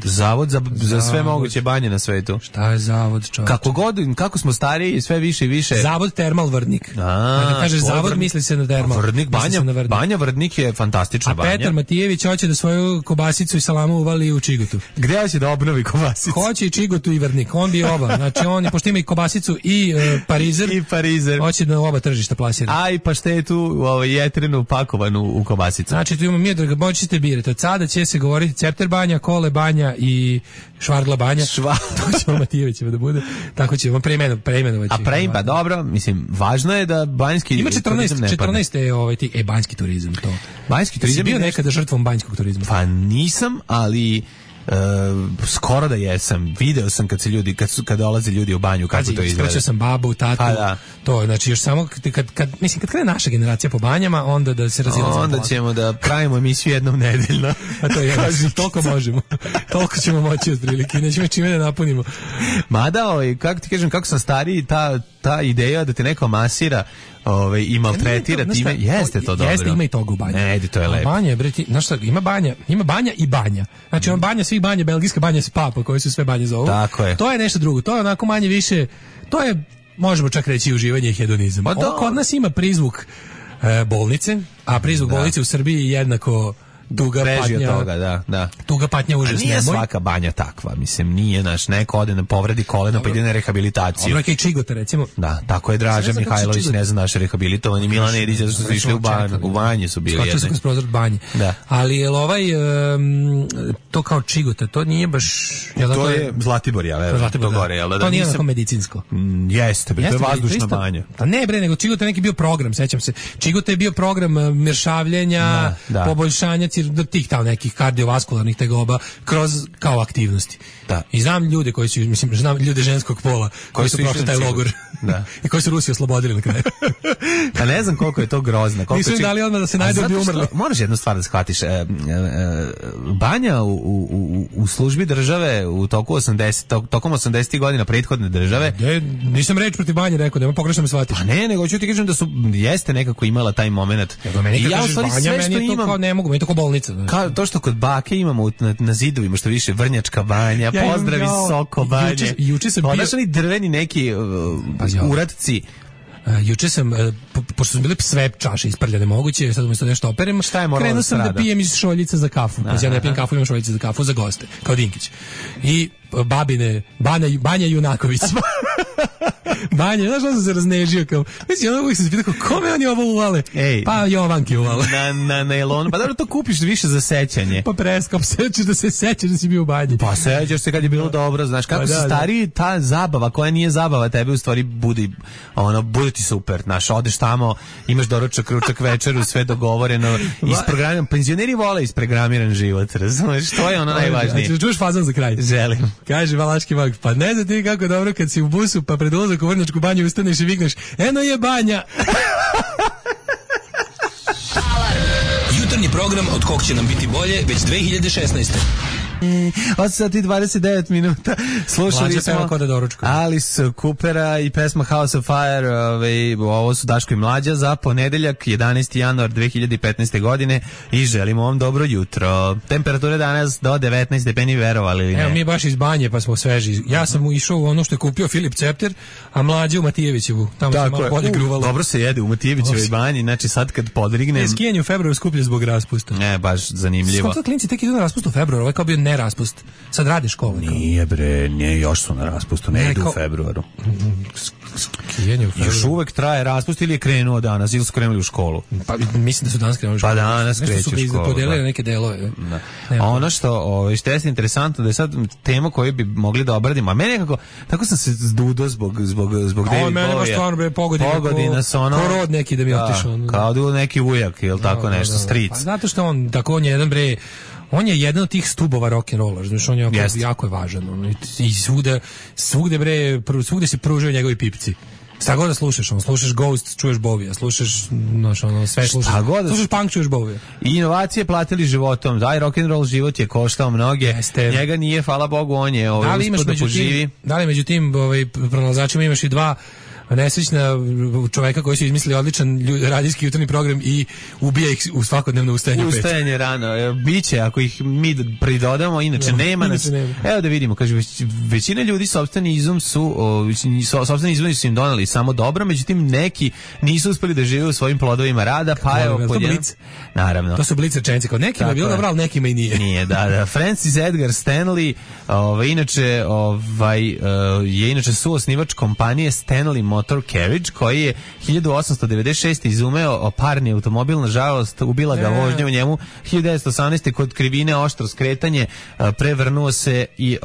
Zavod za sve moguće banje na svetu. Šta je zavod, čovječ? Kako smo stariji, sve više i više. Zavod Termal Vrdnik. Kada kažeš zavod, misli se na termal. Vrdnik, banja Vrdnik je fantastična banja. A Petar Matijević hoće da svoju kobasicu i salamu uvali u Čigotu. Gde će da obnovi kobasicu? Hoće i Čigotu i Vrdnik, on bi oba. Znači on, pošto ima i kobasicu i parizer, hoće da oba tržišta plasira. A i paštetu jetrenu pakovanu u kobasicu. Znači tu imamo da ga možete birati. Od sada će se govoriti Cepter banja, Kole banja i Švardla banja. To ćemo Matijevićeva da bude. Tako ćemo preimenovati. Pa dobro, mislim, važno je da banjski ima 14 je banjski turizam to. Banjski turizam bio nekada žrtvom banjskog turizma. Pa nisam, ali skoro da jesam. Video sam kad dolaze ljudi u banju kako to izgleda. Ispraćao sam babu, tatu. Pa da. To znači još samo kad krene naša generacija po banjama, onda da se razilazimo. Onda ćemo da pravimo emisiju jednom nedeljno. A to je toliko možemo. Toliko ćemo moći otprilike. Nećemo čime da napunimo. Mada, kako ti kažem, kako sam stariji, ta ideja da te neko masira i maltretira time, jeste to dobro. Jeste, ima i toga u banji. Ne, to je lepo. Banja, znaš šta, ima banja i banja. Znači, banja svih banja, belgijska banja spa, po kojoj su sve banje zovu. Tako je. To je nešto drugo, to je onako manje više, to je, možemo čak reći, uživanje i hedonizam. Kod nas ima prizvuk bolnice, a prizvuk bolnice u Srbiji je jednako tuga patnja. Toga, da. Tuga patnja, užas, nemoj. Nije svaka banja takva, mislim, nije neko ode na povredi kolena pa ide na rehabilitaciju. Dobro, kaj Čigota, recimo. Da, tako je Draža Mihajlović, ne znam, naš rehabilitovani Milan Edić, zato što su išli u banji su bili. Skočio se kroz prozor banje. Da. Ali je to kao Čigota, to nije baš... To je Zlatibor, to gore, jel da? To nije onako medicinsko. Jeste, to je vazdušna banja. Pa ne bre, nego Čigota je neki bio program, sećam se. Čigota je bio program mršavljenja, poboljšanja do tih tamo nekih kardiovaskularnih tegoba kroz kao aktivnosti. Da. I znam ljude koji su, mislim, znam ljude ženskog pola koji su prošli taj logor. Da. I koji su Rusiju oslobodili na kraju. Pa ne znam koliko je to grozno. Nisu im dali odmah da se najdu bi umrli. Moraš jednu stvar da shvatiš. Banja u službi države tokom 80. godina prethodne države. Nisam reč protiv banje rekao, da me pogrešno me shvatiš. Pa ne, nego ću ti kažem da jeste nekako imala taj moment. I ja u stvari sve što imam... Kao ne mogu, meni je to kao bolnica. Kao to što kod bake imamo na zidovima, što više Vrnjačka banja, pozdravi Soko banje. Juče sam bio... Odaš oni drveni neki uradci. Juče sam, pošto su bile sve čaše isprljane moguće, sad umjesto nešto operem, krenuo sam da pijem iz šoljica za kafu. Ja ne pijem kafu, imam šoljice za kafu za goste, kao Dinkić. I Banja Junaković. Banja, znaš što sam se raznežio kao, mislim, ono uvijek sam se pitao, kome oni ovo uvale? Pa Jovanki uvale. Na elonu, pa dobro to kupiš više za sećanje. Pa preskam, sećaš da se sećaš da si bio u banji. Pa sećaš se kad je bilo dobro, znaš, kako se stariji ta zabava, koja nije zabava, tebe u stvari bude ti super, znaš, odeš tamo, imaš doručak, ručak, večeru, sve dogovoreno, isprogramiran, penzioneri vole isprogramiran život, razumeš, to je ono najvažnije. Znači, čuš fazon za kraj? Želim. Kaže Valaški mag, pa ne znam ti kako dobro kad si u busu, pa pred ulazak u Vrnjačku banju ustaneš i vikneš, eno je banja. program od kog će nam biti bolje već 2016. 8 sati 29 minuta. Slušali smo Alice Coopera i pesma House of Fire. Ovo su Daško i Mlađa za ponedeljak 11. januar 2015. godine i želimo vam dobro jutro. Temperature danas do 19 stepeni, verovali ili ne? Evo, mi baš iz banje pa smo sveži. Ja sam išao u ono što je kupio Filip Cepter, a Mlađa u Matijevićevu. Tamo se malo bolje gruvalo. Dobro se jede u Matijevićevoj banji, znači sad kad podrignem... Skijanje u februaru skuplje zbog raspusta. Ne, baš zanimljivo. Skoro klinci tek idu na raspust u februaru, ovaj kao bio neraspust. Sad radi školu. Nije bre, nije, još su na raspustu, ne idu u februaru. Još uvek traje raspust ili je krenuo danas, ili su krenuli u školu? Pa mislim da su danas krenuli u školu. Pa danas kreću u školu. Podelili neke delove. A ono što je interesantno da je sad tema koju bi mogli da obradimo, a meni nekako, tako sam se zdudo zbog David Bowie. Meni baš stvarno bre pogodina sa ono... Korod neki da mi otišao. Kao da neki ujak, ili tako nešto, stric. Pa zato što on je jedan bre... On je jedan od tih stubova rock'n'rolla, znači on je jako je važan. I svugde se pružaju njegovi pipci. Šta god da slušaš, slušaš Ghost, čuješ Bovija, slušaš sve slušaš. Slušaš punk, čuješ Bovija. I inovacije platili životom. Daj, rock'n'roll život je koštao mnoge. Njega nije, hvala Bogu, on je uspod da poživi. Da li među tim pronalazačima imaš i dva nesrećna čoveka koji su izmislili odličan radijski jutarnji program i ubija ih u svakodnevno ustajanje u 5. Ustajanje rano. Biće, ako ih mi pridodamo, inače nema nas. Evo da vidimo, kaže, većina ljudi sopstveni izum su im doneli samo dobro, međutim neki nisu uspeli da žive u svojim plodovima rada, pa evo naravno. To su blic rečenice, kao nekima je bilo dobro, ali nekima i nije. Nije, da. Francis Edgar Stanley, je inače suosnivač kompanije Stanley Motor Carriage, koji je 1896. izumeo parni automobil, nažalost ubila ga vožnja u njemu. 1918. kod krivine oštro skretanje, prevrnuo se i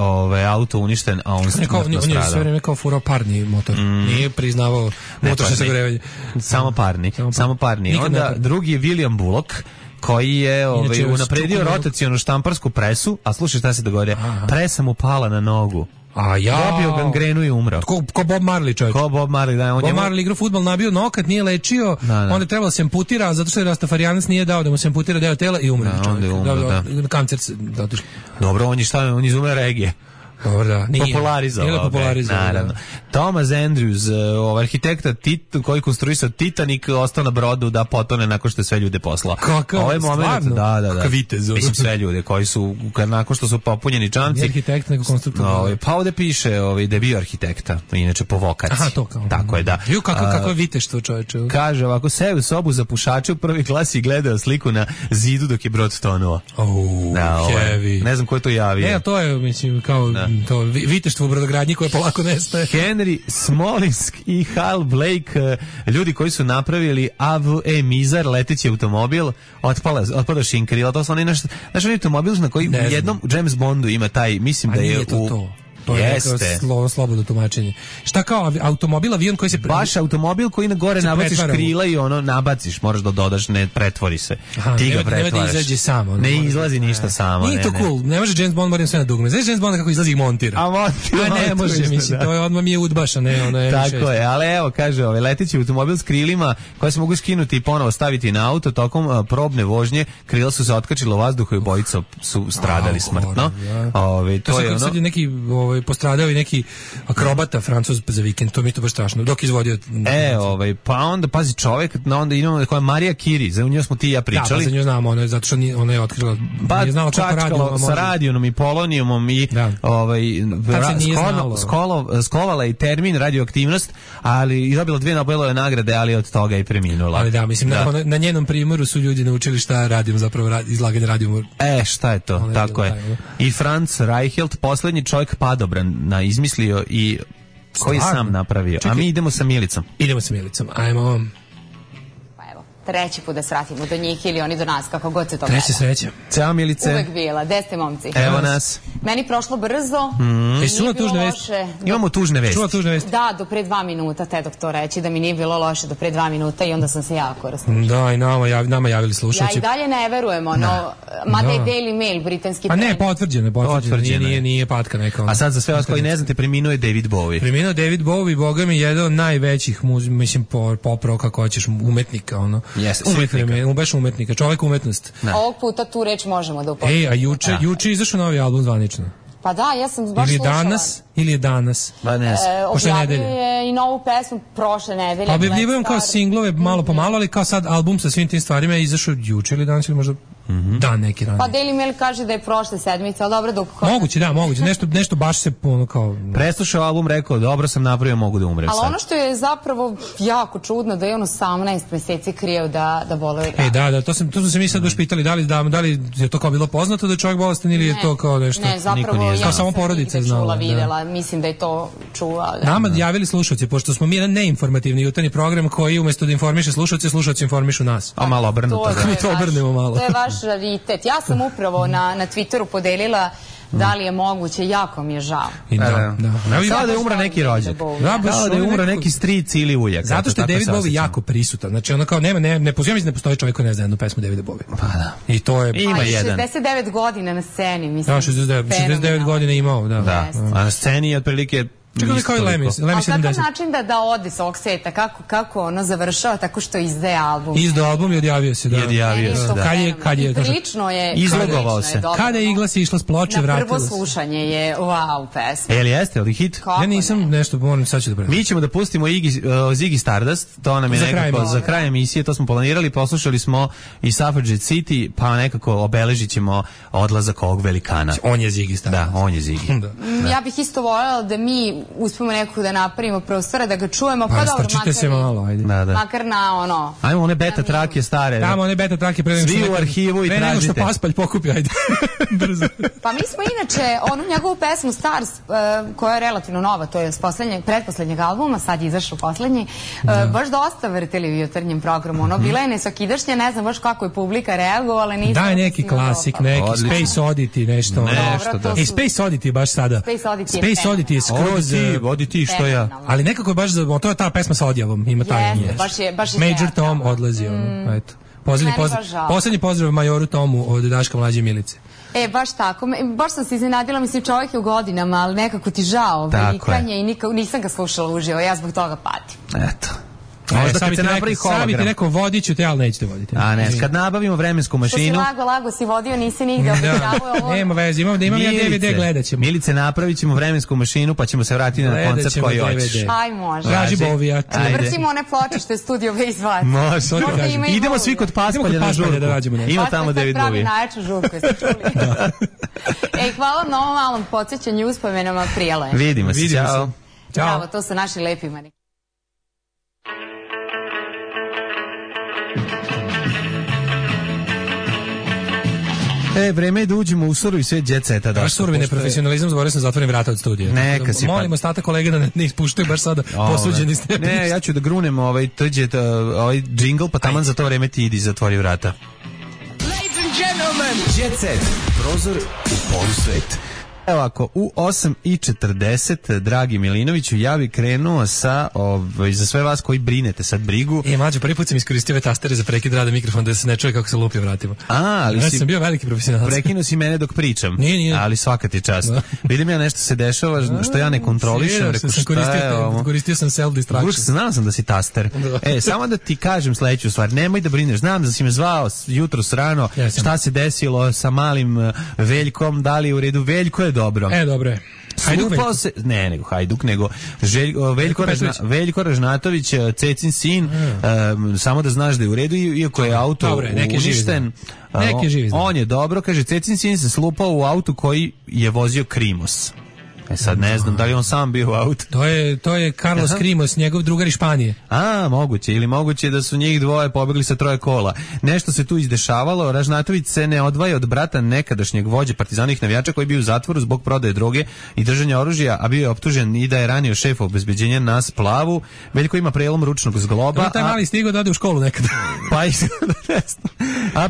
auto uništen, a on smrtno stradao. On je sve vreme kao furao parni motor, nije priznavao motorno sagorevanje. Samo parni. Onda drugi je William Bullock, koji je unapredio rotacionu štamparsku presu, a slušaj šta se dogodio, presa mu pala na nogu. Dobio gangrenu i umro. Ko Bob Marley, čovječ. Ko Bob Marley, da. Bob Marley igrao fudbal, nabio nokat, nije lečio, onda je trebalo da se amputira, zato što je Rastafarianac nije dao da mu se amputira deo tela i umro. Onda je umro, da. Kancer. Dobro, on je izume regije. Dobro, da. Popularizovao. Naravno. Thomas Andrews, arhitekta koji konstruisao Titanic, ostao na brodu da potone nakon što je sve ljude poslao. Ovaj moment, da. Kakav vitez. Mislim, sve ljude koji su, nakon što su popunjeni čamci. Nije arhitekt, nego konstruktor. Pa ovde piše da je bio arhitekta, inače po vokaciji. Aha, to kao. Tako je, da. Kako viteštvo, čoveče. Kaže ovako, seo u sobu za pušače u prvoj klasi i gledao sliku na zidu dok je brod tonuo. Heavy. Ne znam ko je to javio. Ne, to je, mislim, kao to viteštvo u brodogradnji koje polako nestaje. Henry Smolinsk i Hal Blake, ljudi koji su napravili AVE Mizar, leteći automobil, otpada šinkrila. To su oni naš automobil na koji u jednom James Bondu ima taj, mislim da je to. To je neko slobodno tumačenje. Šta kao automobil, avion koji se... Baš automobil koji na gore nabaciš krila i nabaciš, moraš da dodaš, ne pretvori se. Ti ga pretvaraš. Ne izađe samo. Ne izlazi ništa samo. Nije to cool, ne može James Bond, moram sve na dugme. Znaš James Bond kako izlazi i montira? A montira. Ne može, mislim, to je odmah mi je udbaša, ne. Tako je, ali evo, kaže, leteći automobil s krilima koje se mogu skinuti i ponovo staviti na auto, tokom probne vožnje, krila su se otkačila u vazduhu i obojica su stradali smrtno. To je sad neki postradao i neki akrobata Francuz za vikend, to mi je to baš strašno, dok izvodio... pa onda, pazi, čovjek, onda imamo koja Marija Kiri, za nju smo ti i ja pričali. Da, pa za nju znamo, zato što ona je otkrila, nije znala kako radijuma sa radionom i polonijumom i skovala i termin radioaktivnost, ali i dobila 2 Nobelove nagrade, ali od toga i preminula. Ali da, mislim, na njenom primjeru su ljudi naučili šta radimo, zapravo izlaganje radijuma. Šta je to, tako je. I Franz Reichelt, posljednji čovjek padobran izmislio i koji sam napravio. A mi idemo sa Milicom. Ajmo. Pa evo, treći put da svratimo do njih ili oni do nas, kako god se to gleda. Treća sreća. Ćao Milice. Uvek bila. Gde ste, momci? Evo nas. Meni prošlo brzo. Čula tužne vesti? Imamo tužne vesti. Čula tužne vesti? Da, do pre 2 minuta, te dok to reći, da mi nije bilo loše do pre 2 minuta i onda sam se jako raslušala. Da, i nama javili slušalci. Ja i dalje ne verujem, mada je Daily Mail, britanski trener. A ne, potvrđeno. Nije patka neka. A sad za sve vas koji ne znate, preminuo je David Bowie. Preminuo David Bowie, boga mi, jedan od najvećih, mislim, pop-rock, kako hoćeš, umetnika, baš umetnika, čovek umetnost. Ovog puta tu reč možemo da upotrebimo. A juče izašao novi album zvanično. Pa da, ja sam baš slušala. Ili je danas? Objavio je i novu pesmu prošle nedelje. Objavljivujem kao singlove malo po malo, ali kao sad album sa svim tim stvarima je izašao juče ili danas ili možda dan neki ranije. Pa Daily Mail kaže da je prošle sedmice, ali dobro dok... Moguće. Nešto baš se kao... Preslušao album, rekao, dobro sam napravio, mogu da umrem sad. Ali ono što je zapravo jako čudno, da je on 18 meseci krijeo da boluje. Da, to smo se mi sad baš pitali, da li je to kao bilo poznato da je čovjek bolestan ili je to kao nešto... Ne, zapravo ja samo porodica znala. Videla, mislim da je to čula. Nama javili slušalci, pošto smo mi jedan neinformativni jutarnji program koji umjesto da informiše slušalci informišu nas. A malo obrnuto. Mi to obrnemo malo. To je vaš raritet. Ja sam upravo na Twitteru podelila da li je moguće, jako mi je žao. Kao da je umra neki rođak. Kao da je umra neki stric ili ujak. Zato što je David Bowie jako prisutan. Znači ono kao ne postoji čovjek koji ne zna jednu pesmu Davida Bowie. Pa da. I to je... Ima jedan. 69 godina na sceni, mislim. Da, 69 godina imao, da. A na sceni je otprilike... Čekaj kao i Lemis. Ali kakav način da ode s ovog sveta? Kako ono završava? Tako što izdaje album. Izdao album i odjavio se, da. Kad je... Prilično je... Izlogovao se. Kada je Igla se išla s ploče, vratila se. Na prvo slušanje je wow pesma. Jeste li hit? Ja nisam nešto, moram sad ću da mi ćemo da pustimo Ziggy Stardust, to nam je nekako za kraj emisije, to smo planirali, poslušali smo i Suffragette City, pa nekako obeležit ćemo odlazak ovog velikana. On je Ziggy Stardust. Da, on je Ziggy. Ja bih isto voljela da mi uspemo nekako da napravimo prostora, da ga čujemo, pa dobro, makar na ono... Ajmo one beta trake stare. Tamo one beta trake svi u arhivu i tražite. Pre nego što Paspalj pokupi, ajde. Brzo. Pa mi smo inače, onu njegovu pesmu Stars, koja je relativno nova, to je s pretposlednjeg albuma, sad je izašao poslednji, baš dosta vrtili u jutarnjem programu. Ono, bila je nesvakidašnja, ne znam baš kako je publika reagovala, nisam... Daj neki klasik, neki Space Oddity, nešto. Space Oddity baš sada. Space Oddity je skroz... Odi ti što ja. Ali nekako je baš, to je ta pesma sa odjavom, ima taj. Baš je Major Tom odlazi, eto. Poslednji pozdrav majoru Tomu od Daška Mlađe Milice. Baš tako. Baš sam se iznenadila, mislim, čovjek je u godinama, ali nekako ti žao vikanje i nisam ga slušala uživo, ja zbog toga patim. Eto. Možda kad se napravi hologram. Sad bi ti rekao vodiću te, ali nećete voditi. A ne, kad nabavimo vremensku mašinu... Što si lago si vodio, nisi nigde objavio. Nema veze, imam ja DVD, gledat ćemo. Milice, napravit ćemo vremensku mašinu, pa ćemo se vratiti na koncert koji hoćeš. Aj, može. Traži Bovijat. Vrtimo one pločište, studio izvati. Može. Idemo svi kod Paspalja na žurku. Ima tamo David Bowie. Paspalj najjaču žurku, jeste čuli. Hvala na ovom malom podsjećanju uspomenama Prijela. Vidimo se, čao. Bravo, to su naši lepi mani. Vreme je da uđemo u surovi svet jet seta. Baš surovi neprofesionalizam, zborio sam zatvorim vrata od studija. Neka si pa. Molim ostatak kolega da ne ispuštaju baš sada posuđeni ste. Ne, ja ću da grunem ovaj džingl, pa taman za to vreme ti idi zatvori vrata. Ladies and gentlemen, jet set, prozor u polusvet. Evo ako, u 8:40, dragi Milinoviću, ja bih krenuo sa, za sve vas koji brinete sad brigu. Mlađo, prvi put sam iskoristio ove tastere za prekid rada mikrofon da se ne čuje kako se lupi vratima. Ali ja sam bio veliki profesionalac. Prekinuo si mene dok pričam. Nije. Ali svaka ti čast. Vidim ja nešto se dešava što ja ne kontrolišem. Koristio sam self-distraction. Znao sam da si taster. Samo da ti kažem sledeću stvar. Nemoj da brineš. Znam da si me zvao jutros rano. Šta se desilo sa malim Veljkom? Da li je u redu? Veljko je dobro. Dobro je. Hajduk, nego Veljko Ražnatović, Cecin sin, samo da znaš da je u redu, iako je auto uništen. On je dobro, kaže, Cecin sin se slupao u autu koji je vozio Krimos. Sad ne znam da li on sam bio u autu. To je Carlos Krimos, njegov drugar iz Španije. Moguće, ili moguće da su njih dvoje pobegli sa 3 kola. Nešto se tu izdešavalo, Ražnatović se ne odvaja od brata nekadašnjeg vođe partizanih navijača koji je bio u zatvoru zbog prodaje droge i držanja oružja, a bio je optužen i da je ranio šefa obezbeđenja na splavu. Veljko ima prelom ručnog zgloba. Taj mali stigao da ode u školu nekada. A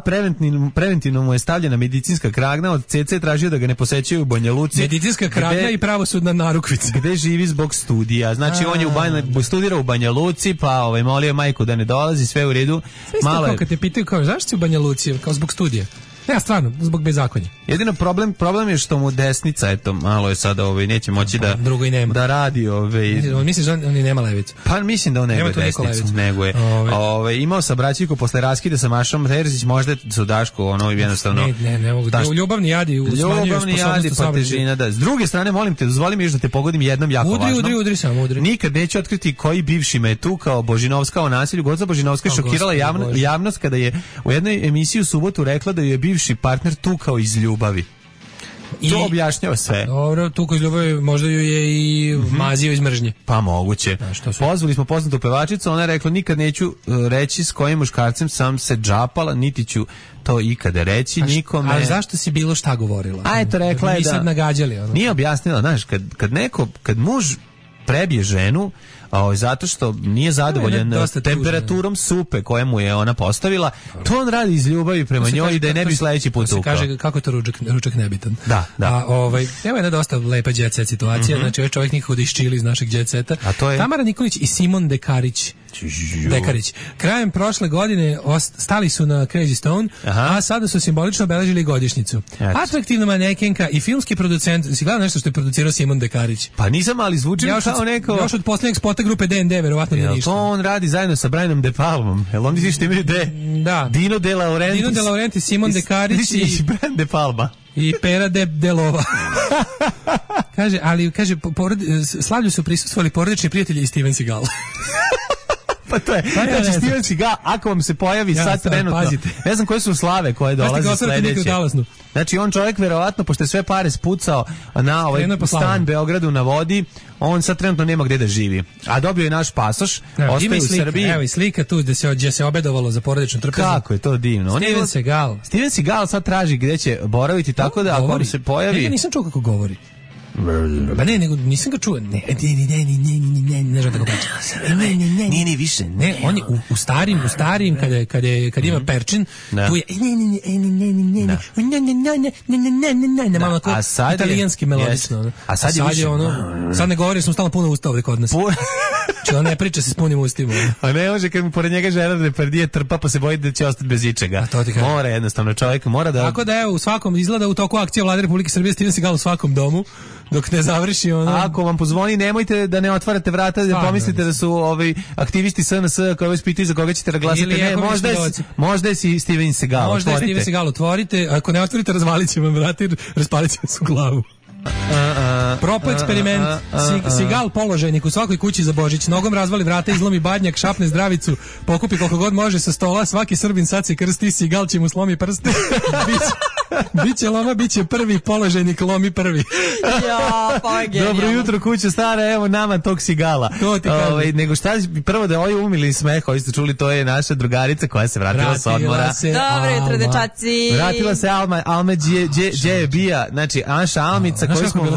preventivno mu je stavljena medicinska kragna, od CC tražio da ga ne posećaju u Banja Luci. Medicinska kragna i pravosudna narukvica. Gde živi zbog studija. Znači on je studirao u Banja Luci, pa molio majku da ne dolazi, sve u redu. Malo je... Kad te pitaju kao zašto si u Banja Luci, kao zbog studija. Ja stvarno, zbog bezakonja. Jedino problem je što mu desnica, eto, malo je sada, neće moći da radi, Misliš da on nema levicu? Pa mislim da on nema desnicu, nego je. Imao sam braćiku posle raskida sa Mašom Terzić, možda su Daško, jednostavno. Ne mogu. Ljubavni jadi smanjuju sposobnost pa težina, da. S druge strane, molim te, dozvoli mi još da te pogodim jednom jako važno. Udri samo, udri. Nikad neću otkriti koji bivši me tu kao Božinovska o nasilju. Gospođa Božinovska je šokirala javnost kada je u jednoj emisiji u subotu rekla da je bivši partner tukao iz ljubavi. To objašnjava sve. Dobro, tukao iz ljubavi, možda ju je i mazio iz mržnje. Pa moguće. Pozvali smo poznatu pevačicu, ona je rekla nikad neću reći s kojim muškarcem sam se džapala, niti ću to ikada reći nikome. Ali zašto si bilo šta govorila? A eto, rekla je da... sad nagađali. Nije objasnila, znaš, kad muž prebije ženu, zato što nije zadovoljan temperaturom supe koje mu je ona postavila, to on radi iz ljubavi prema njoj i da je ne bi sledeći put tukao. Kaže kako je to ručak nebitan. Da. Evo jedna dosta lepa jet set situacija, znači ovaj čovjek nikako da iščili iz našeg jet seta. Tamara Nikolić i Simon Dekarić. Krajem prošle godine stali su na Crazy Stone, a sada su simbolično obeležili godišnjicu. Atraktivna manekenka i filmski producent, si gledao nešto što je producirao Simon Dekarić? Pa nisam, ali zvuči kao neko... Još od posljednjeg spota grupe D&D, verovatno nije ništa. To on radi zajedno sa Brianom De Palmom. Jel oni što imaju Dino De Laurentiis, Simon Dekarić i Brian De Palma. I Pera Delova. Kaže, slavlju su prisustvovali porodični prijatelji i Steven Seagal. Pa to je, znači Steven Seagal, ako vam se pojavi sad trenutno, pazite. Ne znam koje su slave koje dolaze sledeće. Znači on čovjek verovatno, pošto je sve pare spucao na stan Beogradu na vodi, on sad trenutno nema gde da živi. A dobio je naš pasoš, ostaje u Srbiji. Evo i slika tu gdje se obedovalo za porodičnu trpezu. Kako je to divno. Steven Seagal sad traži gde će boraviti, tako da ako vam se pojavi... Ja nisam čuo kako govori. Pa ne, nego nisam ga čuo. Ne znam tako priča. Ne, više. Ne, on je u starim, kad ima perčin, tu je ne, malo tako italijanski melodično. A sad je ono, sad ne govori, smo stalno puno usta ovdje kod nas. Če on ne priča se s punim ustima. A ne može, kad mu pored njega Gerard Depardieu trpa, pa se boji da će ostati bez ičega. Mora jednostavno, čovjek mora da... Tako da evo, u svakom, izgleda u toku akcije Vlade Republike Srbije, Steven Seagal u svakom domu, dok ne završi ono... Ako vam pozvoni, nemojte da ne otvarate vrata, da pomislite da su aktivisti SNS koji vas pitaju za koga ćete da glasate. Ne, možda je si Steven Seagal. Možda je Steven Seagal, otvorite. Ako ne otvorite, razvalit će vam vrata i raspalit će vas u glavu. Propo eksperiment. Seagal položajnik u svakoj kući za Božić. Nogom razvali vrata, izlomi badnjak, šapne zdravicu, pokupi koliko god može sa stola. Svaki Srbin sad se krsti, Seagal će mu slomi prste. Biće loma, biće prvi položajnik, lomi prvi. Dobro jutro kuća stara, evo nama tog Seagala. Nego šta, prvo da ovi umili smeh, koji ste čuli, to je naša drugarica koja se vratila sa odmora. Dobro jutro, dečaci. Vratila se Alma Džebija, znači Anša Almica, koju smo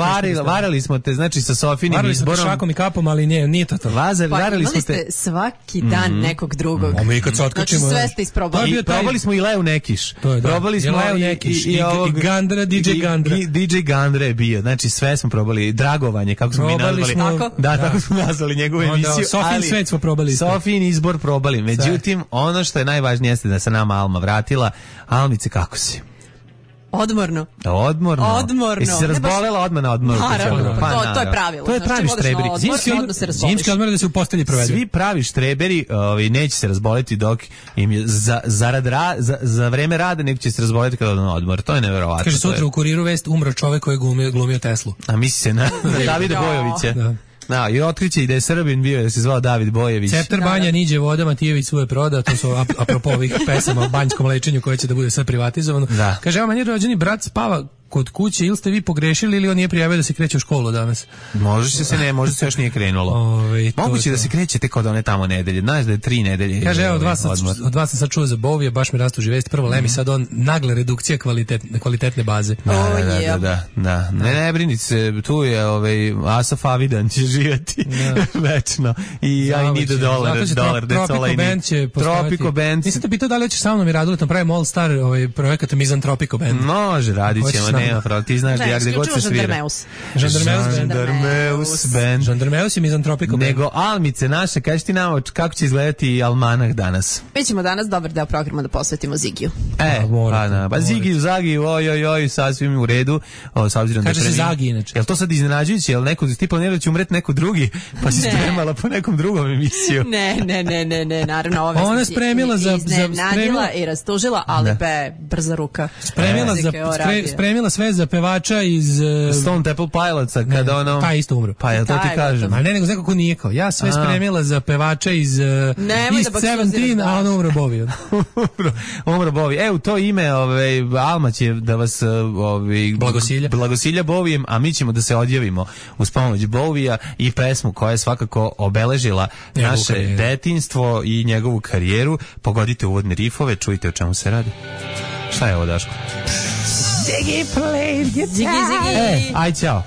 varali smo te, znači sa Sofinim izborom. Varali smo te šakom i kapom, ali nije to to. Imali ste svaki dan nekog drugog. A mi kad se otkačimo... Znači sve ste isprobali. Probali smo i Leo Nekiš. Probali smo Leo Nekiš i Gandra, DJ Gandra. DJ Gandra je bio, znači sve smo probali. Dragovanje, kako smo mi nazvali. Da, tako smo nazvali njegovu emisiju. Sofin svet smo probali. Sofin izbor probali. Međutim, ono što je najvažnije jeste da se nama Alma vratila. Almice, kako si? Odmorno. Jesi se razbolela odmah na odmoru? Naravno, to je pravilo. To je pravi štreberi. Zimski odmor da se u postelji provede. Svi pravi štreberi neće se razboleti dok im je za vreme rada, nego će se razboleti kada odu na odmor. To je neverovatno. Kaže sutra u Kuriru vest umro čovek koji je glumio Teslu. A misli se na Davida Bojovića. Da, i otkriće i da je Srbin bio, da se zvao David Bojević. Ceptar banja niđe voda, Matijević svoje proda, to su apropo ovih pesama o banjskom lečenju koje će da bude sve privatizovano. Da. Kaže, evo meni rođeni brat spava kod kuće ili ste vi pogrešili ili on nije prijavio da se kreće u školu danas. Može se još nije krenulo. Moguće da se krećete kod one tamo nedelje. Znaš da je 3 nedelje. Kaže, evo, od vas sam sad čuo za Bovija, baš mi rastu živesti. Prvo Lemi, sad on nagla redukcija kvalitetne baze. Da. Ne brini se, tu je Asaf Avidan će živjeti večno. I I need a dollar, that's all I need. Tropico Band. Nisam te pitao da li hoćeš sa mnom i Raduletom pravimo All Star projekat Mizantropico Band. Može, radit ćemo, nema pravo. Ti znaš da ja gde god se svira. Žandarmeus Band. Žandarmeus i Mizantropico Band. Nego Almice naše, kaži ti nam kako će izgledati almanah danas. Mi ćemo danas dobar deo programa da posvetimo Zigiju. Pa Zagiju, oj, sasvim u redu. Kaže se Zagi inače. Jel to sad iznenađujuće? Jel neko ti planira da će umreti neko drugi? Pa si spremala po nekom drugom emisiju. Ne, naravno ova ona je spremila iznenadila i rastužila, ali brza ruka. Spremila sve za pevača iz Stone Temple Pilotsa kada ono pa isto umro. Pa ja to ti kažem. A ne, nego neko ko nije kao. Ja sve spremila za pevača iz East 17, a on umro Bovi. Umro Bovi. U to ime Alma će da vas blagosilja Bovijem, a mi ćemo da se odjavimo uz pomoć Bovija i pesmu koja je svakako obeležila naše detinjstvo i njegovu karijeru. Pogodite uvodne rifove, čujte o čemu se radi. Šta je ovo, Daško? Ziggy played guitar. Ziggy. Aj, ćao.